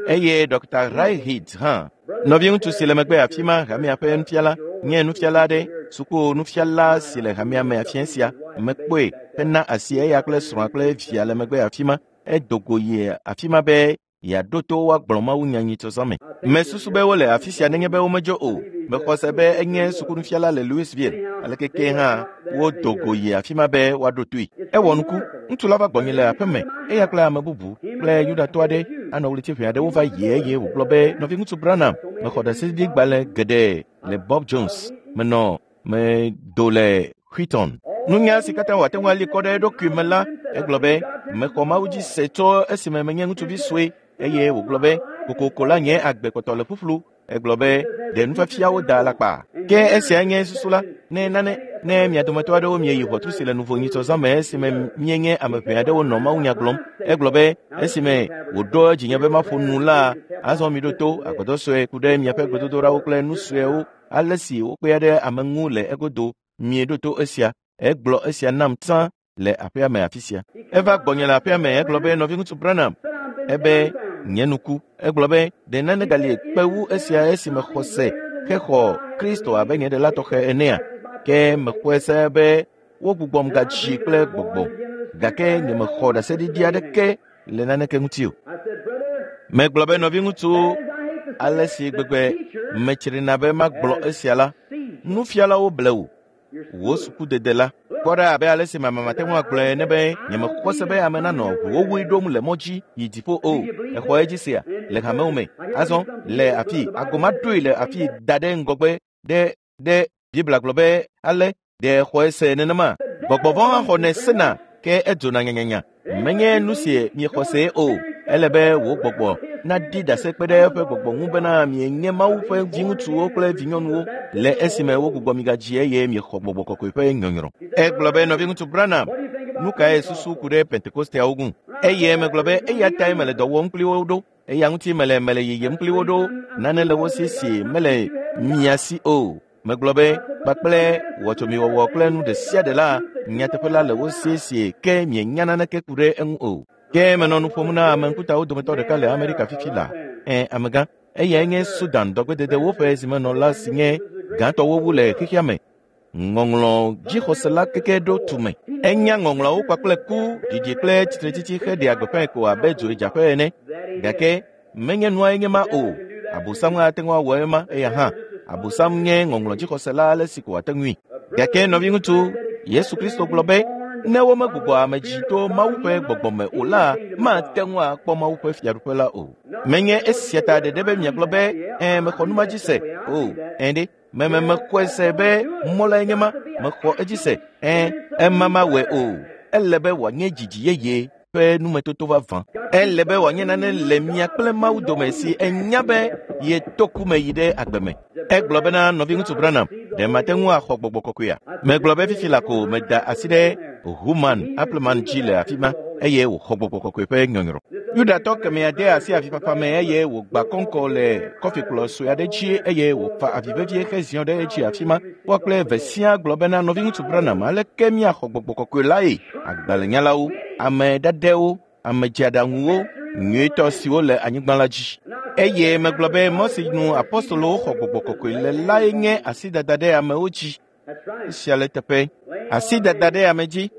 Eye Dɔkta Rahid hã, nɔviŋutsu si le megbe afi ma, hamea ƒe nufiala, nye nufiala aɖe, suku nufiala si le hamea me afia sia, mekpɔe hena asi eya kple srɔ̃a kple via le megbe afi ma. Edo go yi afi ma be yeaɖo to woagblɔ mawunya nyitsɔzã me. Mesusu be wole afi sia nenye be womedzo o. Mexɔ se be enye sukunufiala le Louisville. Aleke ke hã wodo go yi afi ma be woaɖo toe. Ewɔ nuku, ŋutsu la va gbɔnye le aƒe me, eya kple ame bubu kple Yudatɔ aɖe anɔ ɣleti ʋɛ aɖewo va yi eye wògblɔ be, nɔviŋutsu Branham, mexɔ ɖaseɖiɖigbalẽ geɖe le Bob Jones. Menɔ medo le Wheaton. Nunya si katã wòate ŋu ali kɔ ɖe eɖokui me la, egblɔ be, mexɔ Mawu dzi se tso esime menye ŋutsuvi sue, eye wògblɔ be, kokoko la nye agbe kpɔtɔ le ƒuƒlu. Egblɔ be, ɖe nufiafiawo da alakpa. Ke esia nye susu la, ne nane ne mia dometɔ aɖewo mieyi ʋɔtru si le nuvo nyitsɔzã me esime míenye ame ʋɛ aɖewo nɔ mawunya gblɔm. Egblɔ be, esime wòɖo dzinye be maƒo nu la, azɔ miɖo to agbadɔ sue ku ɖe miaƒe gbedodoɖawo kple nu suewo, ale si wokpea ɖe ame ŋu le egodo. Mieɖo to esia. Egblɔ esia nam tsã le aƒea me afi sia. Eva gbɔnye le aƒea me, egblɔ be, nɔviŋutsu Branham, ebe nye nuku. Egblɔ be, ɖe nane gali kpe wu esia esime xɔ se hexɔ Kristo abe nye ɖela tɔxɛ enea? Ke mexɔe se be wogbugbɔm gadzi kple gbɔgbɔ, gake nyemexɔ ɖaseɖiɖi aɖeke le naneke ŋuti o. Megblɔ be, nɔviŋutsu, ale si gbegbe metsrina be magblɔ esia la, nufialawo ble wò. Wò sukudede la kpɔ ɖa abe ale si mama mate ŋu agblɔe ene be nyemexɔ se be ame nanɔ ʋuwowui ɖom le mɔ dzi yi dziƒo o. Exɔ edzi sia le hamewo me. Azɔ le afi agoma ɖoe le afi da ɖe ŋgɔgbe ɖe ɖe Biblia gblɔ be ale ɖe exɔe se nenema. Gbɔgbɔ vɔ̃ hã xɔnɛ sena ke edzona nyanyanya. Menye nu si miexɔ se o. Ele be wò gbɔgbɔ naɖi ɖase kpe ɖe eƒe gbɔgbɔ ŋu bena mienye Mawu ƒe viŋutsuwo kple vinyɔnuwo le esime wogbugbɔ mi gadzi eye miexɔ gbɔgbɔ kɔkɔe ƒe nyɔnyrɔ. Egblɔ be, nɔviŋutsu Branham, nu kae susu ku ɖe Pentekosteawo ŋu? Eye megblɔ be eya tae mele dɔ wɔm kpli wo ɖo, eya ŋuti mele mele yiyim kpli wo ɖo, nane le wo si si mele mia si o. Megblɔ be kpakple wɔtsomiwɔwɔ kple nu ɖe sia ɖe la, nyateƒe la le wo si si ke mienya naneke ku ɖe eŋu o. Ke menɔ nu ƒom na ame ŋkutawo dometɔ ɖeka le Amerika fifi la. Ɛ, amegã, eyae nye Sudan dɔgbededewo ƒe zimenɔla si nye gãtɔwo wu le xexea me. Ŋɔŋlɔ dzixɔsela keke ɖo tume. Enya ŋɔŋlɔawo kpakple ku, ɖiɖi kple tsitretsitsi heɖea gbeƒãe ko abe dzoedzaƒe ene. Gake menye nuae nye ma o. Abosam ate ŋu awɔ ema eya hã. Abosam nye ŋɔŋlɔ dzixɔsela ale si ko wòate ŋui. Gake nɔviŋutsu, Yesu Kristo gblɔ be, ne womegbugbɔ ame dzi to Mawu ƒe gbɔgbɔ me o la, mate ŋu akpɔ Mawu ƒe fiaɖuƒe la o. Menye esia ta ɖeɖe be miagblɔ be, ɛ, mexɔ nu ma dzi se o. Ɛ ɖe, meme mexɔe se be mɔ lae nye ma, mexɔ edzi se. Ɛ, ema mawɔe o. Ele be wòanye dzidzi yeye ƒe numetoto vavã. Ele be wòanye nane le mia kple Mawu dome si enya be yeto ku me yi ɖe agbe me. Egblɔ bena, nɔviŋutsu Branham, ɖe mate ŋu axɔ gbɔgbɔ kɔkɔea? Megblɔ be fifi la ko meda asi ɖe Human Appleman dzi le afi ma eye wòxɔ gbɔgbɔ kɔkɔe ƒe nyɔnyrɔ. Yudatɔ kemɛa de asi avifafa me eye wògba kɔŋkɔ le kɔfikplɔ sue aɖe dzi eye wòfa avi vevie heziɔ ɖe edzi afi ma. Woa kple eve siaa gblɔ bena, nɔviŋutsu Branham, aleke míaxɔ gbɔgbɔ kɔkɔe lae? Agbalẽnyalawo, ame ɖaɖɛwo, ame dzeaɖaŋuwo, nyuietɔ siwo le anyigba la dzi. Eye megblɔ be mɔ si nu apostolowo xɔ gbɔgbɔ kɔkɔe le lae nye asidada ɖe amewo dzi. Esia le teƒe. Asi dada ɖe ame dzi.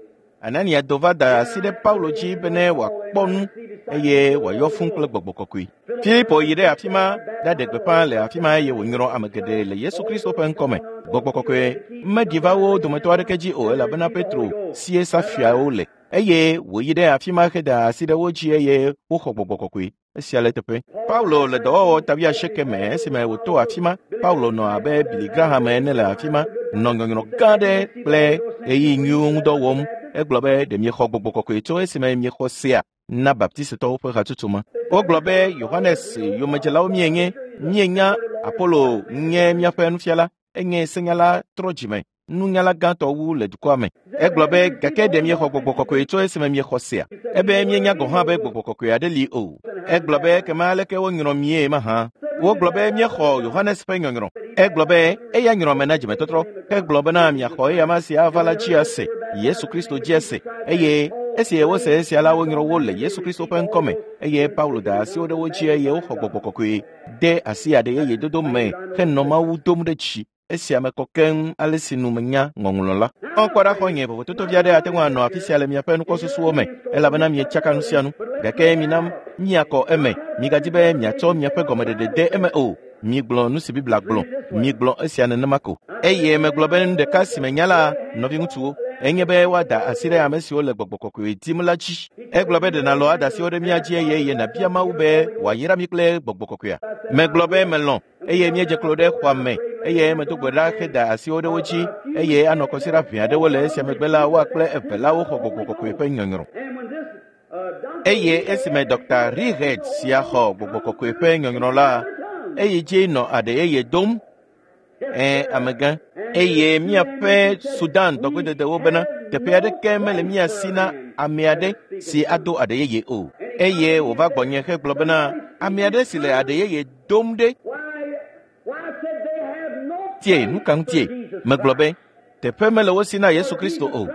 Anania do va da asi ɖe Paulo dzi bene wòakpɔ nu eye wòayɔ fũu kple gbɔgbɔ kɔkɔe. Filipo yi ɖe afi ma ɖaɖe gbeƒã le afi ma eye wònyrɔ ame geɖe le Yesu Kristo ƒe ŋkɔme. Gbɔgbɔ kɔkɔe meɖi va wo dometɔ aɖeke dzi o elabena Petro sie safiawo le eye wòyi ɖe afi ma heda asi ɖe wo dzi eye woxɔ gbɔgbɔ kɔkɔe. Esia le teƒe. Paulo le dɔwɔwɔ tabiaseke me esime wòto afi ma. Paulo nɔ abe Billy Graham ene le afi ma, nɔ nyɔnyrɔ gã aɖe kple ɣeyiɣi nyuiwo ŋudɔ wɔm. Egblɔ be ɖe miexɔ gbɔgbɔ kɔkɔe tso esime miexɔ sea na baptistɔwo ƒe hatsotso ma. Wogblɔ be Yohanes yomedzelawo mienye, mienya Apolo nye míaƒe nufiala, enye senyala trɔ dzime, nunyala gãtɔ wu le dukɔa me. Egblɔ be gake ɖe miexɔ gbɔgbɔ kɔkɔe tso esime miexɔ sea. Ebe mienya gɔ̃ hã be gbɔgbɔ kɔkɔe aɖe li o. Egblɔ be ekema aleke wonyrɔ mie mahã. Wogblɔ be míexɔ Yohanes ƒe nyɔnyrɔ. Egblɔ be eya nyrɔ me na dzimetɔtrɔ. Egblɔ bena miaxɔ eya ma si ava la dzi ase, Yesu Kristo dzi ase. Eye esi wose esia la wonyrɔ wo le Yesu Kristo ƒe ŋkɔme. Eye Paulo da asiwo ɖe wo dzi eye woxɔ gbɔgbɔ kɔkɔe de asi aɖe yeye dodo me henɔ Mawu dom ɖe dzi. Esia me kɔ keŋ ale si nu menya ŋɔŋlɔ la. Kpɔ ɖa xɔ̃nye vovototo vi aɖe ate ŋu anɔ afi sia le miaƒe nukpɔsusuwo me elabena mietsaka nu sia nu. Gake mina miakɔ eme. Migadi be miatsɔ miaƒe gɔmeɖeɖe de eme o. Migblɔ nu si Biblia gblɔ. Migblɔ esia nenema ko. Eye megblɔ be nu ɖeka si menya la, nɔviŋutsuwo, enye be woada asi ɖe ame siwo le gbɔgbɔ kɔkɔe dim la dzi. Egblɔ be ɖe nàlɔ ada asiwo ɖe mía dzi eye eye nàbia Mawu be wòayra mí kple gbɔgbɔ kɔkɔea. Megblɔ be melɔ̃ eye míedze klo ɖe xɔa me eye medo gbe ɖa heda asiwo ɖe wo dzi eye anɔ kɔsiɖa ʋɛ aɖewo le esia megbe la woa kple eve la woxɔ gbɔgbɔ kɔkɔe ƒe nyɔnyrɔ. Eye esime Dɔkta Reed sia xɔ gbɔgbɔ kɔkɔe ƒe nyɔnyrɔ la, eyi dzi nɔ aɖe yeye dom. Ẽ amegã. Eye míaƒe Sudan dɔgbededewo bena teƒe aɖeke mele mía si na ame aɖe si ado aɖe yeye o. Eye wòva gbɔnye hegblɔ bena ame aɖe si le aɖe yeye dom ɖe. Tie nu ka ŋutie? Megblɔ be teƒe mele wo si na Yesu Kristo o.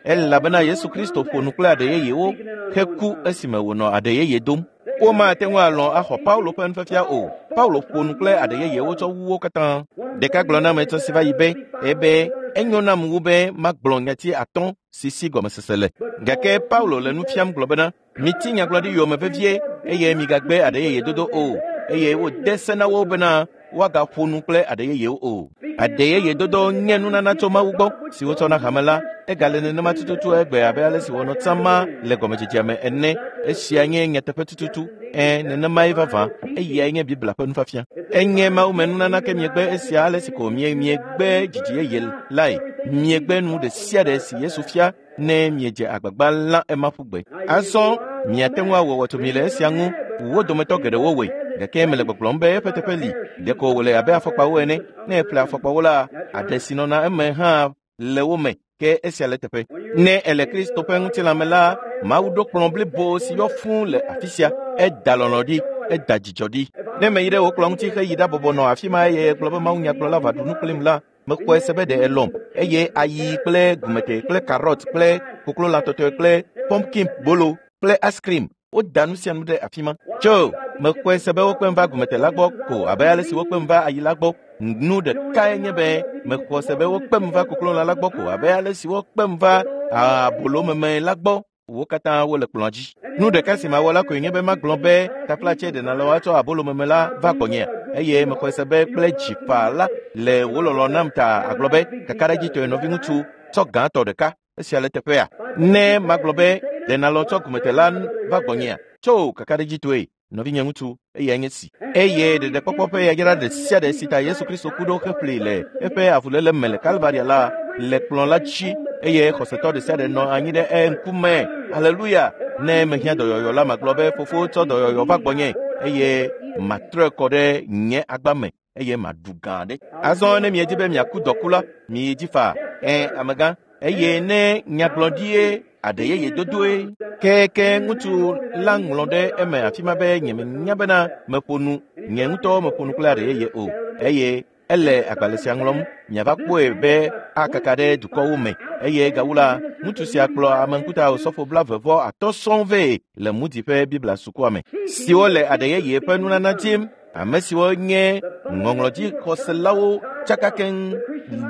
Elabena Yesu Kristo ƒo nu kple aɖe yeyewo heku esime wònɔ aɖe yeye dom. Womate ŋu alɔ̃ axɔ Paulo ƒe nufiafia o. Paulo ƒo nu kple aɖe yeyewo tsɔ wu wo katã. Ɖeka gblɔ na ame etɔ̃ si va yi be ebe enyo nam wu be magblɔ nyati atɔ̃ si si gɔmesese le. Gake Paulo le nu fiam gblɔ bena miti nyagblɔɖi yome vevie eye migagbe aɖe yeye dodo o. Eye wode se na wo bena woagaƒo nu kple aɖe yeyewo o. Aɖe yeye dodo nye nunana tso Mawu gbɔ si wotsɔ na hame la. Egale nenema tututu egbe abe ale si wònɔ tsã ma le gɔmedzedzea me ene. Esia nye nyateƒe tututu. Ẽ, nenemae vavã. Eyae nye Biblia ƒe nufiafia. Enye Mawu me nunana ke miegbe esia ale si ko mie miegbe dzidzi yeye lae. Miegbe nu ɖe sia ɖe si Yesu fia ne miedze agbagba lã ema ƒu gbe. Azɔ miate ŋu awɔ wɔtomi le esia ŋu. Wo dometɔ geɖewo wɔe. Gake mele gbɔgblɔm be eƒe teƒe li. Ɖeko wòle abe afɔkpawo ene. Ne èƒle afɔkpawo la, aɖe si nɔna eme hã le wo me. Ke esia le teƒe. Ne ele Kristo ƒe ŋutilã me la, Mawu ɖo kplɔ̃ blibo si yɔ fũu le afi sia. Eda lɔlɔ̃ ɖi, eda dzidzɔ ɖi. Ne meyi ɖe wò kplɔ̃ ŋuti heyi ɖabɔbɔ nɔ afi ma eye gblɔ be Mawu nyagblɔla va ɖu nu kplim la, mekpɔe se be ɖe elɔ̃m eye ayi kple gumete kple karɔt kple koklolã tɔtɔe kple pumpkin bolo kple ice cream woda nu sia nu ɖe afi ma. Tso mekpɔe se be wokpem va gumete la gbɔ ko abe ale si wokpem va ayi la gbɔ. Nu ɖekae nye be mexɔ se be wokpem va koklolã la gbɔ ko abe ale si wokpem va abolomeme la gbɔ. Wo katã wole kplɔ̃a dzi. Nu ɖeka si mawɔ la koe nye be magblɔ be taflatse ɖe nàlɔ woatsɔ abolomeme la va gbɔnyea. Eye mexɔe se be kple dzi faa la le wò lɔlɔ̃ nam ta agblɔ be kakaɖedzitɔe nɔviŋutsu tsɔ gãtɔ ɖeka. Esia le teƒea. Ne magblɔ be ɖe nàlɔ tsɔ gumete la va gbɔnyea. Tso kakaɖedzitɔe nɔvinye ŋutsu eyae nye si. Eye ɖeɖekpɔkpɔ ƒe yayra ɖe sia ɖe si ta Yesu Kristo ku ɖo heƒli le eƒe avuléle me le Kalvaria la le kplɔ̃ la dzi eye xɔsetɔ ɖe sia ɖe nɔ anyi ɖe eŋkume. Aleluya! Ne mehiã dɔyɔyɔ la magblɔ be fofo tsɔ dɔyɔyɔ va gbɔnye eye matrɔe kɔ ɖe nye agba me eye maɖu gã ɖe. Azɔ ne miedi be miaku dɔku la, miyi dzi faa. Ẽ, amegã. Eye ne nyagblɔɖie aɖe yeye dodoe. Ke ke ŋutsu la ŋlɔ ɖe eme afi ma be nye menya bena meƒo nu, nye ŋutɔ meƒo nu kple aɖe yeye o. Eye ele agbalẽ sia ŋlɔm miava kpɔe be akaka ɖe dukɔwo me. Eye gawu la, ŋutsu sia kplɔ ame ŋkuta osɔfo blaeve vɔ atɔ̃ sɔŋ vɛ le Moody ƒe Biblia sukua me, siwo le aɖe yeye ƒe nunana dim. Ame siwo nye ŋɔŋlɔdzixɔselawo tsaka keŋ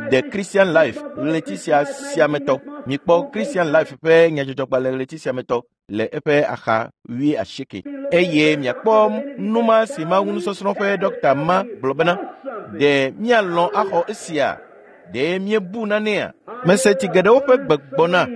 The Christian Life ɣleti sia sia me tɔ. Mikpɔ Christian Life ƒe nyadzɔdzɔgbalẽ ɣleti sia me tɔ le eƒe axa wui asieke. Eye miakpɔ numa si Mawu nusɔsrɔ̃ ƒe dɔkta ma gblɔ bena, ɖe míalɔ̃ axɔ esia? Ɖe míebu nanea? Mese tsi geɖewo ƒe gbe gbɔna.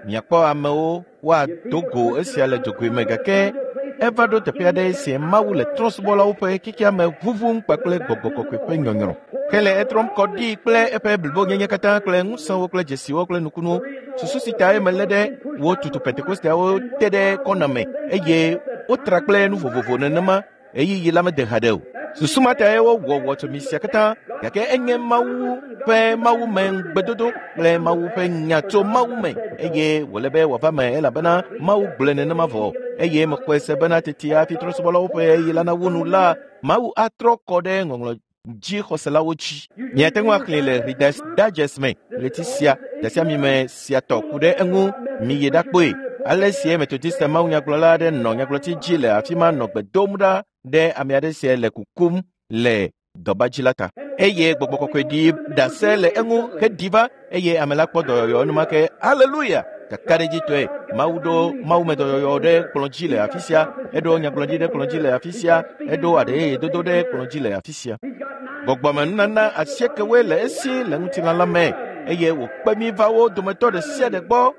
Miakpɔ amewo woado go esia le dzogoe me gake eva ɖo teƒe aɖe si Mawu le trɔ̃subɔlawo ƒe xexea me ʋuʋum kpakple gbɔgbɔ kɔkɔe ƒe nyɔnyrɔ. Hele etrɔm kɔ ɖi kple eƒe blibonyenye katã kple ŋusẽwo kple dzesiwo kple nukunuwo. Susu si tae melé ɖe wo tutu Pentekosteawo te ɖe kɔna me eye wotra kple nu vovovo nenema ɣeyiɣi la mede haɖe o. Susu ma tae wowɔ wɔtsomi sia katã gake enye Mawu ƒe Mawu me ŋugbedodo kple Mawu ƒe nya tso Mawu me eye wòle be wòava me elabena Mawu gblɔe nenema vɔ eye mexɔe se bena tete hafi trɔ̃subɔlawo ƒe ɣeyiɣi la nawu nu la Mawu atrɔ kɔ ɖe ŋɔŋlɔ dzixɔselawo dzi. Miate ŋu axlẽe le Reader's Digest me ɣleti sia dasiamime sia tɔ ku ɖe eŋu miyi ɖakpɔe. Ale sie Methodist mawunyagblɔla aɖe nɔ nyagblɔti dzi le afi ma nɔ gbe dom ɖa ɖe ame aɖe si le kukum le dɔba dzi la ta. Eye gbɔgbɔ kɔkɔe ɖi ɖase le eŋu heɖi va eye ame la kpɔ dɔyɔyɔ enumake. Haleluya! Kakaɖedzitɔe Mawu ɖo Mawume dɔyɔyɔ ɖe kplɔ̃ dzi le afi sia, eɖo nyagblɔɖi ɖe kplɔ̃ dzi le afi sia, eɖo aɖeyeyedodo ɖe kplɔ̃ dzi le afi sia. Gbɔgbɔmenunana asiekewoe le esi le ŋutilã la me eye wòkpe mí va wo dometɔ ɖe sia ɖe gbɔ.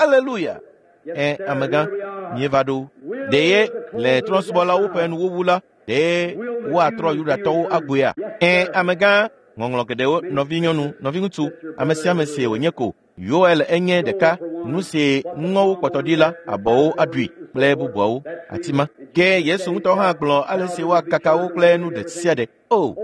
Haleluya! Ẽ, amegã, míeva ɖo. Ɖe ye le trɔ̃subɔlawo ƒe nuwuwu la, ɖe woatrɔ Yudatɔwo agboea? Ẽ, amegã, ŋɔŋlɔ geɖewo, nɔvinyɔnu, nɔviŋutsu, ame sia ame si wònye ko. Yoel enye ɖeka, nu si ŋɔwo kpɔtɔ ɖi la, abɔwo aɖui kple bubuawo, atima. Ke Yesu ŋutɔ hã gblɔ ale si woakaka wo kple nu ɖe sia ɖe. O,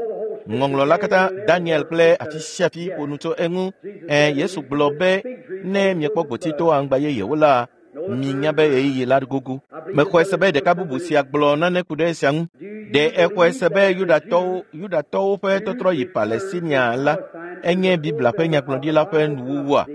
ŋɔŋlɔ la katã, Daniel kple afi sia afi ƒo nu tso eŋu. Ẽ, Yesu gblɔ be ne miekpɔ gboti to aŋgba yeyewo la, minya be ɣeyiɣi la gogo. Mexɔe se be ɖeka bubu sia gblɔ nane ku ɖe esia ŋu. Ɖe exɔe se be Yudatɔwo Yudatɔwo ƒe tɔtrɔ yi Palestinia la enye Biblia ƒe nyagblɔɖi la ƒe nuwuwua?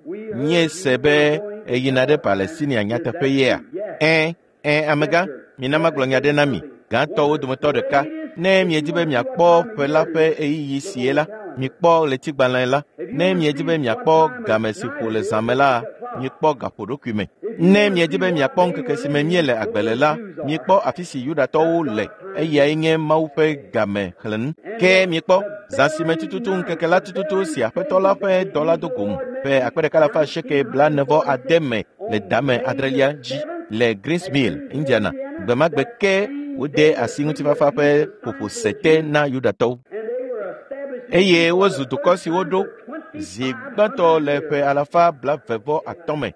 Míese be eyina ɖe Palestinia nyateƒe yea? Ẽ, ẽ, amegã, mina magblɔ nya ɖe na mi, gãtɔwo dometɔ ɖeka. Ne miedi be miakpɔ ƒe la ƒe ɣeyiɣi sie la, mikpɔ ɣletigbalẽ la. Ne miedi be miakpɔ game si ƒo le zã me la, mikpɔ gaƒoɖokui me. Ne miedi be miakpɔ ŋkeke si me míele agbe le la, mikpɔ afi si Yudatɔwo le, eyae nye Mawu ƒe game xlẽnu. Ke mikpɔ zã si me tututu ŋkeke la tututu si Aƒetɔ la ƒe dɔla do gom ƒe akpe ɖeka alafa asieke blaene vɔ ade me le dame adrelia dzi le Greens Mill, Indiana. Gbe ma gbe ke wode asi ŋutifafa ƒe ƒoƒo se te na Yudatɔwo. Eye wozu dukɔ si woɖo zi gbãtɔ le ƒe alafa blaeve vɔ atɔ̃ me.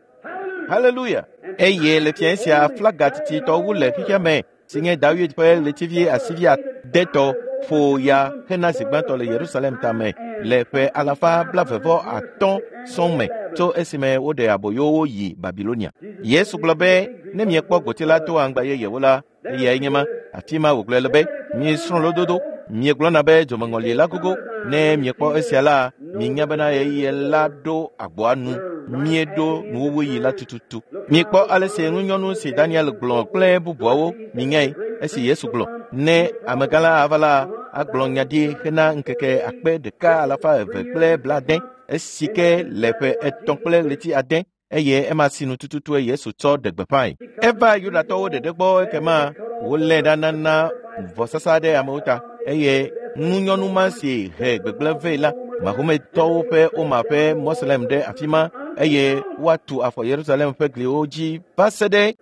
Haleluya! Eye le fiẽ sia flaga tititɔ wu le xexea me si nye Dawid ƒe ɣletivi asivi adetɔ ƒo ya hena zi gbãtɔ le Yerusalem tame le ƒe alafa blaeve vɔ atɔ̃ sɔŋ me tso esime woɖe aboyowo yi Babilonia. Yesu gblɔ be ne miekpɔ gboti la to aŋgba yeyewo la, eyae nye ma. Afi ma wògblɔe le be miesrɔ̃ lododo, miegblɔna be dzomeŋɔli la gogo. Ne miekpɔ esia la, minya bena ɣeyiɣi la ɖo agboa nu. Míeɖo nuwuwuɣi la tututu. Mikpɔ ale si ŋunyɔnu si Daniel gblɔ kple bubuawo minyae esi Yesu gblɔ ne amegã la ava la agblɔ nya ɖi hena ŋkeke akpe ɖeka alafa eve kple blaade esi ke le ƒe etɔ̃ kple ɣleti ade eye ema sinu tututue Yesu tsɔ ɖe gbeƒãe. Eva Yudatɔwo ɖeɖe gbɔ ekema wolé ɖa nana vɔsasa ɖe amewo ta eye ŋunyɔnu ma si he gbegblẽ vɛ la Mahometɔwo ƒe Oma ƒe Moslem ɖe afi ma eye woatu afɔ Yerusalem ƒe gliwo dzi va se ɖe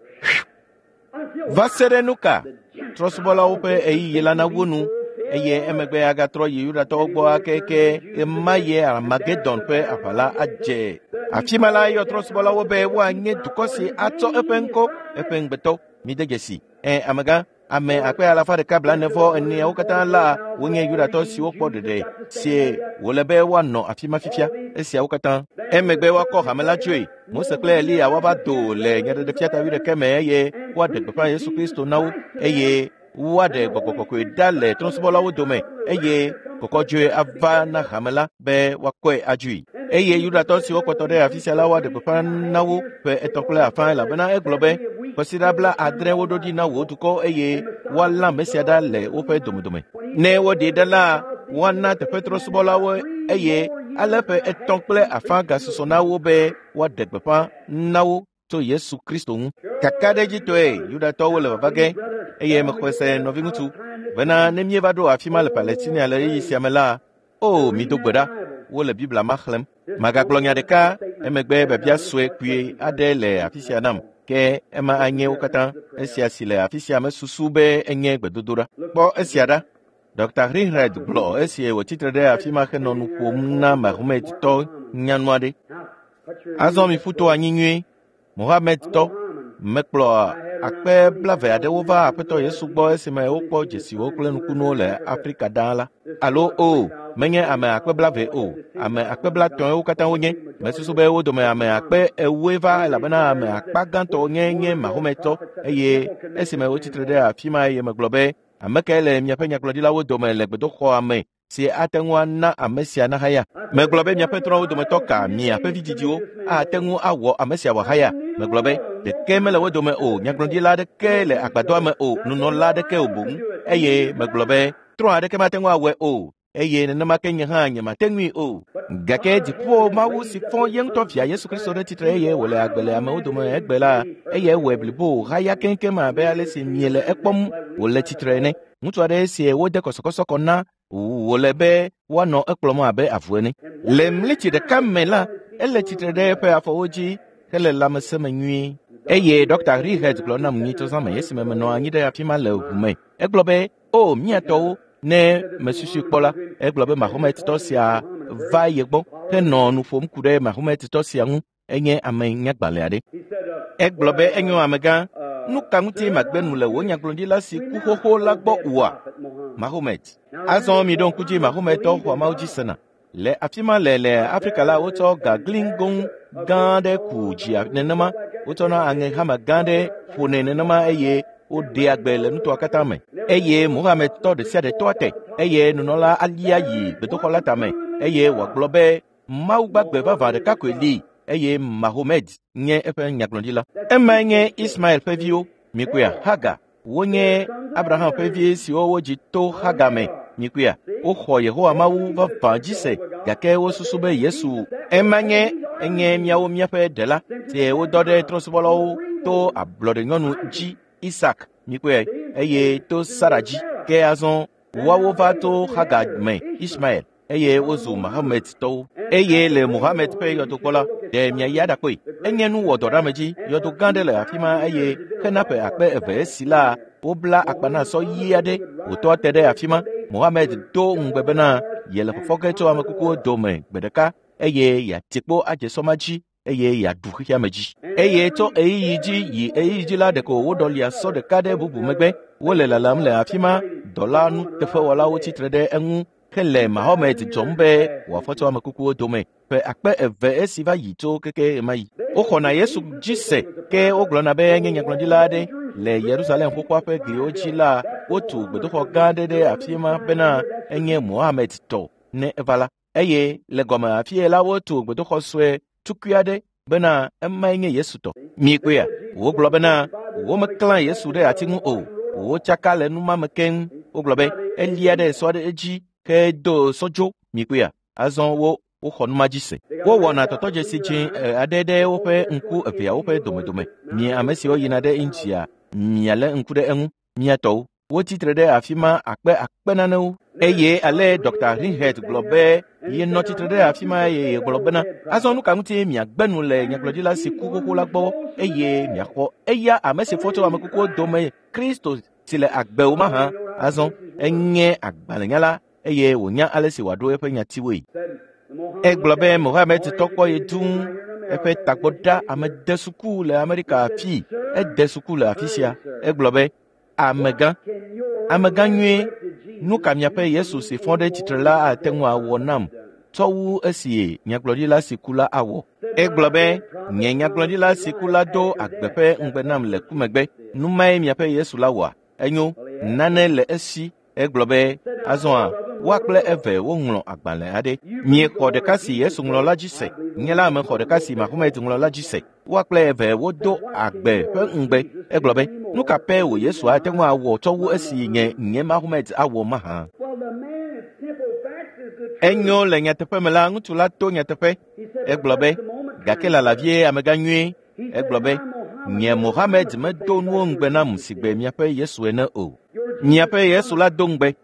va se ɖe nu ka? Trɔ̃subɔlawo ƒe ɣeyiɣi la nawu nu eye emegbe agatrɔ yi Yudatɔwo gbɔ ake ema ye Armagedon ƒe aʋa la adze. Afi ma la eyɔ trɔ̃subɔlawo be woanye dukɔ si atsɔ eƒe ŋkɔ, eƒe ŋugbetɔ. Mide dzesi. Ẽ, amegã, ame akpe alafa ɖeka blaene vɔ eneawo katã la wonye Yudatɔ siwo kpɔ ɖeɖe si wòle be woanɔ afi ma fifia. Esiawo katã. Emegbe woakɔ hame la dzoe. Mose kple Eliya woava do le nyaɖeɖefia ta wuiɖekɛ me eye woaɖe gbeƒã Yesu Kristo na wo eye woaɖe gbɔgbɔ kɔkɔe ɖa le trɔ̃subɔlawo dome eye kɔkɔdzoe ava na hame la be woakɔe adzoe. Eye Yudatɔ siwo kpɔtɔ ɖe afi sia la woaɖe gbeƒã na wo ƒe etɔ̃ kple afã elabena egblɔ be kɔsiɖa bla adre woɖo ɖi na wò dukɔ eye woalã ame sia ɖa le woƒe domedome. Ne woɖee ɖa la, woana teƒetrɔsubɔlawo eye ale ƒe etɔ̃ kple afã gasusɔ na wo be woaɖe gbeƒã na wo tso Yesu Kristo ŋu. Kakaɖedzitɔe Yudatɔwo le vava ge eye mexɔe se nɔviŋutsu bena ne míeva ɖo afi ma le Palestina le ɣeyiɣi sia me la, o mido gbe ɖa, wole Biblia ma xlẽm. Magagblɔ nya ɖeka emegbe biabia sue kpuie aɖe le afi sia nam ke ema anye wo katã. Esia si le afi sia mesusu be enye gbedodoɖa. Kpɔ esia ɖa. Dr. Rinred gblɔ esi wòtsitre ɖe afi ma henɔ nu ƒom na Mahometɔ nyanu aɖe. Azɔ miƒu to anyi nyuie. Mohamedtɔ mekplɔ akpe blave aɖewo va Aƒetɔ Yesu gbɔ esime wokpɔ dzesiwo kple nukunuwo le Afrika ɖaa la. Alo o, menye ame akpe blave o, ame akpe blatɔ̃e katã wonye. Mesusu be wo dome ame akpe ewoe va elabena ame akpa gãtɔ nye nye Mahometɔ eye esime wotsitre ɖe afi ma eye megblɔ be ame kae le miaƒe nyagblɔɖilawo dome le gbedoxɔa me si ate ŋu ana ame sia nahaya. Megblɔ be miaƒe trɔ̃wo dometɔ ka miaƒe vidzidziwo ate ŋu awɔ ame sia wòahaya. Megblɔ be ɖeke mele wo dome o, nyagblɔɖila aɖeke le agbadɔa me o, nunɔla aɖeke o boŋ. Eye megblɔ be trɔ̃ aɖeke mate ŋu awɔe o, eye nenema ke nye hã nyemate ŋui o. Gake dziƒo Mawu si fɔ ye ŋutɔ via Yesu Kristo ɖe tsitre eye wòle agbe le amewo dome egbe la, eyae wɔe blibo haya keŋkeŋ abe ale si miele ekpɔm wòle tsitre ene. Ŋutsu aɖe si wode kɔsɔkɔsɔ kɔ na wòle be woanɔ ekplɔm abe avu ene. Le mlitsi ɖeka me la, ele tsitre ɖe eƒe afɔwo dzi hele lãmesẽ me nyuie. Eye Dr. Rihet gblɔ nam nyitsɔ zã me esime menɔ anyi ɖe afi ma le ʋu me. Egblɔ be, o miatɔwo, ne mesusui kpɔ la, egblɔ be Mahometɔ sia va ye gbɔ henɔ nu ƒom ku ɖe Mahometɔ sia ŋu. Enye ame nyagbalẽ aɖe. Egblɔ be enyo amegã, nu ka ŋuti magbe nu le wò nyagblɔɖila si ku xoxo la gbɔ oa? Mahomet. Azɔ miɖo ŋku dzi Mahometɔ xɔa Mawu dzi sena. Le afi ma le le Afrika la, wotsɔ gagliŋgoŋ gã aɖe ku dzia nenema, wotsɔna aŋe hama gã aɖe ƒonɛ nenema eye woɖea gbe le nutoa katã me. Eye Mohamedtɔ ɖe sia ɖe tɔa te eye nunɔla alia yi gbedoxɔ la tame eye wòagblɔ be Mawu gbagbe vavã ɖeka koe li eye Mahomed nye eƒe nyagblɔɖila. Emae nye Ismael ƒe viwo. Mikpɔea, Hagar, wonye Abraham ƒe vi siwo wodzi to Hagar me. Mikpɔea, woxɔ Yehowa Mawu vavã dzi se gake wosusu be Yesu ema nye enye miawo míaƒe ɖela si wodɔ ɖe trɔ̃subɔlawo to ablɔɖenyɔnu dzi Isak. Mikpɔe, eye to Sara dzi. Ke azɔ woawo va to Hagar me Ismael eye wozu Mahometɔwo. Eye le Mohamed ƒe yɔdokpɔ la, ɖe miayi aɖakpɔe. Enye nu wɔdɔɖeamedzi. Yɔdo gã ɖe le afi ma eye hena ƒe akpe eve esi la, wobla akpa na sɔ ɣi aɖe wòtɔ te ɖe afi ma. Mohamed do ŋugbe bena yele fɔfɔ ge tso ame kukuwo dome gbe ɖeka eye yeati kpo adze sɔ ma dzi eye yeaɖu xexeame dzi. Eye tso ɣeyiɣi dzi yi ɣeyiɣi dzi la ɖeko woɖɔlia sɔ ɖeka ɖe bubu megbe. Wole lalam le afi ma. Dɔla nuteƒewɔlawo tsitre ɖe eŋu hele Mahomet dzɔm be wòafɔ tso ame kukuwo dome ƒe akpe eve esi va yi tso keke ɣemaɣi. Woxɔna Yesu dzi se ke wogblɔna be enye nyagblɔɖila aɖe. Le Yerusalem xoxoa ƒe gliwo dzi la, wotu gbedoxɔ gã aɖe ɖe afi ma bena enye Mohamed tɔ ne eva la. Eye le gɔme afie la wotu gbedoxɔ sue tukui aɖe bena emae nye Yesu tɔ. Mikpɔea, wogblɔ bena womeklã Yesu ɖe ati ŋu o. Wotsaka le nu ma me keŋ. Wogblɔ be elia ɖe sɔ aɖe dzi ke do sɔdzo. Mikpɔea, azɔ wo woxɔ nu ma dzi se. Wowɔna tɔtɔdzesi dzĩ aɖe ɖe woƒe ŋku eveawo ƒe domedome. Mi ame siwo yina ɖe India, mialé ŋku ɖe eŋu. Miatɔwo, wotsitre ɖe afi ma akpe akpe nanewo. Eye ale Dr. Rinhet gblɔ be yenɔ tsitre ɖe afi ma eye yegblɔ bena azɔ nu ka ŋuti miagbe nu le nyagblɔɖila si ku xoxo la gbɔ eye miaxɔ eya ame si fɔ tso ame kukuwo dome Kristo si le agbe o mahã. Azɔ enye agbalẽnyala eye wònya ale si wòaɖo eƒe nyatiwoe. Egblɔ be Mohamed tɔ kpɔ ye dũu eƒe tagbɔ ɖa ame de suku le Amerika afi ede suku le afi sia. Egblɔ be amegã, amegã nyuie, nu ka miaƒe Yesu si fɔ ɖe tsitre la ate ŋu awɔ nam tsɔ wu esi nyagblɔɖila si ku la awɔ? Egblɔ be nye nyagblɔɖila si ku la do agbe ƒe ŋugbe nam le ku megbe. Nu mae miaƒe Yesu la wɔa? Enyo, nane le esi. Egblɔ be azɔa Woa kple eve woŋlɔ agbalẽ aɖe. Miexɔ ɖeka si Yesu ŋlɔ la dzi se. Nye la mexɔ ɖeka si Mahomet ŋlɔ la dzi se. Woa kple eve wodo agbe ƒe ŋugbe. Egblɔ be, nu ka pɛ wò Yesu ate ŋu awɔ tsɔ wu esi nye nye Mahomet awɔ mahã? Enyo le nyateƒe me la, ŋutsu la to nyateƒe. Egblɔ be, gake lala vie amegã nyuie. Egblɔ be, nye Mohammed medo nuwo ŋugbe nam sigbe miaƒe Yesu ene o. Miaƒe Yesu la do ŋugbe.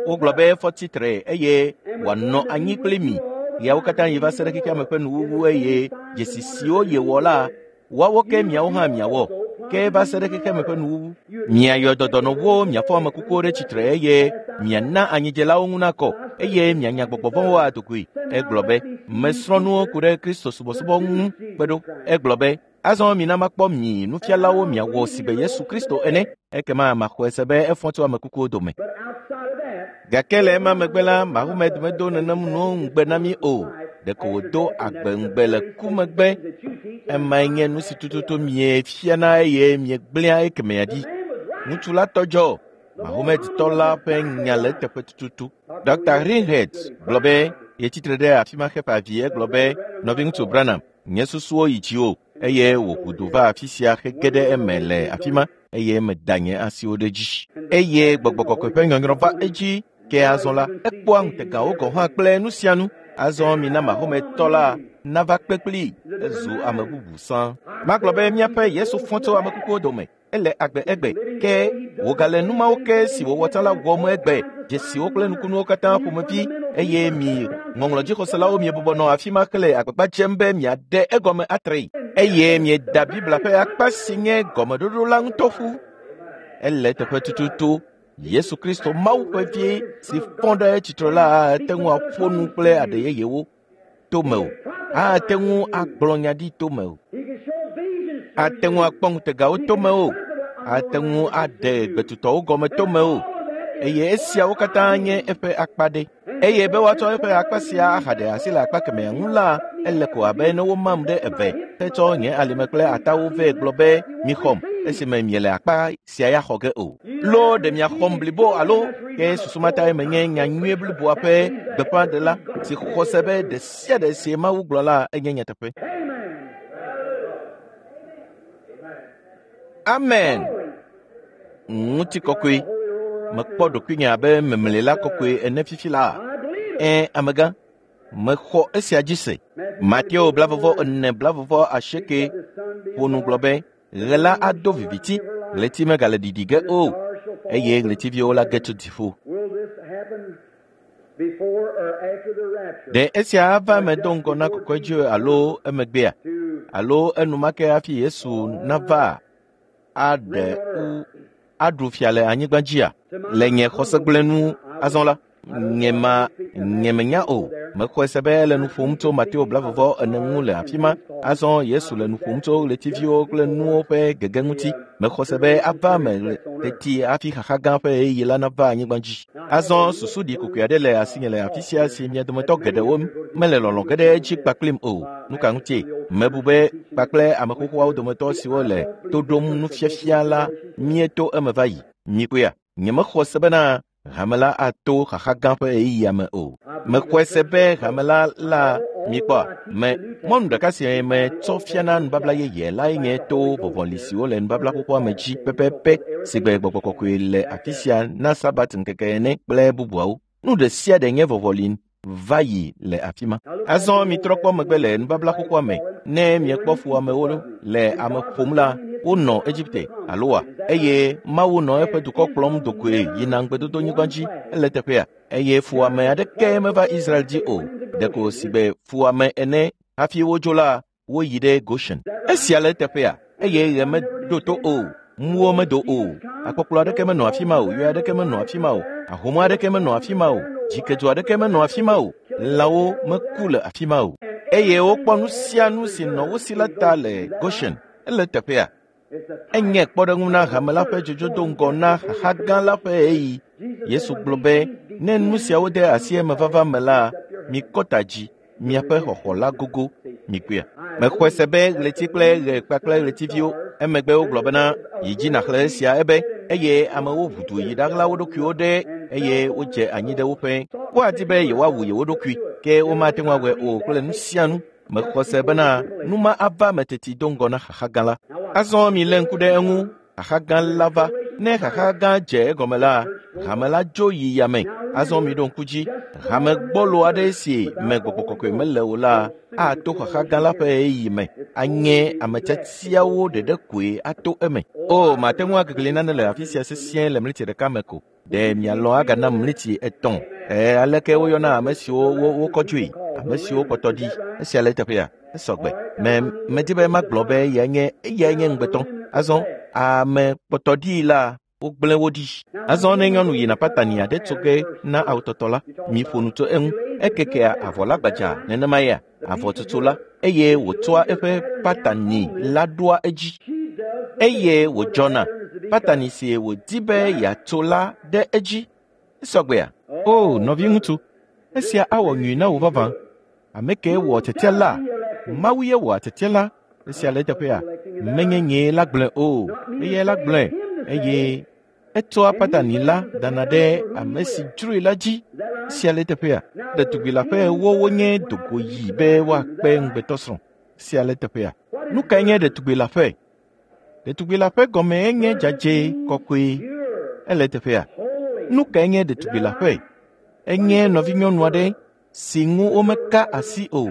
Wogblɔ be efɔ tsitre eye wòanɔ anyi kpli mi. Ɣeawo katã yi va se ɖe xexea me ƒe nuwuwu eye dzesi siwo yewɔ la, woawo ke miawo hã miawɔ. Ke va se ɖe xexea me ƒe nuwuwu. Miayɔ dɔdɔnɔwo, miafɔ ame kukuwo ɖe tsitre eye miana anyidzelawo ŋu nakɔ eye mianya gbɔgbɔ vɔ̃wo adogoe. Egblɔ be, mesrɔ̃ nuwo ku ɖe Kristo subɔsubɔ ŋu kpe ɖo. Egblɔ be, azɔ mina makpɔ mi nufialawo miawɔ sigbe Yesu Kristo ene. Ekema maxɔe se be efɔ tso ame kukuwo dome. Gake le ema megbe la, Mahomet medo nenem nuwo ŋugbe na mí o. Ɖeko wòdo agbe ŋugbe le ku megbe. Emae nye nu si tututu miefiana eye miegblẽa ekemea ɖi. Ŋutsu la tɔ dzɔ. Mahomet tɔ la ƒe nya le eteƒe tututu. Dɔkta Rinhead gblɔ be yetsitre ɖe afi ma xeƒe avi. Egblɔ be, nɔviŋutsu Branham, nye susuwo yi dziwò eye wòʋu du va afi sia hege ɖe eme le afi ma eye meda nye asiwo ɖe edzi. Eye gbɔgbɔ kɔkɔe ƒe nyɔnyrɔ va edzi. Ke azɔ la, ekpɔa ŋutegawo gɔ̃ hã kple nu sia nu. Azɔ mina Mahomet tɔ la nava kpe kplii. Ezu ame bubu sã. Magblɔ be míaƒe Yesu fɔ tso ame kukuwo dome. Ele agbe egbe. Ke wògale nu mawo ke si wòwɔ tsã la wɔm egbe. Dzesiwo kple nukunuwo katã ƒomevi eye mi ŋɔŋlɔdzixɔselawo miebɔbɔ nɔ afi ma hele agbagba dzem be miaɖe egɔme atree. Eye mieda Biblia ƒe akpa si nye gɔmeɖoɖo la ŋutɔ ƒu. Ele teƒe tututu. Yesu Kristo Mawu ƒe vi si fɔ ɖe tsitre la ate ŋu aƒo nu kple aɖe yeyewo to me o. Ate ŋu agblɔ nya ɖi to me o. Ate ŋu akpɔ ŋutegawo to me o. Ate ŋu aɖe gbetutɔwo gɔme to me o. Eye esiawo katã nye eƒe akpa ɖe. Eye be woatsɔ eƒe akpa sia ahaɖe asi le akpa kemɛa ŋu la, ele ko abe ne womam ɖe eve hetsɔ nye alime kple atawo vɛ gblɔ be mixɔm esime miele akpa sia ya xɔ ge o. Lo ɖe miaxɔm blibo alo ke susu ma tae menye nya nyuie bliboa ƒe gbeƒãɖela si xɔ se be ɖe sia ɖe si Mawu gblɔ la enye nyateƒe. Amen. Ŋutikɔkɔe. Mekpɔ ɖokuinye abe memlela kɔkɔe ene fifi la. Ẽ, amegã, mexɔ esia dzi se. Mateo blavɔvɔ ene blavɔvɔ asieke ƒo nu gblɔ be ɣe la ado viviti, ɣleti megale ɖiɖi ge o, eye ɣletiviwo la ge tso dziƒo. Ɖe esia ava eme do ŋgɔ na kɔkɔedzo alo emegbea? Alo enumake hafi Yesu nava aɖe u aɖu fia le anyigba dzia? Le nye xɔsegblẽnu azɔ la, nye ma nye menya o. Mexɔe se be ele nu ƒom tso Mateo blavɔvɔ ene ŋu le afi ma. Azɔ Yesu le nu ƒom tso ɣletiviwo kple nuwo ƒe gege ŋuti. Mexɔ se be ava eme teti hafi xaxa gã ƒe ɣeyiɣi la nava anyigba dzi. Azɔ susu ɖi kokoe aɖe le asinye le afi sia si mia dometɔ geɖewo mele lɔlɔ̃ ge ɖe edzi kpakplim o. Nu ka ŋutie? Mebu be kpakple ame xoxoawo dometɔ siwo le to ɖom nufiafia la míeto eme va yi. Mikpɔea? Nyemexɔ se bena hame la ato xaxa gã ƒe ɣeyiɣia me o. Mexɔe se be hame la la mikpɔa me mɔnu ɖeka si metsɔ fiana nubabla yeye lae nye to vɔvɔli siwo le nubabla xoxoa me dzi pɛpɛpɛ sigbe gbɔgbɔ kɔkɔe le afi sia na Sabat ŋkeke ene kple bubuawo. Nu ɖe sia ɖe nye vɔvɔli va yi le afi ma. Azɔ mitrɔ kpɔ megbe le nubabla xoxoa me. Ne miekpɔ fuwɔamewo le ame ƒom la, wonɔ Egipte aloa eye Mawu nɔ eƒe dukɔ kplɔm dogoe yina ŋugbedodonyigba dzi ele teƒea. Eye fuwɔame aɖeke meva Israel dzi o. Ɖeko sigbe fuwɔame ene hafi wodzo la, woyi ɖe Goshen. Esia le teƒea eye ɣe meɖo to o. Muwo medo o. Akpɔkplɔ aɖeke menɔ afi ma o. Yɔ aɖeke menɔ afi ma o. Ahom aɖeke menɔ afi ma o. Dzikedzo aɖeke menɔ afi ma o. Lãwo meku le afi ma o. Eye wokpɔ nu sia nu si nɔ wo si la ta le Goshen. Ele teƒea. Enye kpɔɖeŋu na hame la ƒe dzodzo do ŋgɔ na xaxa gã la ƒe ɣeyiɣi. Yesu gblɔ be ne nu siawo de asi emevava me la, mikɔ ta dzi, miaƒe xɔxɔ la gogo. Mikpɔea? Mexɔe se be ɣleti kple ɣe kpakple ɣletiviwo. Emegbe wogblɔ bena yi dzi nàxlẽ esia ebe eye amewo ʋu du yi ɖaɣla wo ɖokuiwo ɖe eye wodze anyi ɖe woƒe woadi be yewoawu yewo ɖokui ke womate ŋu awɔe o kple nu sia nu. Mexɔ se bena nu ma ava me teti do ŋgɔ na xaxa gã la. Azɔ milé ŋku ɖe eŋu. Xaxa gã la va. Ne xaxa gã dze egɔme la, hame la dzo yi yame. Azɔ miɖo ŋku dzi. Hame gbɔlo aɖe si me gbɔgbɔ kɔkɔe mele o la ato xaxa gã la ƒe ɣeyiɣi me. Anye ame tiatiawo ɖeɖe koe ato eme. O, mate ŋu agegli nane le afi sia sesĩe le mliti ɖeka me ko. Ɖe mialɔ̃ agana mliti etɔ̃. E, aleke woyɔna ame siwo wo wokɔ dzoe, ame siwo kpɔtɔ ɖi. Esia le eteƒea, esɔgbe. Me medi be magblɔ be eyae nye eyae nye ŋugbetɔ. Azɔ ame kpɔtɔ ɖi la wogblẽ wo ɖi. Azɔ ne nyɔnu yina patani aɖe tso ge na awutɔtɔ la, miƒo nu tso eŋu. Ekekea avɔ la gbadza nenema ya avɔ tutu la eye wòtsɔa eƒe patani la ɖoa edzi. Eye wòdzɔna patani si wòdi be yeatso la ɖe edzi. Esɔgbea? O, nɔviŋutsu, esia awɔ nyui na wò vavã. Ame ke wɔ tiatia la, Mawu ye wɔ tiatia la. Esia le eteƒea, menye nyee la gblɔe o, eyae la gblɔe eye etsɔa patani la dana ɖe ame si dzroe la dzi. Esia le eteƒea, ɖetugbi la ƒe ewo wonye dogo yi be woakpe ŋugbetɔsrɔ̃. Esia le eteƒea. Nu kae nye ɖetugbi la ƒe? Ɖetugbi la ƒe gɔme enye dzadzɛ kɔkɔe. Ele eteƒea. Nu kae nye ɖetugbi la ƒe? Enye nɔvinyɔnu aɖe si ŋu womeka asi o.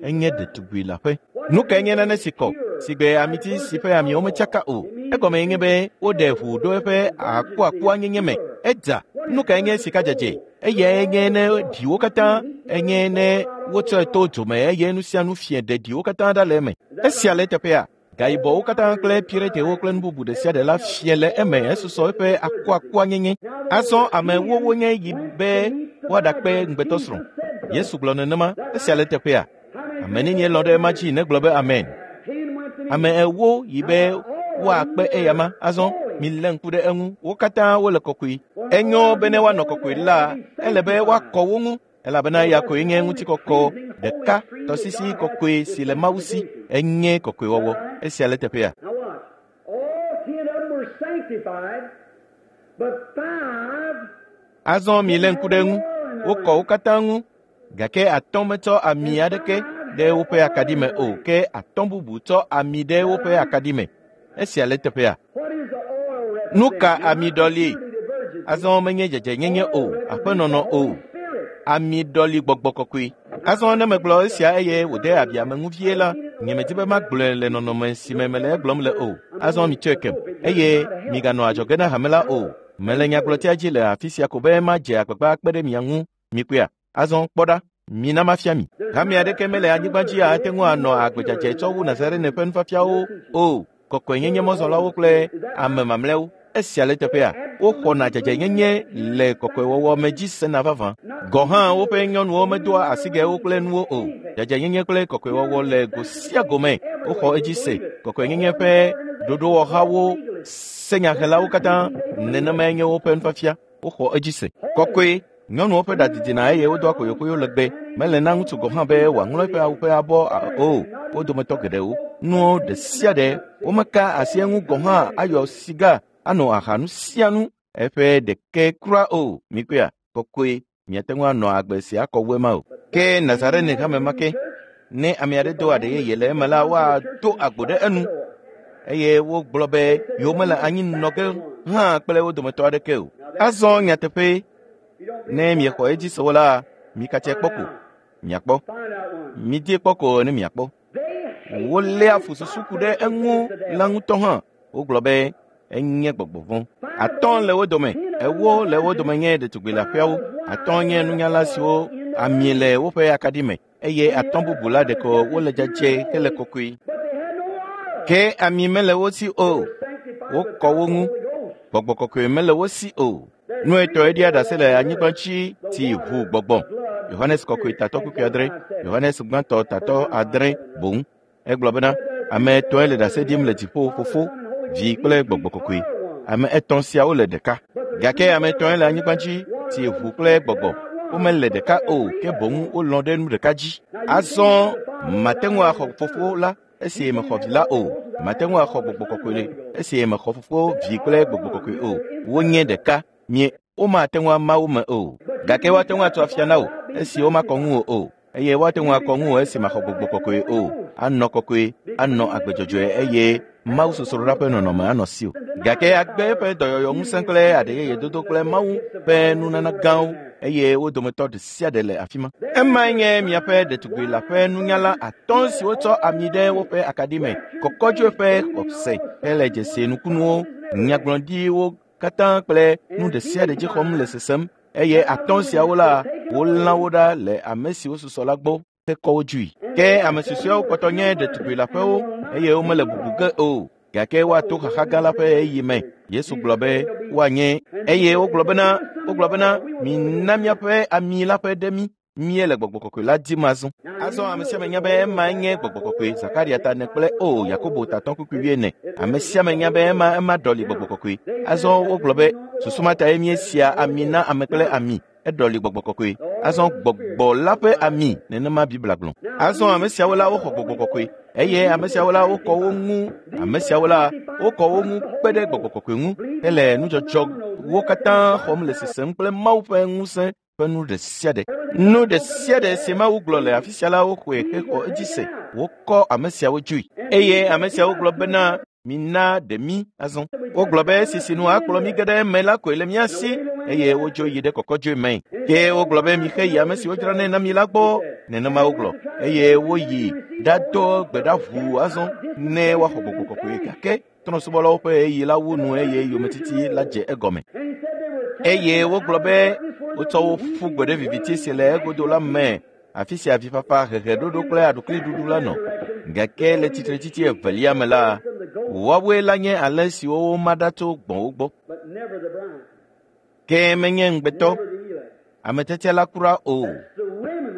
Enye ɖetugbi la ƒe. Nu kae nye nane si kɔ si gbe amiti si ƒe amiwo metsaka o? Egɔme nye be woɖe ʋu ɖo eƒe akuakua nyenye me. Edza. Nu kae nye sika dzadzɛ? Eyae nye ne ɖiwo katã enye ne wotsɔe to dzo me eye nu sia nu fie ɖe ɖiwo katã ɖa le eme. Esia le eteƒea. Gayibɔwo katã kple piretewo kple nu bubu ɖe sia ɖe la fie le eme esusɔ eƒe akuakua nyenye. Azɔ ame ewo wonye yi be woaɖakpe ŋugbetɔsrɔ̃. Yesu gblɔ nenema. Esia le eteƒea. Ame nenie lɔ̃ ɖe ema dzi negblɔ be amen. Ame ewo yi be woakpe eyama. Azɔ milé ŋku ɖe eŋu. Wo katã wole kɔkɔe. Enyo be ne woanɔ kɔkɔe la, ele be woakɔ wo ŋu elabena eya koe nye ŋutikɔkɔ ɖeka tɔsisi kɔkɔe si le Mawu si. Enye kɔkɔewɔwɔ. Esia le teƒea. Now watch. All ten of them were sanctified, but five Azɔ milé ŋku ɖe eŋu. Wokɔ wo katã ŋu gake atɔ̃ metsɔ ami aɖeke ɖe woƒe akaɖi me o ke atɔ̃ bubu tsɔ ami ɖe woƒe akaɖi me. Esia le teƒea. What is the oil represent? Nu ka ami ɖɔli? Purity the virgin. Azɔ menye dzadzɛnyenye o, aƒenɔnɔ o. Ami ɖɔli gbɔgbɔ kɔkɔe. Azɔ ne megblɔ esia eye wòde abi ame ŋu vie la, nyemedi be magblɔe le nɔnɔme si me mele egblɔm le o. Azɔ mitsɔe kem eye miganɔ adzɔge na hame la o. Mele nyagblɔtia dzi le afi sia ko be madze agbagba akpe ɖe mia ŋu. Mikpɔea? Azɔ kpɔ ɖa. Mina mafia mi. Hame aɖeke mele anyigba dzi ate ŋu anɔ agbe dzadzɛ tsɔ wu Nazarene ƒe nufiafiawo o. Kɔkɔenyenye mɔzɔlawo kple ame mamlɛawo. Esia le teƒea. Woxɔna dzadzɛnyenye le kɔkɔewɔwɔ me dzi sena vavã. Gɔ hã woƒe nyɔnuwo medoa asigɛwo kple nuwo o. Dzadzɛnyenye kple kɔkɔewɔwɔ le go sia go me. Woxɔ edzi se. Kɔkɔenyenye ƒe ɖoɖowɔhawo, senyahelawo katã nenemae nye woƒe nufiafia. Woxɔ edzi se. Kɔkɔe. Nyɔnuwo ƒe ɖa didina eye wodoa koyokoyo legbe. Mele na ŋutsu gɔ̃ hã be wòaŋlɔ eƒe awu ƒe abɔ o. Wo dometɔ geɖewo. Nuwo ɖe sia ɖe womeka asi eŋu gɔ̃ hã ayɔ siga anɔ aha nu sia nu eƒe ɖeke kura o. Mikpɔea? Kɔkɔe. Miate ŋu anɔ agbe sia kɔ wu ema o. Ke Nazarene hame ma ke, ne ame aɖe do aɖe yeye le eme la, woado agbo ɖe enu eye wogblɔ be yewomele anyi nɔ ge hã kple wo dometɔ aɖeke o. Azɔ nyateƒe ne miexɔ edzi se o la, mikatse kpɔ ko miakpɔ. Find out one. Midie kpɔ ko ne miakpɔ. They Woléa fu susu ku ɖe eŋu la ŋutɔ hã. Wogblɔ be enye gbɔgbɔ vɔ̃. Atɔ̃ le wo dome, ewo le wo dome nye ɖetugbi leaƒeawo. Atɔ̃ nye nunyala siwo ami le woƒe akaɖi me eye atɔ̃ bubu la ɖeko wole dzadzɛ hele kɔkɔe. but they had no oil. Ke ami mele wo si o. Sanctified Wokɔ wo ŋu. with the Holy Ghost. Gbɔgbɔ kɔkɔe mele wo si o. Nu etɔ̃e ɖia ɖase le anyigba dzi ti ʋu gbɔgbɔ. Yohanes kɔkɔe tatɔ kpukpui adre, Yohanes gbãtɔ tatɔ adre boŋ. Egblɔ bena ame etɔ̃e le ɖase ɖim le dziƒo, Fofo, Vi kple Gbɔgbɔ kɔkɔe. Ame etɔ̃ siawo le ɖeka. Gake ame etɔ̃e le anyigba dzi ti ʋu kple gbɔgbɔ. Womele ɖeka o, ke boŋ wolɔ̃ ɖe nu ɖeka dzi. Azɔ mate ŋu axɔ Fofo la esi mexɔ Vi la o. Mate ŋu axɔ Gbɔgbɔ kɔkɔe esi mexɔ Fofo, Vi kple Gbɔgbɔ kɔkɔe o. Wonye ɖeka. Mie Womate ŋu ama wo me o. Gake woate ŋu atso afia na wò esi womakɔ ŋuwò o, eye woate ŋu akɔ ŋuwò esi maxɔ gbɔgbɔ kɔkɔe o. Anɔ kɔkɔe, anɔ agbe dzɔdzɔe eye Mawu sosroɖa ƒe nɔnɔme anɔ siwò. Gake agbe eƒe dɔyɔyɔ ŋusẽ kple aɖeyeye dodo kple Mawu ƒe nunana gãwo eye wo dometɔ ɖe sia ɖe le afi ma. Emae nye miaƒe ɖetugbi la ƒe nunyala atɔ̃ siwo tsɔ ami ɖe woƒe akaɖi me, kɔkɔdzoe ƒe xɔse hele dzesi nukunuwo, nyagblɔɖiwo katã kple nu ɖe sia ɖe dzi xɔm le sesem eye atɔ̃ siawo la wolã wo ɖa le ame siwo susɔ la gbɔ hekɔ wo dzoe. Ke ame susɔeawo kpɔtɔ nye ɖetugbi leaƒewo eye womele bubu ge o. Gake woato xaxa gã la ƒe ɣeyiɣi me. Yesu gblɔ be woanye eye wogblɔ bena wogblɔ bena mina míaƒe ami la ƒe ɖe mí. Míele gbɔgbɔ kɔkɔe la dim azɔ. Azɔ ame sia ame nya be ema nye gbɔgbɔ kɔkɔe. Zakaria ta ene kple o Yakobo ta atɔ̃ kpukpui wuiene. Ame sia ame nya be ema ema ɖɔli gbɔgbɔ kɔkɔe. Azɔ wogblɔ be susu ma tae míesia ami na ame kple ami. Eɖɔli gbɔgbɔ kɔkɔe. Azɔ gbɔgbɔ la ƒe ami nenema Biblia gblɔ. Azɔ ame siawo la woxɔ gbɔgbɔ kɔkɔe eye ame siawo la wokɔ wo ŋu. Ame siawo la wokɔ wo ŋu kpe ɖe gbɔgbɔ kɔkɔe ŋu hele nudzɔdzɔwo katã xɔm le sesem kple Mawu ƒe ŋusẽ ƒe nu ɖe sia ɖe. Nu ɖe sia ɖe si Mawu gblɔ le afi sia la woxɔe hexɔ edzi se. Wokɔ ame siawo dzoe eye ame siawo gblɔ bena mina ɖe mí azɔ. Wogblɔ be esi si nu akplɔ mí ge ɖe eme la koe le mía si eye wodzo yi ɖe kɔkɔdzoe me. Ke wogblɔ be mixe yi ame siwo dzranɛ na mi la gbɔ. Nenema wogblɔ eye woyi ɖado gbe ɖa ʋuu azɔ ne woaxɔ gbɔgbɔ kɔkɔe gake trɔ̃subɔlawo ƒe ɣeyiɣi la wu nu eye yometiti la dze egɔme. Eye wogblɔ be wotsɔ wo ƒu gbe ɖe viviti si le egodo la me afi sia avifafa, heheɖoɖo kple aɖukliɖuɖu la nɔ. Gake le tsitretsitsi evelia me la, woawoe la nye alẽ siwo woma ɖa tso gbɔ̃wo gbɔ. Ke menye ŋugbetɔ, ame tiatia la kura o.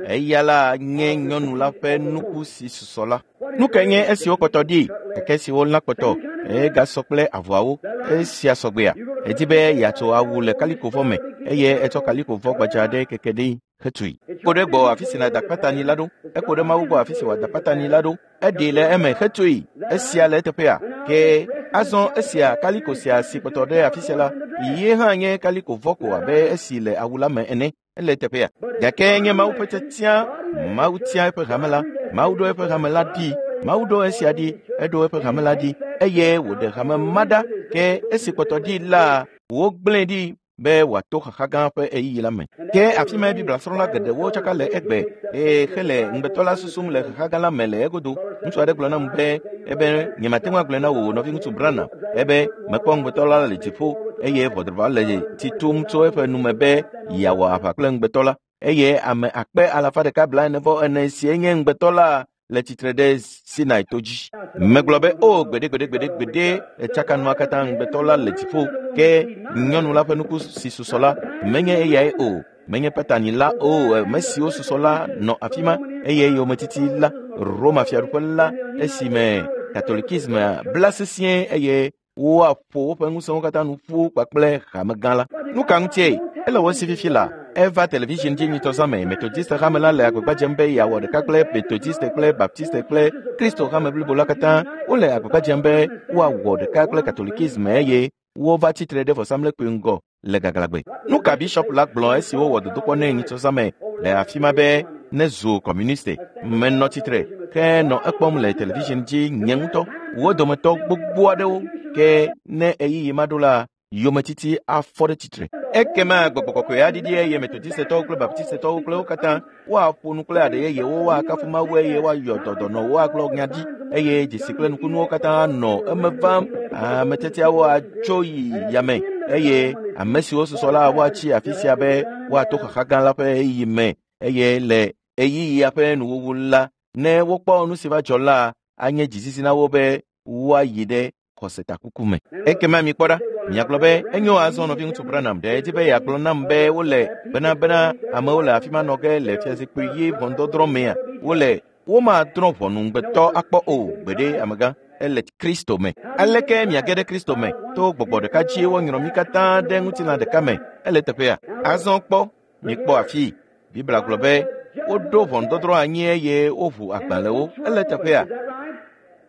Eya la nye nyɔnu la ƒe nuku si susɔ la. Nu kae nye esiwo kpɔtɔ ɖi, gake siwo lã kpɔtɔ egasɔ kple avɔawo esia sɔgbea? Edi be yeatso awu le kalikovɔ me eye etsɔ kalikovɔ gbadza aɖe keke ɖi hetui. Eko ɖe gbɔ afi si nàda kpatani la ɖo. Eko ɖe Mawu gbɔ afi si wòada kpatani la ɖo. Eɖee le eme hetui. Esia le eteƒea. Ke azɔ esia kaliko sia si kpɔtɔ ɖe afi sia la, ye hã nye kalikovɔ ko abe esi le awu la me ene. Ele eteƒea. Gake nye Mawu ƒe tiatia. Mawu tia eƒe hame la. Mawu ɖo eƒe hame la ɖi. Mawu ɖo esia ɖi. Eɖo eƒe hame la ɖi eye wòɖe hame ma ɖa. Ke esi kpɔtɔ ɖi la, wogblẽe ɖi be wòato xaxa gã ƒe ɣeyiɣi la me. Ke afi mae Biblia srɔ̃la geɖewo tsaka le egbe eye hele ŋugbetɔ la susum le xaxa gã la me le egodo. Ŋutsu aɖe gblɔ nam be ebe nyemate ŋu agblɔe na wò nɔviŋutsu Branham ebe mekpɔ ŋugbetɔ la le dziƒo eye ʋɔdrɔ̃ le tsi tum tso eƒe nume be yeawɔ aʋa kple ŋugbetɔ la eye ame akpe alafa ɖeka blaene vɔ ene sie nye ŋugbetɔ la le tsitre ɖe Sinai to dzi. Megblɔ be o gbeɖe gbeɖe gbeɖe gbeɖe etsaka nua katã ŋugbetɔ la le dziƒo ke nyɔnu la ƒe nuku si susɔ la menye eyae o. Menye patani la o. Ame siwo susɔ la nɔ afi ma eye yometiti la Roma fiaɖuƒe la esime katolikisme bla sesĩe eye woaƒo woƒe ŋusẽwo katã nu ƒu kpakple hamegã la. Nu ka ŋutie? Ele wo si fifi la. Eva television dzi nyitɔzã me. Methodist hame la le agbagba dzem be yeawɔ ɖeka kple Methodist kple Baptist kple Kristo hame blibo la katã. Wole agbagba dzem be woawɔ ɖeka kple katolikisme eye wova tsitre ɖe vɔsamlekpui ŋgɔ le gaglãgbe. Nu ka bishop la gblɔ esi wowɔ dodokpɔ nɛ nyitɔzã me le afi ma be nezu kɔmuniste? Menɔ tsitre ke nɔ ekpɔm le television dzi nye ŋutɔ. Wo dometɔ gbogbo aɖewo ke ne ɣeyiɣi ma ɖo la, yometiti afɔ ɖe tsitre. Ekema gbɔgbɔ kɔkɔe aɖiɖi eye Methodistetɔwo kple Baptistetɔwo kple wo katã woaƒo nu kple aɖe yeyewo, woakafu Mawu eye woayɔ dɔdɔnɔwo agblɔ nya ɖi eye dzesi kple nukunuwo katã nɔ eme vam. Ame tiatiawo atso yi yame eye ame siwo susɔ la woatsi afi sia be woato xaxa gã la ƒe ɣeyiɣi me eye le ɣeyiɣia ƒe nuwuwu la, ne wokpɔ nu si va dzɔ la, anye dzizizi na wo be woayi ɖe xɔsetakuku me. Ekema mikpɔ ɖa, miagblɔ be enyo azɔ nɔviŋutsu Branham ɖe edzi be yeagblɔ nam be wole bena bena amewo le afi ma nɔ ge le fiazikpui ɣi ʋɔnudɔdrɔ̃ mea. Wole womadrɔ̃ ʋɔnu ŋugbetɔ akpɔ o gbeɖe amegã. Ele Kristo me. Aleke miage ɖe Kristo me? To gbɔgbɔ ɖeka dzi wonyrɔ mí katã ɖe ŋutilã ɖeka me. Ele teƒea. Azɔ kpɔ, mikpɔ afii. Biblia gblɔ be woɖo ʋɔnudɔdrɔ̃ anyi eye woʋu agbalẽwo. Ele teƒea.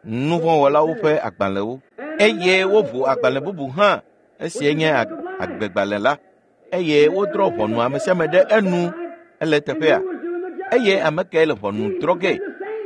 Nuvɔ̃wɔlawo ƒe agbalẽwo. Eye woʋu agbalẽ bubu hã. Esie nye agbegbalẽ la. eye wodrɔ̃ ʋɔnu ame sia ame ɖe enu ele teƒea. Eye ame kae le ʋɔnu drɔ̃ ge?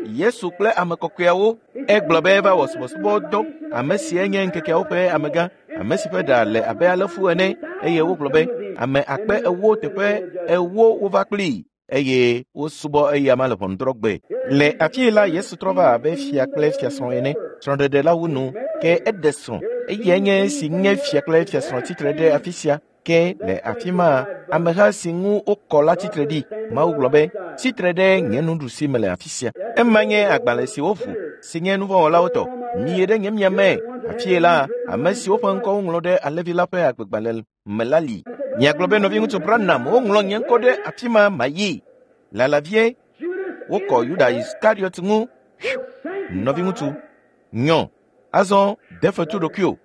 Yesu kple ame kɔkɔeawo. Egblɔ be eva wɔ subɔsubɔdɔ. Ame sie nye ŋkekeawo ƒe amegã, ame si ƒe ɖa le abe alẽfu ene. Eye wogblɔ be ame akpe ewo teƒe ewo wova kplii eye wosubɔ eyama le ʋɔnudrɔ̃gbe. Le afii la, Yesu trɔ va abe fia kple fiasrɔ̃ ene. Srɔ̃ɖeɖe la wu nu, ke eɖe srɔ̃. Eyae nye esi nye fia kple fiasrɔ̃ tsitre ɖe afi sia. Ke le afi ma, ameha si ŋu wokɔ la tsitre ɖi. Mawu gblɔ be, tsitre ɖe nye nuɖusi me le afi sia. Ema nye agbalẽ si woʋu, si nye nuvɔ̃wɔlawo tɔ. Miyi ɖe nye miame. Afie la, ame siwo ƒe ŋkɔ woŋlɔ ɖe alẽvi la ƒe agbegbalẽ me la li. Miagblɔ be nɔviŋutsu Branham, woŋlɔ nye ŋkɔ ɖe afi ma mayi. Lala vie, wokɔ Yuda Iskariot ŋu. Nɔviŋutsu, nyɔ. Azɔ de fetu ɖokuiwò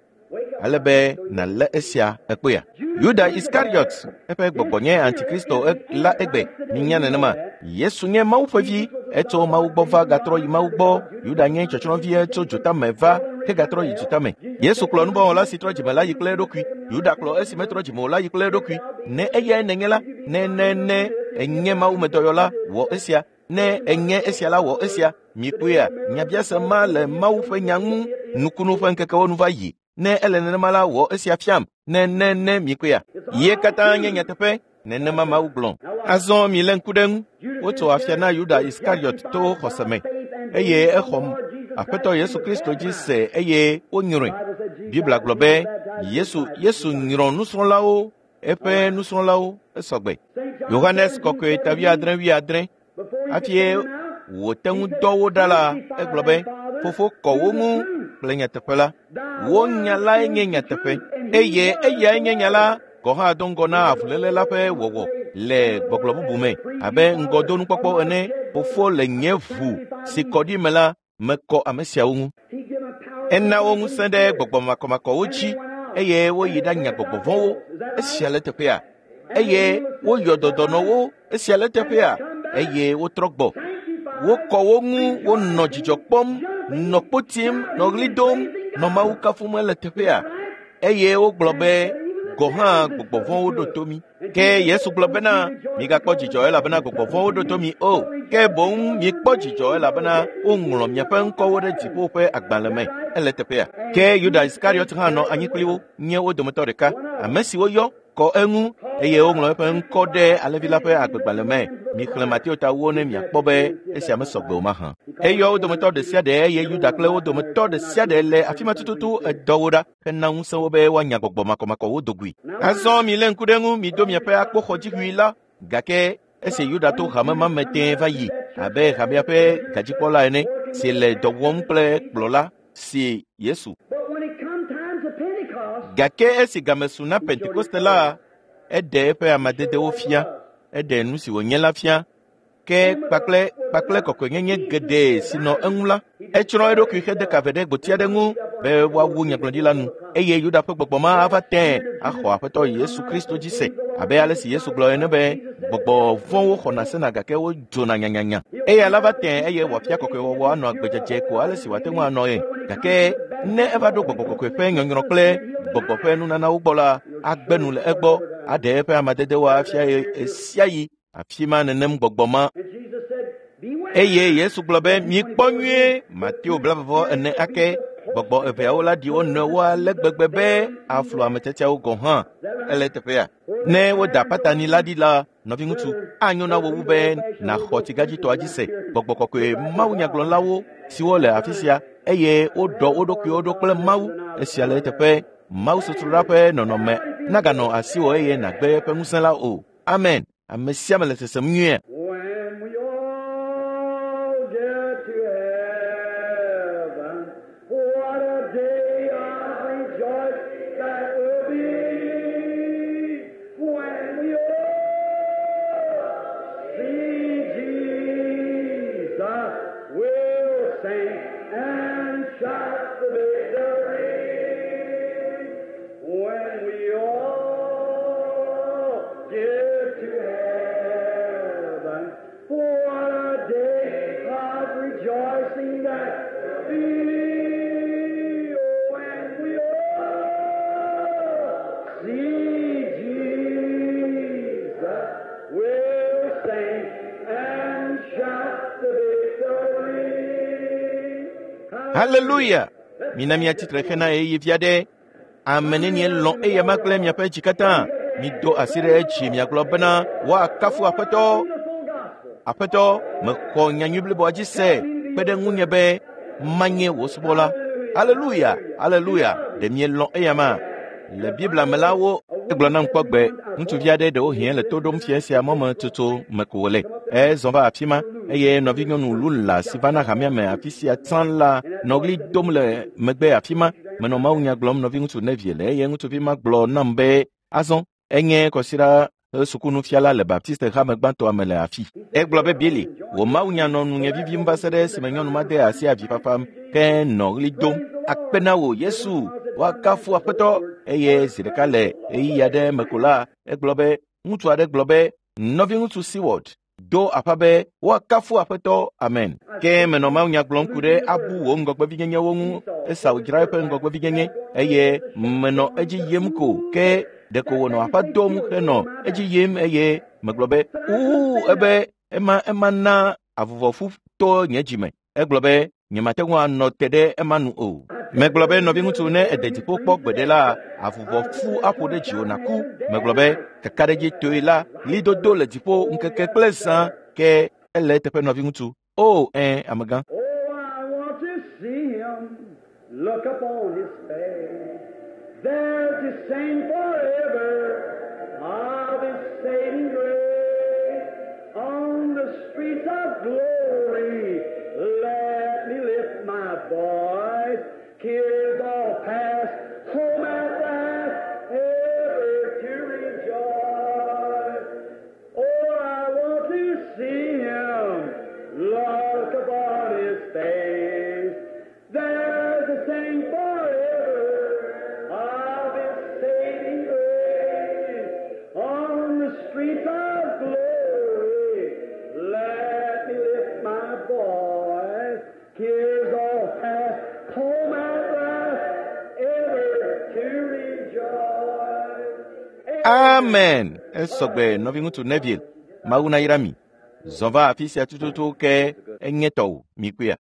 ale be nàlé esia ekpea. Yuda Iskariot, eƒe gbɔgbɔ nye antikristo la egbe. Minya nenema. Yesu nye Mawu ƒe vi, etso Mawu gbɔ va gatrɔ yi Mawu gbɔ. Yuda nye tsɔtsrɔ̃vi tso dzotame va hegatrɔ yi dzotame. Yesu kplɔ nuvɔ̃wɔla si trɔ dzime la yi kple eɖokui. Yuda kplɔ esi metrɔ dzime o la yi kple eɖokui. Ne eyae nènye la, ne ne ne enye mawumedɔyɔla, wɔ esia. Ne enye esia la, wɔ esia. Mikpɔea, nyabiase ma le Mawu ƒe nya ŋu. Nukunu ƒe ŋkekewo nu va yi. Ne ele nenema la, wɔ esia fiam. Ne ne ne mikpɔea, ye katã nye nyateƒe. Nenema Mawu gblɔ. Azɔ milé ŋku ɖe ŋu. Wotso afia na Yuda Iskariot to xɔse me eye exɔ Aƒetɔ Yesu Kristo dzi se eye wonyrɔe. Biblia gblɔ be Yesu Yesu nyrɔ nusrɔ̃lawo, eƒe nusrɔ̃lawo esɔgbe. Yohanes kɔkɔe ta wuiadre wuiadre. Hafi wòte ŋu dɔ wo ɖa la, egblɔ be, Fofo kɔ wo ŋu kple nyateƒe la. Wo nya lae nye nyateƒe eye eyae nye nya la. Gɔ̃ hã do ŋgɔ na avuléle la ƒe wɔwɔ le gbɔgblɔ bubu me abe ŋgɔdonukpɔkpɔ ene. Fofo le nye ʋu si kɔ ɖi me la mekɔ ame siawo ŋu. Ena wo ŋusẽ ɖe gbɔgbɔ makɔmakɔwo dzi eye woyi ɖanya gbɔgbɔ vɔ̃wo. Esia le teƒea. Eye woyɔ dɔdɔnɔwo. Esia le teƒea. Eye wotrɔ gbɔ. Wokɔ wo ŋu, wonɔ dzidzɔ kpɔm, nɔ kpo tim, nɔ ɣli dom, nɔ Mawu kafum le teƒea. Eye wogblɔ be gɔ̃ hã gbɔgbɔ vɔ̃wo ɖo to mi. Ke Yesu gblɔ bena, migakpɔ dzidzɔ elabena gbɔgbɔ vɔ̃wo ɖo to mi o. Ke boŋ mikpɔ dzidzɔ elabena woŋlɔ miaƒe ŋkɔwo ɖe dziƒo ƒe agbalẽ me. Ele teƒea. Ke Yuda Iskariot hã nɔ anyi kpli wo, nye wo dometɔ ɖeka. Ame si woyɔ kɔ eŋu eye woŋlɔ eƒe ŋkɔ ɖe alẽvi la ƒe agbegbalẽ me. Mixlẽ Mateo ta wo ne miakpɔ be esia mesɔgbe o mahã. Eyɔ wo dometɔ ɖe sia ɖe eye Yuda kple wo dometɔ ɖe sia ɖe le afi ma tututu edɔ wo ɖa hena ŋusẽ wo be woanya gbɔgbɔ makɔmakɔwo do goe. Azɔ milé ŋku ɖe eŋu, mido miaƒe akpoxɔdziʋui la. Gake esi Yuda to hame ma me tẽe va yi abe hamea ƒe gadzikpɔla ene si le dɔ wɔm kple kplɔla si Yesu. Gake esi game su na Pentekoste la, eɖe eƒe amadedewo fia, eɖe nu si wònye la fia. Ke kpakple kpakple kɔkɔenyenye geɖe si nɔ eŋu la, etsrɔ̃ eɖokui hede ka ve ɖe gboti aɖe ŋu be woawu nyagblɔɖila nu. Eye Yuda ƒe gbɔgbɔ ma ava tẽe axɔ Aƒetɔ Yesu Kristo dzi se, abe ale si Yesu gblɔ ene be gbɔgbɔ vɔ̃wo xɔna sena gake wodzona nyanyanya. Eya la va tẽe eye wòafia kɔkɔewɔwɔ anɔ agbedzedze ko ale si wòate ŋu anɔ ye. Gake ne eva ɖo gbɔgbɔ kɔkɔe ƒe nyɔnyrɔ kple gbɔgbɔ ƒe nunanawo gbɔ la, agbe nu le egbɔ, aɖe eƒe amadedewo afia ɣe sia ɣi. Afi ma nenem gbɔgbɔ ma. Eye Yesu gblɔ be, mikpɔ nyuie. Mateo blaeve ene ake. Gbɔgbɔ eveawo la ɖi wo nɔewo ale gbegbe be aflu ame tiatiawo gɔ̃ hã. Ele teƒea. Ne woda patani la ɖi la, nɔviŋutsu, anyo na wò wu be nàxɔ tsigadzitɔa dzi se. Gbɔgbɔ kɔkɔe mawunyagblɔlawo siwo le afi sia eye woɖɔ wo ɖokuiwo ɖo kple Mawu. Esia le eteƒe. Mawu sosroɖa ƒe nɔnɔme naganɔ asiwò eye nàgbe eƒe ŋusẽ la o. Amen. Ame sia ame le sesem nyuie. When we all get to heaven, what a day of rejoice that will be. When we all see Jesus, we'll sing and shout the victory. When we all get to heaven, what a day of rejoicing that will be. When we all see Haleluya! Mina miatsitre hena ɣeyiɣi vi aɖe. Ame nenie lɔ̃ eyama kple miaƒe dzi katã. Mido asi ɖe edzi miagblɔ bena woakafu Aƒetɔ. Aƒetɔ, mexɔ nyanyui bliboa dzi se kpe ɖe ŋunye be manye wò subɔla. Haleluya! Haleluya! Ɖe mielɔ̃ eyama? Le Biblia me la wo egblɔ nam kpɔ gbe ŋutsuvi aɖe ɖewohĩ le to ɖom fia sia mɔme tutu me ko wòle. Ezɔ va afi ma eye nɔvinyɔnu Lula si va na hamea me afi sia tsã la nɔ ɣli dom le megbe afi ma. Menɔ mawunya gblɔm nɔviŋutsu Nevie le eye ŋutsuvi ma gblɔ nam be azɔ enye kɔsiɖa sukunufiala le Baptiste hame gbãtɔa me le afi. Egblɔ be Billy, wò mawunya nɔ nunye vivim va se ɖe esime nyɔnu ma de asi avifafa ke nɔ ɣli dom. Akpe na wò Yesu, woakafu Aƒetɔ. Eye zi ɖeka le ɣeyiɣi aɖe me ko la, egblɔ be ŋutsu aɖe gblɔ be nɔviŋutsu Seward do aƒa be woakafu Aƒetɔ. Amen. Ke menɔ mawunya gblɔm ku ɖe abu wò ŋgɔgbevinyenyewo ŋu. Esau dzra eƒe ŋgɔgbevinyenye eye menɔ edzi yim ko ke ɖeko wònɔ aƒa dom henɔ edzi yim eye megblɔ be uu ebe ema ema na avuvɔfu to nye dzime. Egblɔ be nyemate ŋu anɔ te ɖe ema nu o. Megblɔ be nɔviŋutsu ne ede dziƒo kpɔ gbeɖe la avuvɔfu aƒo ɖe dziwò nàku. Megblɔ be kakaɖedzitoe la ɣlidodo le dziƒo ŋkeke kple zã ke ele eteƒe nɔviŋutsu. O ẽ amegã. Oh, I want to see him, look upon his face, there to sing forever of his saving grace. On the streets of glory, let me lift my voice. Tears all past, home at last, ever to rejoice. Oh, I want to see him, look upon his face. There to sing forever of his saving grace. On the streets of glory, let me lift my voice. Tears all past, home at last, ever to rejoice. Amen. Esɔgbe nɔviŋutsu Neville. Mawu nayra mi. Zɔ va afi sia tututu ke enye tɔwò mikpɔea.